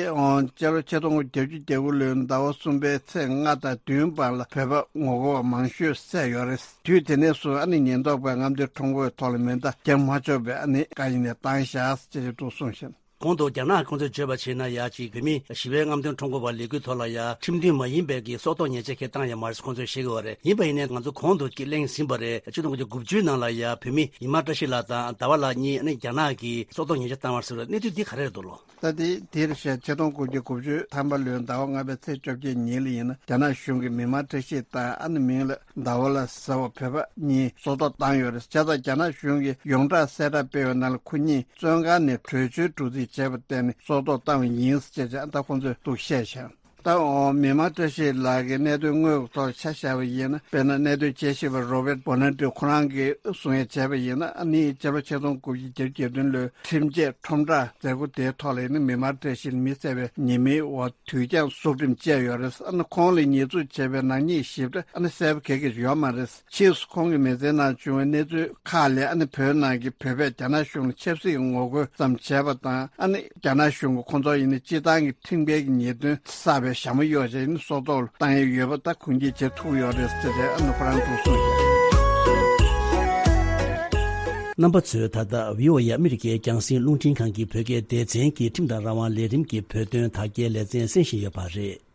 སྤྱི་ལོ་ཆིག་སྟོང་དགུ་བརྒྱ་བརྒྱད་ཅུ་གྱ་དགུ་ལོའི་ཟླ་བ་གསུམ་པའི་ཚེས་ལྔ་དང་བདུན་བར་ལ་བོད་པ་ངོ་རྒོལ་བ་མང་ཤོས་བསད་ཡོད་རེད། དུས་དེ་ནས་བཟུང་ཨ་ནི་ཉེན་རྟོག་པས་རྔམ་སྟོན་ཁྲོམ་སྐོར་ཐོག་ལ་མེ་མདའ་རྒྱག་མ་ཆོག་པའི་ཨ་ནི་བཀའ་ཡིག་ནས་བཏང་བཞག་ཅེས་འདུག་གསུངས་ཤིང་། གོང་དུ་རྒྱ་ནག་ཁོང་ཚོས་བརྗོད་པ་བྱས་ན། ཡ་གཅིག་བོད་མི་ཞི་བའི་རྔམ་སྟོན་ཁྲོམ་སྐོར་བ་ལས་འགུལ་ཐོག་ལ་ཡ་ཁྲིམས་མཐུན་མ་ཡིན་པའི་གི་སྲོག་ཐོག་ཉེས་ཆད་ཁེ་བཏང་ཡ་མ་རེད་ཁོང་ཚོས་བཤད་ཀྱི་ཡོད་རེད། ཡིན་པ་ཡིན་ནའི་ང་ཚོ་གོང་དུ་གཅིག་གླེང་ཟིན་པ་རེད། ཆིག་སྟོང་དགུ་བརྒྱ་དགུ་བཅུའི་ནང་ལ་ཡ་བོད་མི་ཉི་མ་བཀྲ་ཤིས་ལགས་དང་ཟླ་བ་ལགས་གཉིས་ཨ་ནི་རྒྱ་ནག་གིས་སྲོག་ཐོག་ཉེས་ཆད་བཏང་བ་ཟེར་བའི་གནས་ཚུལ་འདི་ག་རེ་རེད་འདུག་ལོ། ད་དེ་དེར་བཤད་ཆིག་སྟོང་དགུ་བརྒྱ་དགུ་བཅུ་ཐམ་པ་ལོའི་ཟླ་བ་ལྔ་པའི་ཚེས་བཅོ་བརྒྱད་ཉིན་ལ་ཡིན་ན་རྒྱ་ནག་གཞུང་གིས་མི་མང་བཀྲ་ཤིས་དང་ཨ་ནི་མིང་ལ་ཟླ་བ་ལགས་ཟེར་བ་བོད་པ་གཉིས་སྲོག་ཐོག་བཏང་ཡོད་རེད། བྱས་ཙང་རྒྱ་ནག་གཞུང་གིས་ཡོངས་གྲགས་གསལ་བསྒྲགས་སྤེལ་བའི་ནང་ལ་ཁོ་གཉིས་བཙོན་ཁང་ནས་བྲོས་བྱོལ་འགྲོ་རྩིས་བྱས་པར་བརྟེན་ནས་སྲོག་ཐོག་བཏང་བ་ཡིན་ཅེས་ཀྱང་ད་ཁོང་ཚོས་འདུག་བཤད་བཞག། ད་འོ་མི་དམངས་བཀྲ་ཤིས་ལགས་ཀྱི་གནད་དོན་དངོས་ཀྱི་ཐོག་ཆ་བཞག་པ་ཡིན་ན། དཔེར་ན་གནད་དོན་དཔྱད་ཞིབ་པ་Robert Bonanno ཁོ་རང་གིས་གསུང་ཡ་བྱས་པ་ཡིན་ན། ཨ་ནི་སྤྱི་ལོ་ཆིག་སྟོང་དགུ་བརྒྱ་བརྒྱད་ཅུ་གྱ་བདུན་ལོའི་ཁྲིམས་ཆད་ཁྲོམ་བསྒྲགས་མཛད་སྒོ་དེའི་ཐོག་ལ་ཡིན་ན། མི་དམངས་བཀྲ་ཤིས་ལ་མི་བསད་པའི་ཉེས་མིང་འོག་དུས་འགྱངས་སྲུང་འགྲིམ་བཅས་ཡོད་རེད། ཨ་ནི་ཁོང་ལ་ཉེས་འཛུགས་བྱས་པའི་ནག་ཉེས་ཞིབ་ཕྲ་ཨ་ནི་གསལ་པོ་ག་གེ་ཡོད་མ་རེད། ཕྱིས་སུ་ཁོང་གི་མི་ཚེའི་ནང་བྱུང་བའི་གནས་ཚུལ་ཁག་ལས། ཨ་ནི་བོད་ནང་གི་བོད་པས་རྒྱ་ནག་གཞུང་ལ་ཆབ་སྲིད་ཀྱི་ངོ་རྒོལ་ཙམ་བྱས་པ་དང་། ཨ་ནི་རྒྱ་ནག་གཞུང་གིས་ཁོང་ཚོ་ཡིན་ན་སྤྱིར་བཏང་གི་ཁྲིམས་འགལ་གྱི་ཉེས་དོན་བསགས་པའི་ཞྭ་མོ་གཡོགས་བྱས་ནས་སྲོག་ཐོག་ལ་བཏང་ཡས་ཡོད་པ་ད་ཁུངས་སྐྱེལ་བྱེད་ཐུབ་ཡོད་རེད་ཟེར་ཏེ། ཨ་ནི་ཁོ་རང་ཚོས་གསུངས་ཤག་རྣམ་པ་ཚོས་ད་ལྟ་བྷི་ཨོ་ཨེ་ཨ་མི་རི་ཀའི་རྒྱང་སྲིང་རླུང་འཕྲིན་ཁང་གི་བོད་སྐད་སྡེ་ཚན་གྱི་ཁྲིམས་དང་རང་དབང་ལས་རིམ་གྱི་བོད་དོན་དར་རྒྱས་ལེ་ཚན་གསན་བཞིན་ཡོད་པ་རེད།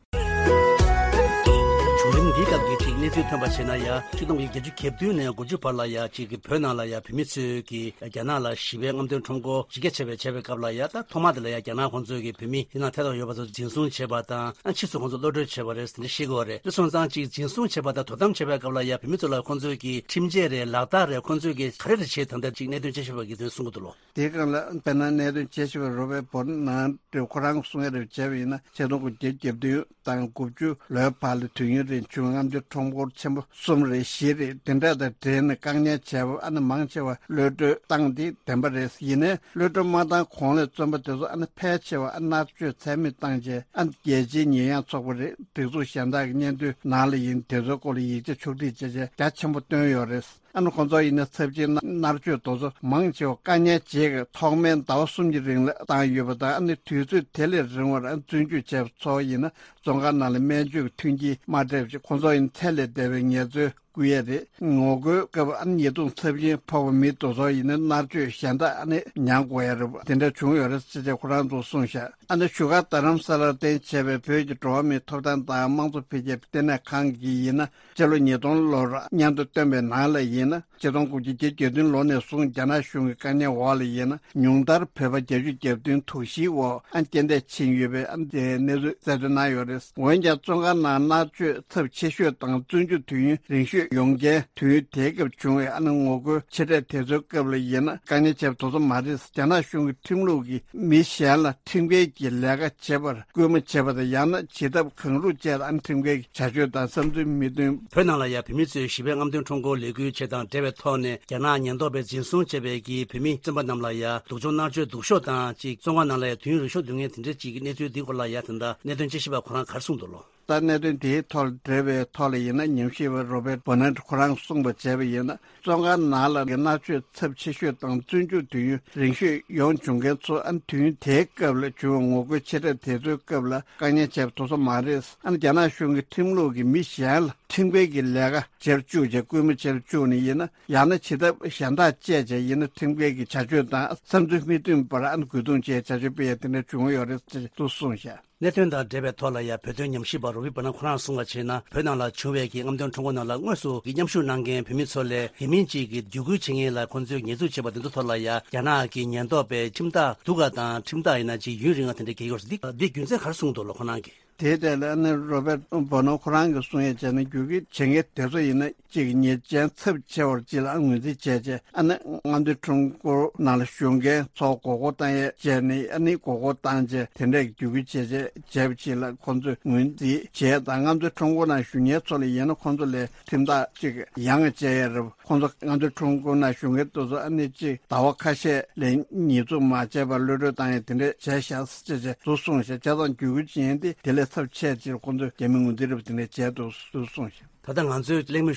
བྱུང་རིམ་འདིའི་སྐབས་ཀྱི་གཅིག་གནས་ཚུལ་ཐོན་པ་བྱས་ན་ཡང་། ཆིག་སྟོང་དགུ་བརྒྱ་བརྒྱད་ཅུ་གྱ་བདུན་ནས་དགུ་བཅུ་བར་ལ་ཡང་གཅིག་གི་བོད་ནང་ལ་ཡང་བོད་མི་ཚོས་ཀྱི་རྒྱ་ནག་ལ་ཞི་བའི་རྔམ་སྟོན་ཁྲོམ་སྐོར་ཇི་སྐད་བྱ་བའི་བྱ་བའི་སྐབས་ལ་ཡང་། ད་ཐོག་མ་དེ་ལ་ཡང་རྒྱ་ནག་ཁོང་ཚོས་ཀྱི་བོད་མི་དེ་ནང་ཐད་གཏོང་ཡོད་པ་ཚོ་འཛིན་བཟུང་བྱས་པ་དང་། ཨ་ཕྱིས་སུ་ཁོང་ཚོ་གློད་གྲོལ་བྱས་པ་རེད་ཟེར་ནས་ཤེས་དགོས་པ་རེད། དེ་སོང་ཙང་གཅིག་འཛིན་བཟུང་བྱས་པ་དང་དོ་དམ་བྱས་པའི་སྐབས་ལ་ཡང་བོད་མི་ཚོ་ལ་ཁོང་ཚོས་ཀྱི་ཁྲིམས་ཆད་རེད། ལག་རྟགས་རེད། ཁོང་ཚོས་ཀྱི་ག་རེ་རེ་བྱས། ད་ལྟ་གཅིག་གནད་དོན་དཔྱད་ཞིབ་པ་གིས་དེ་གསུང་གི་འདུག་ལོ། དེའི་སྒང་ལ་དཔེར་ན་གནད་དོན་དཔྱད་ཞིབ་པ་Robert Bonanno ཁོ་རང་གིས་གསུང་ཡ་རེ་བྱས་པ་ཡིན་ན། ཆིག་སྟོང་དགུ་བརྒྱ་བརྒྱད་ཅུ་དང་དགུ་བཅུ་ལོའི་བར་ལ་དུས་ཡུན་རིང་བྱུང་རྔམ་སྟོན་ཁྲོམ་སྐོར་ཆེན་པོ་གསུམ་རེད། བཞི་རེད། དེ་འདྲ་དང་འབྲེལ་ནས་བཀག་ཉར་བྱས་པ་ཨ་ནི་མང་ཆེ་བ་གློད་གྲོལ་བཏང་སྟེ་བདེན་པ་རེད། ཡིན་ནའི་གློད་གྲོལ་མ་བཏང་གོང་ལ་བཙོན་པ་དེ་ཚོ་ཨ་ནི་ཕལ་ཆེ་བ་ཨ་མནར་གཅོད་ཚད་མེད་བཏང་རྗེས་ཨ་ནི་རྒྱལ་སྤྱིའི་ཉེས་ཡངས་ཚོགས་པ་རེད། སྒྲིག་འཛུགས་གཞན་དག་གི་སྙན་ཐོའི་ནང་ལ་ཡིན། དེ་ཚོའི་སྐོར་ལ་ཡིག་ཆ་ཕྱོགས་སྒྲིག་བྱས་རྗེས་རྒྱ་ཆེན་པོ་བཏོན་ཡོད་རེད། ཨ་ནི་ཁོང་ཚོ་ཡིན་ན་ཚབས་ཆེའི་མནར་གཅོད་དེ་ཚོ་མང་ཆེ་བ་བཀག་ཉར་བྱེད་ཀྱི་ཐོག་མའི་ཟླ་བ་གསུམ་གྱི་རིང་ལ་བཏང་ཡོད་པ་དང་། ཨ་ནི་དུས་ཚོད་དེ་ལས་རིང་བར་ཨ་བཙོན་འཇུག་བྱས་པ་ཚོ་ཡིན་ན་བཙོན་ཁང་ནང་ལ་སྨན་བཅོས་ཀྱི་མཐུན་རྐྱེན་མ་སྤྲད་པ་བྱས་ཁོང་ཚོ་ཡིན་ཚད་ལས་འདས་པའི་ངལ་རྩོལ་བསྐུལ་ཡས་རེད། ངོ་རྒོལ་སྐབས་ཨ་ནི་ཉེས་རྡུང་ཚབས་ཆེན་ཕོག་པ་མི་དེ་ཚོ་ཡིན་ན་མནར་གཅོད་གཞན་དག་ཨ་ནི་མྱངས་དགོས་ཡ་རེད། དེ་འདྲ་བྱུང་ཡོད་རེད་ཟེར་བྱས་ཁོ་རང་ཚོས་གསུངས་ཤག་ཨ་ནི་བཞུགས་སྒར་རྡ་རམ་ས་ལར་རྟེན་བྱས་པའི་བོད་ཀྱི་འགྲོ་བ་མིའི་ཐོབ་ཐང་དང་དམངས་གཙོ་འཕེལ་རྒྱས་ལྟེ་གནས་ཁང་གིས་ཡིན་ན། སྤྱི་ལོ་ཉིས་སྟོང་ལོར་སྙན་ཐོ་བཏོན་པའི་ནང་ལ་ཡིན་ན། ཆིག་སྟོང་དགུ་བརྒྱ་བརྒྱད་ཅུ་གྱ་བདུན་ལོ་ནས་བཟུང་རྒྱ་ནག་གཞུང་གི་བཀག་ཉར་འོག་ལ་ཡིན་ན། ཉུང་མཐར་བོད་པ་བརྒྱད་ཅུ་གྱ་བདུན་དོགས་གཞིའི་འོག་ཨ་རྐྱེན་འདས་ཕྱིན་ཡོད་པའི་ཨ་དེའི་གནས་ཚུལ་གསལ་སྟོན་གནང་ཡོད་རེད། འོན་ཀྱང་བཙོན་ཁང་ནང་མནར་གཅོད་ཚབས་ཆེ་ཤོས་དང་བཙོན་འཇུག་དུས་ཡུན་རིང་ཤོས་ཡོང་རྐྱེན་དུས་ཡུན་དེའི་སྐབས་བྱུང་བའི་ཨ་ནི་ངོ་རྒོལ་ཆེ་གྲས་དེ་ཚོའི་སྐབས་ལ་ཡིན་ན་བཀག་ཉར་བྱས་པ་དེ་ཚོ་མ་རེད། རྒྱ་ནག་གཞུང་གི་ཁྲིམས་ལུགས་ཀྱིས་མི་གཞན་ལ་ཁྲིམས་འགལ་གྱི་ལས་ཀ་བྱེད་པར་སྐུལ་མ་བྱེད་པ་དང་། ཡང་ན་བྱེད་ཐབས་གང་རུང་སྤྱད་ཨ་ནི་ཁྲིམས་འགལ་གྱི་བྱ་སྤྱོད་དང་བསམ་ཚུལ་མི་མཐུན། བོད་ནང་ལ་ཡང་བོད་མི་ཚོས་ཞི་བའི་རྔམ་སྟོན་ཁྲོམ་སྐོར་ལས་འགུལ་ཆེད་དང་འབྲེལ་བའི་ཐོག་ནས་རྒྱ་ནག་ཉེན་རྟོག་པས་འཛིན་བཟུང་བྱས་པའི་གི་བོད་མི་བཙོན་པ་རྣམས་ལ་ཡང་སྡུག་སྦྱོང་མནར་གཅོད་སྡུག་ཤོས་དང་གཅིག་བཙོན་ཁང་ནང་ལ་ཡང་དུས་ཡུན་རིང་ཤོས་སྡོད་མཁན་དེ་འདྲ་ཅིག་གི་གནས་ཚུལ་འདིའི་སྐོར་ལ་ཡང་ད་ལྟ་གནད་དོན་དཔྱད་ཞིབ་པ་ཁོ་རང་ག་རེ་གསུངས་འདུག་ལོ། ད་གནད་དོན་དེའི་ཐོག་ལ་འབྲེལ་བའི་ཐོག་ལ་ཡིན་ན་ཉམས་ཞིབ་པ་Robert Bonanno ཁོ་རང་གསུངས་པ་བྱས་པ་ཡིན་ན། བཙོན་ཁང་ནང་ལ་མནར་གཅོད་ཚབས་ཆེ་ཤོས་དང་བཙོན་འཇུག་དུས་ཡུན་རིང་ཤོས་ཡོང་བྱུང་མཁན་ཚོ་ཨ་ནི་དུས་ཡུན་དེའི་སྐབས་ལ་བྱུང་བའི་ངོ་རྒོལ་ཆེ་གྲས་དེ་ཚོའི་སྐབས་ལ་བཀག་ཉར་བྱས་པ་དེ་ཚོ་མ་རེད། ཨ་ནི་རྒྱ་ནག་གཞུང་གི་ཁྲིམས་ལུགས་ཀྱིས་མི་གཞན་ལ་ཁྲིམས་འགལ་གྱི་ལས་ཀ་བྱེད་བཅུག་བྱས་སྐུལ་མ་བྱེད་བཅུག་ནས་ཡིན་ན། ཡང་ན་བྱེད་ཐབས་གཞན་དག་སྤྱད་བྱས་ཡིན་ན་ཁྲིམས་འགལ་གྱི་བྱ་སྤྱོད་དང་བསམ་ཚུལ་མི་མཐུན་པར་ཨ་ནི་རྒོལ་རྡུང་བྱས་བྱ་སྤྱོད་སྤེལ་ཡ་དེ་འདྲ་བྱུང་ཡོད་རེད་ཅེས་དུ་གསུངས་ཤག་གནད་དོན་དང་འབྲེལ་བའི་ཐོག་ལ་ཡང་བོད་དོན་ཉམས་ཞིབ་པ་Robert Bonanno ཁོ་རང་གསུངས་པ་བྱས་ན། བོད་ནང་ལ་བྱུང་བའི་གི་རྔམ་སྟོན་ཁྲོམ་སྐོར་ནང་ལ་དངོས་སུ་གི་མཉམ་ཞུགས་གནང་མཁན་བོད་མི་ཚོ་ལས་དེ་མིན་གཅིག་གི་བརྒྱུད་སྐུལ་བྱེད་མཁན་ལ་ཁོང་ཚོས་ཉེས་འཛུགས་བྱས་པ་དེ་ཚོ་ཐོག་ལ་ཡང་རྒྱ་ནག་གི་ཉེན་རྟོག་པས་ཁྲིམས་ཐག་སྡུག་ག་དང་ཁྲིམས་ཐག་ཡིན་ན་ཅིག་ཡུན་རིང་བ་དེ་འདྲ་བཀལ་ཡོད་རེད། འདི་འདི་རྒྱུ་མཚན་ག་རེ་གསུངས་འདུག་ལོ་ཁོ་རང་གིས། དེའི་ཐད་ལ་ཨ་ནི་Robert Bonanno ཁོ་རང་གིས་གསུང་ཡ་བྱས་ན། བརྒྱུད་སྐུལ་བྱེད་མཁན་དེ་ཚོ་ཡིན་ན་གཅིག་ཉེས་ཅན་ཚབས་ཆེ་བར་གཅིག་ལ་ངོས་འཛིན་བྱས་རྗེས་ཨ་ནི་རྔམ་སྟོན་ཁྲོམ་སྐོར་ནང་ལ་ཞུགས་མཁན་ཚོ་མགོ་སྐོར་བཏང་ཡས་བྱས་ནས། ཨ་ནི་མགོ་སྐོར་བཏང་རྗེས་དེ་འདྲས་བརྒྱུད་སྐུལ་བྱས་རྗེས་བྱས་པ་གཅིག་ལ་ཁོང་ཚོས་ངོས་འཛིན་བྱས་དང་། རྔམ་སྟོན་ཁྲོམ་སྐོར་ནང་ཞུགས་མཁན་ཚོ་ལ་ཡིན་ན་ཁོང་ཚོ་ལས་ཁྲིམས་ཐག་གཅིག་ཡང་བཅད་ཡས་རེད། ཁོང་ཚོ་རྔམ་སྟོན་ཁྲོམ་སྐོར་ནང་ཞུགས་མཁན་དེ་ཚོ་ཨ་ནི་གཅིག་ཟླ་བ་ཁ་ཤས་ལས་ཉེས་འཛུགས་མ་བྱས་པར་གློད་གྲོལ་བཏང་ཡས་དེ་འདྲས་བྱས་ཤག་ཅེས་ཅེས་དུ་གསུངས་ཤག་བྱས་ཙང་བརྒྱུད་སྐུལ་བྱེད་མཁན་དེ་དེ་ལས་ཚབས་ཆེ་ཅིག་ཁོང་ཚོས་རྒྱ་མི་ངོས་འཛིན་རེད་པ་དེ་འདྲས་བྱས་འདུག་དུ་གསུངས་ཤག་ད་ལྟ་ང་ཚོས་གླེང་མོལ་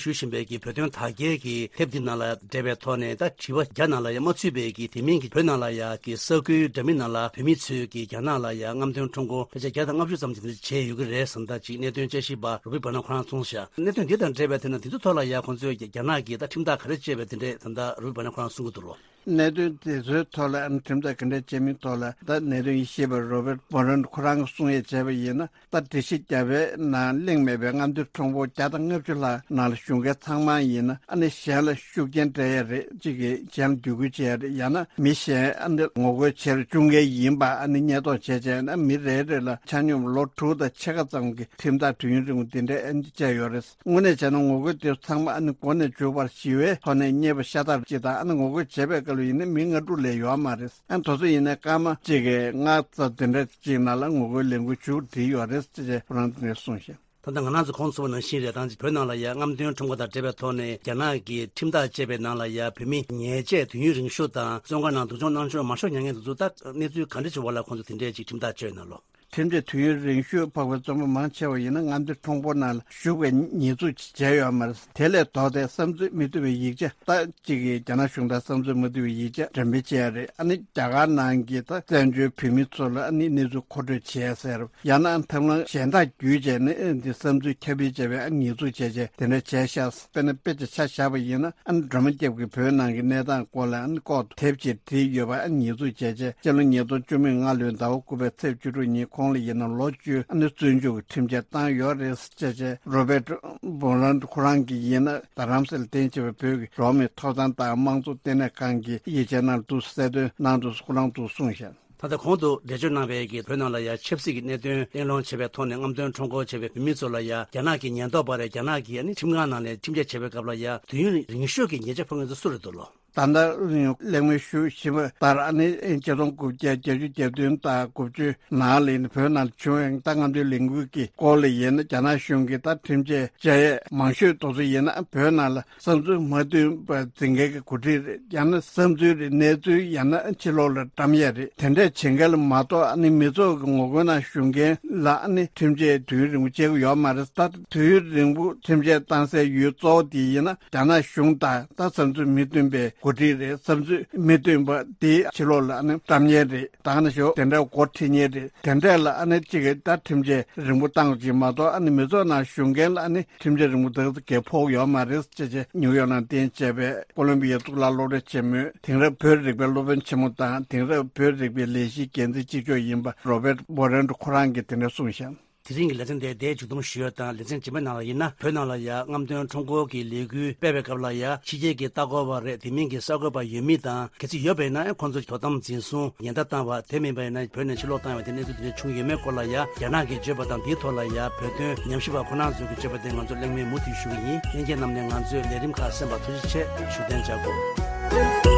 ཞུ་བཞིན་པའི་གི་བོད་དོན་དར་རྒྱས་ཀྱི་དེབ་འདི་ནང་ལ་འབྲེལ་བའི་ཐོག་ནས། ད་དྲི་བ་བརྒྱ་ནང་ལ་ཡང་མ་ཚུད་པའི་གི་དེ་མིན་གྱི་བོད་ནང་ལ་ཡང་གི་ས་ཁུལ་འདྲ་མིན་ནང་ལ་བོད་མི་ཚོས་ཀྱི་རྒྱ་ནག་ལ་ཡང་རྔམ་སྟོན་ཁྲོམ་སྐོར་ཕལ་ཆེར་བརྒྱ་དང་ལྔ་བཅུ་ཙམ་ཞིག་བྱས་ཡོད་ཀྱི་རེད་བསམ། ད་ཅིག་གནད་དོན་དཔྱད་ཞིབ་པ་Robert Bonanno ཁོ་རང་གསུངས་ཤག་གནད་དོན་འདི་དང་འབྲེལ་བའི་ཐད་ན་དེ་ཚོ་ཐོག་ལ་ཡང་ཁོང་ཚོས་རྒྱ་ནག་གི་ད་ཁྲིམས་ཐག་ག་རེ་བཅད་པའི་དེ་འདྲས་ད་ལྟ་Robert Bonanno ཁོ་རང་གསུང་གི་འདུག་ལོ། གནད་དོན་དེ་ཚོའི་ཐོག་ལ་ཨ་ནི་ཁྲིམས་ཐག་ག་འདྲས་བཅད་མིན་ཐོག་ལ་ད་གནད་དོན་དཔྱད་ཞིབ་པ་Robert Bonanno ཁོ་རང་གིས་གསུང་ཡས་བྱས་པ་ཡིན་ན། ད་སྒྲིག་གཞི་བརྒྱ་པའི་ནང་གླེང་མེད་པའི་རྔམ་སྟོན་ཁྲོམ་སྐོར་བརྒྱ་དང་ལྔ་བཅུ་ལྷག་ནང་ལ་ཞུགས་མཁན་ཚང་མ་ཡིན་ན། ཨ་ནི་གཞན་ལ་ཤུགས་རྐྱེན་སྤྲད་ཡ་རེད། གཅིག་གིས་གཞན་ལ་བརྒྱུད་སྐུལ་བྱེད་ཡ་རེད། ཡང་ན་མི་གཞན་ཨ་ནི་ངོ་རྒོལ་བྱེད་རུ་བཅུག་མཁན་ཡིན་པ་ཨ་ནི་ཉེན་རྟོག་བྱས་བྱས་ན། མི་རེ་རེ་ལ་ཆ་སྙོམས་ལོ་དྲུག་དང་ཕྱེད་ཀ་ཙམ་གྱི་ཁྲིམས་ཐག་དུས་ཡུན་རིང་པོ་འདི་འདྲ་ཨ་ནི་བཅད་ཡོད་རེད། དངོས་གནས་བྱས་ན་ངོ་རྒོལ་དེ་ཚང་མ་ཨ་ནི་འགོ་ནས་མཇུག་བར་ཞི་བའི་ཐོག་ནས་རྙེད་པ་ཤ་སྟག་ཅིག་དང་། ཨ་ནི་ངོ་རྒོལ་བྱེད་པའི་སྐབས་ ལ་ཡིན་ན་མི་ལྔ་དྲུག་ལས་ཡོད་མ་རེད། ཨ་ནི་དེ་ཚོ་ཡིན་ན་སྐར་མ་གཅིག་གི་ལྔ་ཙམ་དེ་འདྲ་གཅིག་ནང་ལ་ངོ་རྒོལ་ལས་འགུལ་མཇུག་སྒྲིལ་ཡོད་རེད་ཅེས་ཁོ་རང་དེ་ནས་གསུངས་ཤག་ད་ལྟ་ང་རང་ཚོ་གོང་དུ་གསུངས་པ་ནང་བཞིན་རེད། ད་ཅི་བོད་ནང་ལ་ཡ་རྔམ་སྟོན་ཁྲོམ་སྐོར་དང་འབྲེལ་བའི་ཐོག་ནས་རྒྱ་ནག་གིས་ཁྲིམས་ཐག་བཅད་པའི་ནང་ལ་ཡ་བོད་མི་ཉེས་ཆད་དུས་ཡུན་རིང་ཤོས་དང་བཙོན་ཁང་ནང་སྡུག་སྦྱོང་གནང་ཕྱོགས་མ་ཤོར་མྱོང་མཁན་དེ་ཚོ་ད་གནས་ཚུལ་ག་འདྲ་བྱུང་བ་ལ་ཁོང་ཚོ་དེ་འདྲའི་ཅིག་ཁྲིམས་ཐག་གཅོད་ན་ལོ། ཁྲིམས་ཆད་དུས་ཡུན་རིང་ཤོས་འཕགས་པའི་བཙོན་པ་མང་ཆེ་བ་ཡིན་ན་རྔམ་སྟོན་ཁྲོམ་སྐོར་ནང་ལ་ཞུགས་པའི་ཉེས་འཛུགས་བྱས་ཡོད་མ་རེད། དེ་ལས་ལྡོག་སྟེ་བསམ་ཚུལ་མི་མཐུན་པའི་ཡིག་ཆ་ད་གཅིག་གིས་རྒྱ་ནག་གཞུང་དང་བསམ་ཚུལ་མ་མཐུན་པའི་ཡིག་ཆ་འགྲེམས་སྤེལ་བྱས་རེད། ཨ་ནི་རྒྱ་གར་ནང་གི་ད་བཙན་བྱོལ་བོད་མི་ཚོ་ལ་ཨ་ནི་གནས་ཚུལ་མཁོ་སྤྲོད་བྱས་ཟེར། ཡང་ན་ཐབས་ལམ་གཞན་དག་བརྒྱུད་བྱས་ནས་འདི་བསམ་ཚུལ་ཁྱབ་སྤེལ་བྱས་པའི་ཉེས་འཛུགས་བྱས་བྱས་དེ་འདྲ་བྱས་ཤག་དཔེར་ན་དཔེ་ཆ་ཆ་བཞག་པ་ཡིན་ན་ཨ་ནི་སྒྲོལ་མ་སྐྱབས་ཀྱིས་བོད་ནང་གི་གནས་སྟངས་སྐོར་ལ་ཨ་ནི་ལྐོག་ཏུ་དེབ་ཅིག་བྲིས་ཡོད་པ་ཨ་ནི་ཉེས་འཛུགས་བྱས་བྱས་སྤྱི་ལོ་ཉིས་སྟོང་བཅུ་མེད་ལྔ་ལོའི་ཟླ་བ་དགུ་པའི་ཚེས་བཅུ་དྲུག་ཉིན་ཁོང་ལ་ཡིན་ན་ལོ་བཅུ་ཨ་ནི་བཙོན་འཇུག་གི་ཁྲིམས་ཆད་བཏང་ཡོད་རེད་ཅེས་བྱས་རོ་བེད་བོ་ལན་ཁོ་རང་གིས་ཡིན་ན་རྡ་རམ་ས་ལ་རྟེན་གཞི་བའི་བོད་ཀྱི་འགྲོ་བ་མིའི་ཐོབ་ཐང་དང་དམངས་གཙོ་ལྟེ་གནས་ཁང་གི་ཡིག་ཆའི་ནང་དུ་གསལ་སྟོན་གནང་འདུག་ཁོ་རང་ཚོས་གསུངས་ཤག་ད་ལྟ་གོང་དུ་འགྲེལ་བརྗོད་གནང་བའི་གི་བོད་ནང་ལ་ཡ་ཆབ་སྲིད་ཀྱི་གནད་དོན་གླེང་སློང་བྱས་པའི་ཐོག་ནས་རྔམ་སྟོན་ཁྲོམ་སྐོར་བྱས་པའི་བོད་མི་ཚོ་ལ་ཡ་རྒྱ་ནག་གི་ཉེན་རྟོག་པ་རེད། རྒྱ་ནག་གི་ཨ་ནི་ཁྲིམས་ཁང་ནང་ནས་ཁྲིམས་ཆད་བྱས་པའི་སྐབས་ལ་ཡ་དུས་ཡུན་རིང་ཤོས་ཀྱི་ཉེས་ཆད་ཕོག་མཁན་ཚོ་སུ་རེད་འདུག་ལོ། ད་ལྟ་གླེང་མོལ་ཞུ་བཞིན་པ་ལྟར་ཨ་ནི་ཆིག་སྟོང་དགུ་བརྒྱ་བརྒྱད་ཅུ་གྱ་བདུན་དང་དགུ་བཅུ་ནང་ལ་ཡིན་ན་བོད་ནང་ལ་བྱུང་བའི་ད་རྔམ་སྟོན་ལས་འགུལ་གྱི་སྐོར་ལ་ཡིན་ན་རྒྱ་ནག་གཞུང་གིས་ད་ཁྲིམས་ཆད་བཅད་ཡས་མང་ཤོས་དེ་ཚོ་ཡིན་ན་བོད་ནང་ལ་བསམ་ཚུལ་མ་མཐུན་པ་འཛིན་མཁན་གྱི་འགོ་ཁྲིད་རེད། ཡང་ན་བསམ་ཚུལ་རེད། གནས་ཚུལ་ཡང་ན་ཕྱི་ལོགས་ལ་བཀྲམ་ཡས་རེད། དེ་འདྲས་བྱེད་མཁན་ལ་མ་གཏོགས་ཨ་ནི་མི་ཚོགས་ཀྱི་ངོ་རྒོལ་ནང་ཞུགས་མཁན་ལ་ཨ་ནི་ཁྲིམས་ཆད་དུས་ཡུན་རིང་པོ་བཅད་ཀྱི་ཡོད་མ་རེད། ད་དུས་ཡུན་རིང་པོ་ཁྲིམས་ཆད་བཏང་སའི་ཡུལ་གཙོ་བོ་དེ་ཡིན་ན་རྒྱ་ནག་གཞུང་དང་ད་བསམ་ཚུལ་མི་མཐུན་པའི་འགོ་ཁྲིད་རེད། བསམ་ཚུལ་མི་མཐུན་པ་དེ་ཕྱི་ལོགས་ལ་ཨ་ནི་བཀྲམ་མཁན་རེད། ད་ནི་ཞོག་དེ་འདྲ་འགོ་ཁྲིད་མཁན་རེད། དེ་འདྲས་ལ་ཨ་ནི་གཅིག་གིས་ད་ཁྲིམས་ཆད་རིང་པོ་བཏང་གཅིག་མ་གཏོགས་ཨ་ནི་མི་ཚོགས་ནང་ཞུགས་མཁན་ལ་ཨ་ནི་ཁྲིམས་ཆད་རིང་པོ་དེ་གས་ཕོག་ཡོད་མ་རེད་ཅེས་བྱས་ནིའུ་ཡོག་ནང་རྟེན་བྱས་པའི་ཀོ་ལོམ་བི་ཡའི་གཙུག་ལག་སློབ་གྲྭ་ཆེན་མོའི་དེང་རབས་བོད་རིག་པའི་སློབ་དཔོན་ཆེན་མོ་དང་དེང་རབས་བོད་རིག་པའི་ལས་གཞིའི་འགན་འཛིན་གཅིག་ལྕོགས་ཡིན་པ་རོ་བེད་བྷོ་རན་ཁོ་རང་གིས་དེ་འདྲ་གསུངས་ཤག་དེ་རིང་གི་ལེ་ཚན་དེ་འདིར་མཇུག་སྡོམ་ཞུ་ཡ་དང་། ལེ་ཚན་རྗེས་མའི་ནང་ལ་ཡིན་ན་བོད་ནང་ལ་ཡ་རྔམ་སྟོན་ཁྲོམ་སྐོར་གྱི་ལས་འགུལ་སྤེལ་བའི་སྐབས་ལ་ཡ་ཕྱི་རྒྱལ་གྱི་ལྟ་སྐོར་བ་རེད། དེ་མིན་གྱི་གསར་འགོད་པ་ཡོད་མེད་དང་། གལ་སྲིད་ཡོད་པ་ཡིན་ན་ཁོང་ཚོ་དོ་དམ་འཛིན་བཟུང་ཉེན་བརྡ་བཏང་བ། དེ་མིན་པ་ཡིན་ན་བོད་ནང་ཕྱིར་ལོག་བཏང་བའི་དེ་གནས་ཚུལ་དེ་འདྲ་བྱུང་ཡོད་མེད་སྐོར་ལ་ཡ་རྒྱ་ནག་གིས་བརྗོད་པ་དང་། དེའི་ཐོག་ལ་ཡ་བོད་དོན་ཉམས་ཞིབ་པ་ཁོང་རྣམ་ཚོ་གིས་བརྗོད་པ་དེ་ང་ཚོ་གླེང་མོལ་མུ་མཐུད་ཞུ་གི་ཡིན། ལྷན་རྒྱས་རྣམས་ནས་ང་ཚོའི་ལས་རིམ་ཁག་གསན་པར་ཐུགས་རྗེ་ཆེ་ཞུ་གཏན་འཇགས་དགོས།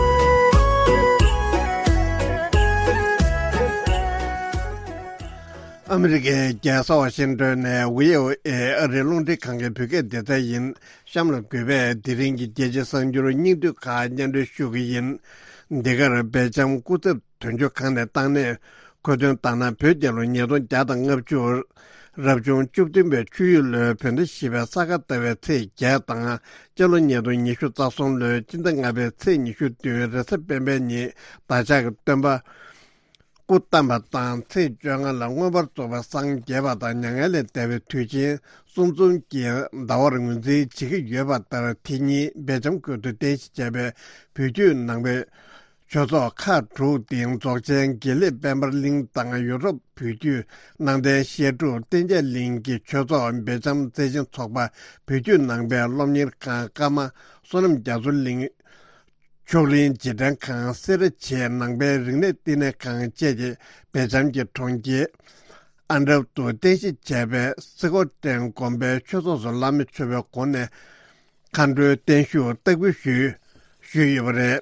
ཨ་མི་རི་ཀའི་རྒྱལ་ས་ཝ་ཤིང་ཏོན་ནས་བྷི་ཨོ་ཨེ་ཨ་རིའི་རླུང་འཕྲིན་ཁང་གི་བོད་སྐད་སྡེ་ཚན་ཡིན། གཤམ་ལ་གུས་པས་དེ་རིང་གི་རྒྱལ་སྤྱིའི་གསར་འགྱུར་སྙིང་བསྡུས་ཁག་སྙན་སྒྲོན་ཞུ་གི་ཡིན། འདི་གར་སྦེལ་ཇམ་སྐུ་ཚབ་དོན་གཅོད་ཁང་ནས་བཏང་གནས། མཁོ་འདོན་ལྟར་ན། བོད་རྒྱལ་ལོ་ཉིས་སྟོང་བརྒྱ་དང་ལྔ་བཅུ། རབ་བྱུང་བཅུ་བདུན་པའི་ཆུ་ཡོས་ལོའི་བོད་ཟླ་བཞི་པའི་ས་ག་ཟླ་བའི་ཚེས་བརྒྱད་དང་། སྤྱི་ལོ་ཉིས་སྟོང་ཉི་ཤུ་རྩ་གསུམ་ལོའི་སྤྱི་ཟླ་ལྔ་པའི་ཚེས་ཉི་ཤུ་བདུན། རེས་གཟའ་སྤེན་པའི་ཉིན་བདག་ཅག་གི་སྟོན་པ་སྐུ་བལྟམས་པ་དང་། ཚེས་བཅོ་ལྔ་ལ་མངོན་པར་རྫོགས་པའི་སངས་རྒྱས་པ་དང་། མྱ་ངན་ལས་འདས་པའི་དུས་ཆེན་གསུམ་འཛོམས་ཀྱི་ཟླ་བར་ངོས་འཛིན་བྱེད་ཀྱི་ཡོད་པ་ལྟར། དེ་ཉིན་སྦེལ་ཇམ་ཁུལ་དུ་རྟེན་གཞི་བྱས་པའི་བོད་བརྒྱུད་ནང་པའི་ཆོས་ཚོགས་ཁག་དྲུག་སྟེ། རྫོགས་ཆེན་དགེ་ལེགས་དཔལ་འབར་གླིང་དང་། ཡུ་རོབ་བོད་བརྒྱུད་ནང་བསྟན་བཤད་སྒྲུབ་གཏན་འཇགས་གླིང་གི་ཆོས་ཚོགས། སྦེལ་ཇམ་རྩེ་ཆེན་ཚོགས་པ། བོད་བརྒྱུད་ནང་པའི་སློབ་གཉེར་ཁང་། ཀརྨ་བསོད་ནམས་རྒྱ་མཚོ་གླིང་། མཆོག་གླིང་རྗེས་དྲན་ཁང་། སེ་ར་བྱེས་ནང་པའི་རིག་གནས་བསྟི་གནས་ཁང་བཅས་ཀྱིས་སྦེལ་ཇམ་གྱི་གྲོང་ཁྱེར་ཨན་ཊརབ་ཏུ་རྟེན་གཞི་བྱས་པའི་སི་ཀོ་ཊན་དགོན་པའི་ཆོས་ཚོགས་སུ་བླ་མེད་མཆོད་པའི་སྒོ་ནས་མཁའ་འགྲོའི་བརྟན་བཞུགས་སྟེགས་བུ་ཞུས་ཞུས་ཡོད་པ་རེད།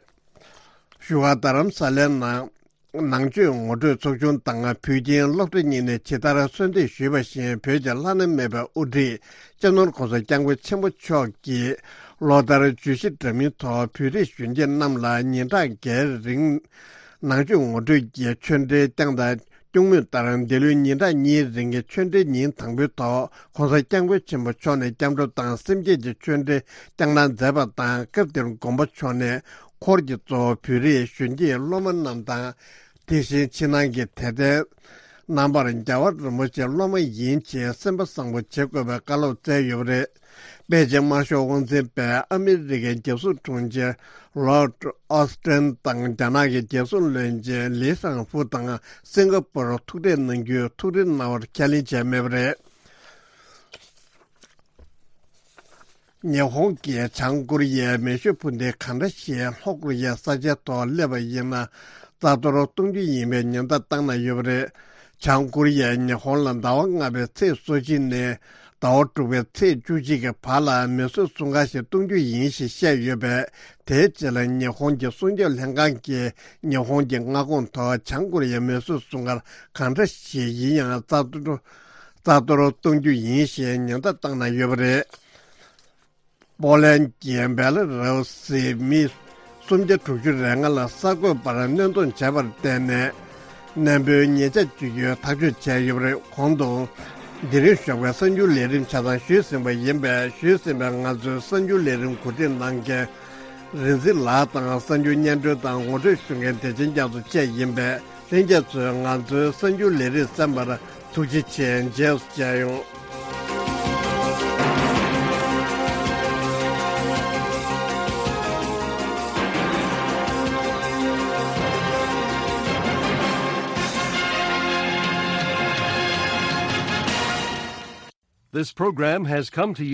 བཞུགས་སྒར་རྡ་རམ་ས་ལའི་ནང་ནང་ཆོས་ངོ་སྤྲོད་ཚོགས་ཆུང་དང་བོད་ཁྱིམ་སློབ་གྲྭ་གཉིས་ནས་ཇི་ལྟར་གསོལ་འདེབས་ཞུས་པ་བཞིན། བོད་ཀྱི་བླ་ན་མེད་པའི་དབུ་ཁྲིད་སྤྱི་ནོར་༸གོང་ས་༸སྐྱབས་མགོན་ཆེན་པོ་མཆོག་གིས་ལོ་ལྟར་བརྗོད་གཞི་འདྲ་མིན་ཐོག་བོད་རིགས་གཞོན་སྐྱེས་རྣམས་ལ་ཉིན་གྲངས་འགའི་རིང་ནང་ཆོས་ངོ་སྤྲོད་ཀྱི་ཆོས་འབྲེལ་བསྐྱངས་དང་སྐྱོང་མུས་ལྟར། འདི་ལོའི་ཉིན་གྲངས་གཉིས་རིང་གི་ཆོས་འབྲེལ་ཉིན་དང་པོའི་ཐོག་༸གོང་ས་༸སྐྱབས་མགོན་ཆེན་པོ་མཆོག་ནས་སྐྱབས་འགྲོ་དང་སེམས་བསྐྱེད་ཀྱི་ཆོས་འབྲེལ་བསྐྱངས་གནང་མཛད་པ་དང་། སྐབས་དེར་དགོན་པ་མཆོག་ནས་འཁོར་གྱིས་གཙོ་བོ་བོད་རིགས་གཞོན་སྐྱེས་སློབ་མ་རྣམས་དང་། དེ་བཞིན་ཕྱི་ནང་གི་དད་ལྡན་རྣམ་པར་རྒྱལ་བ་རིན་པོ་ཆེའི་སློབ་མ་ཡིན་ཞེས་སེམས་པ་བཟང་པོ་བྱེད་དགོས་པའི་བཀའ་སློབ་སྩལ་ཡོད་པ་རེད། པེ་ཅིང་དམར་ཤོག་དབང་འཛིན་པས་ཨ་མི་རི་ཀའི་རྒྱལ་སྲུང་དྲུང་ཆེ་ལོར་ཨོ་སི་ཀྲན་དང་། རྒྱ་ནག་གི་རྒྱལ་སྲུང་བློན་ཆེན་ལི་ཤང་ཧྥུ་དང་སིང་ག་པུར་ཐུག་འཕྲད་གནང་རྒྱུའི་ཐུགས་རེ་གནང་བར་ཁས་ལེན་བྱས་མེད་པ་རེད། ཉི་ཧོང་གིས་བྱང་ཀོ་རི་ཡའི་མེ་ཤུགས་འཕུར་མདེལ་ག་འདྲ་ཞིག་ལྷོ་ཀོ་རི་ཡའི་ས་ཆའི་ཐོག་སླེབས་པ་ཡིན་ན་རྩ་གཏོར་གཏོང་རྒྱུ་ཡིན་པའི་ཉེན་བརྡ་བཏང་གནང་ཡོད་པ་རེད། བྱང་ཀོ་རི་ཡས་ཉི་ཧོང་ལ་ཟླ་བ་ལྔ་པའི་ཚེས་སོ་གཅིག་ནས་ ཟླ་བ་དྲུག་པའི་ཚེས་བཅུ་གཅིག་གི་བར་ལ་མེ་གསོད་སྲུང་སྐར་ཞིག་གཏོང་རྒྱུ་ཡིན་ཞེས་བཤད་ཡོད་པས། དེའི་རྗེས་ལ་ཉི་ཧོང་གི་སྲུང་སྐྱོབ་ལྷན་ཁང་གིས་ཉི་ཧོང་གི་མངའ་ཁོངས་ཐོག་བྱང་ཀོ་རི་ཡའི་མེ་གསོད་སྲུང་སྐར་གང་འདྲ་ཞིག་ཡིན་ཡང་རྩ་གཏོར་རྩ་གཏོར་གཏོང་རྒྱུ་ཡིན་ཞེས་ཉེན་བརྡ་བཏང་གནང་ཡོད་པ་རེད། པོ་ལན་གྱི་བེ་ལ་རུ་སི་མི་སུམ་བརྒྱ་དྲུག་ཅུ་རེ་ལྔ་ལ་གསར་འགོད་པར་གནོན་སྡོམ་བྱས་པར་བརྟེན་ནས། གནས་སྤོའི་ཉེས་ཆད་གཅོད་རྒྱུའི་ཐག་གཅོད་བྱས་ཡོད་པ་རེད། གོང་དུ་དེ་རིང་ཞོགས་པའི་གསར་འགྱུར་ལས་རིམ་ཆ་ཚང་ཞུས་ཟིན་པ་ཡིན་པས། ཞུས་ཟིན་པའི་ང་ཚོའི་གསར་འགྱུར་ལས་རིམ་གོ་སྒྲིག་གནང་མཁན་རིན་འཛིན་ལགས་དང་། གསར་འགྱུར་སྙན་སྒྲོན་དང་ངོ་སྤྲོད་ཞུ་མཁན་བདེ་ཆེན་རྒྱ་མཚོ་བཅས་ཡིན་པས། ལྷན་རྒྱས་ཚོས་ང་ཚོའི་གསར་འགྱུར་ལས་རིམ་གསན་པར་ཐུགས་རྗེ་ཆེ། མཇལ་ཡོང་། This program has come to you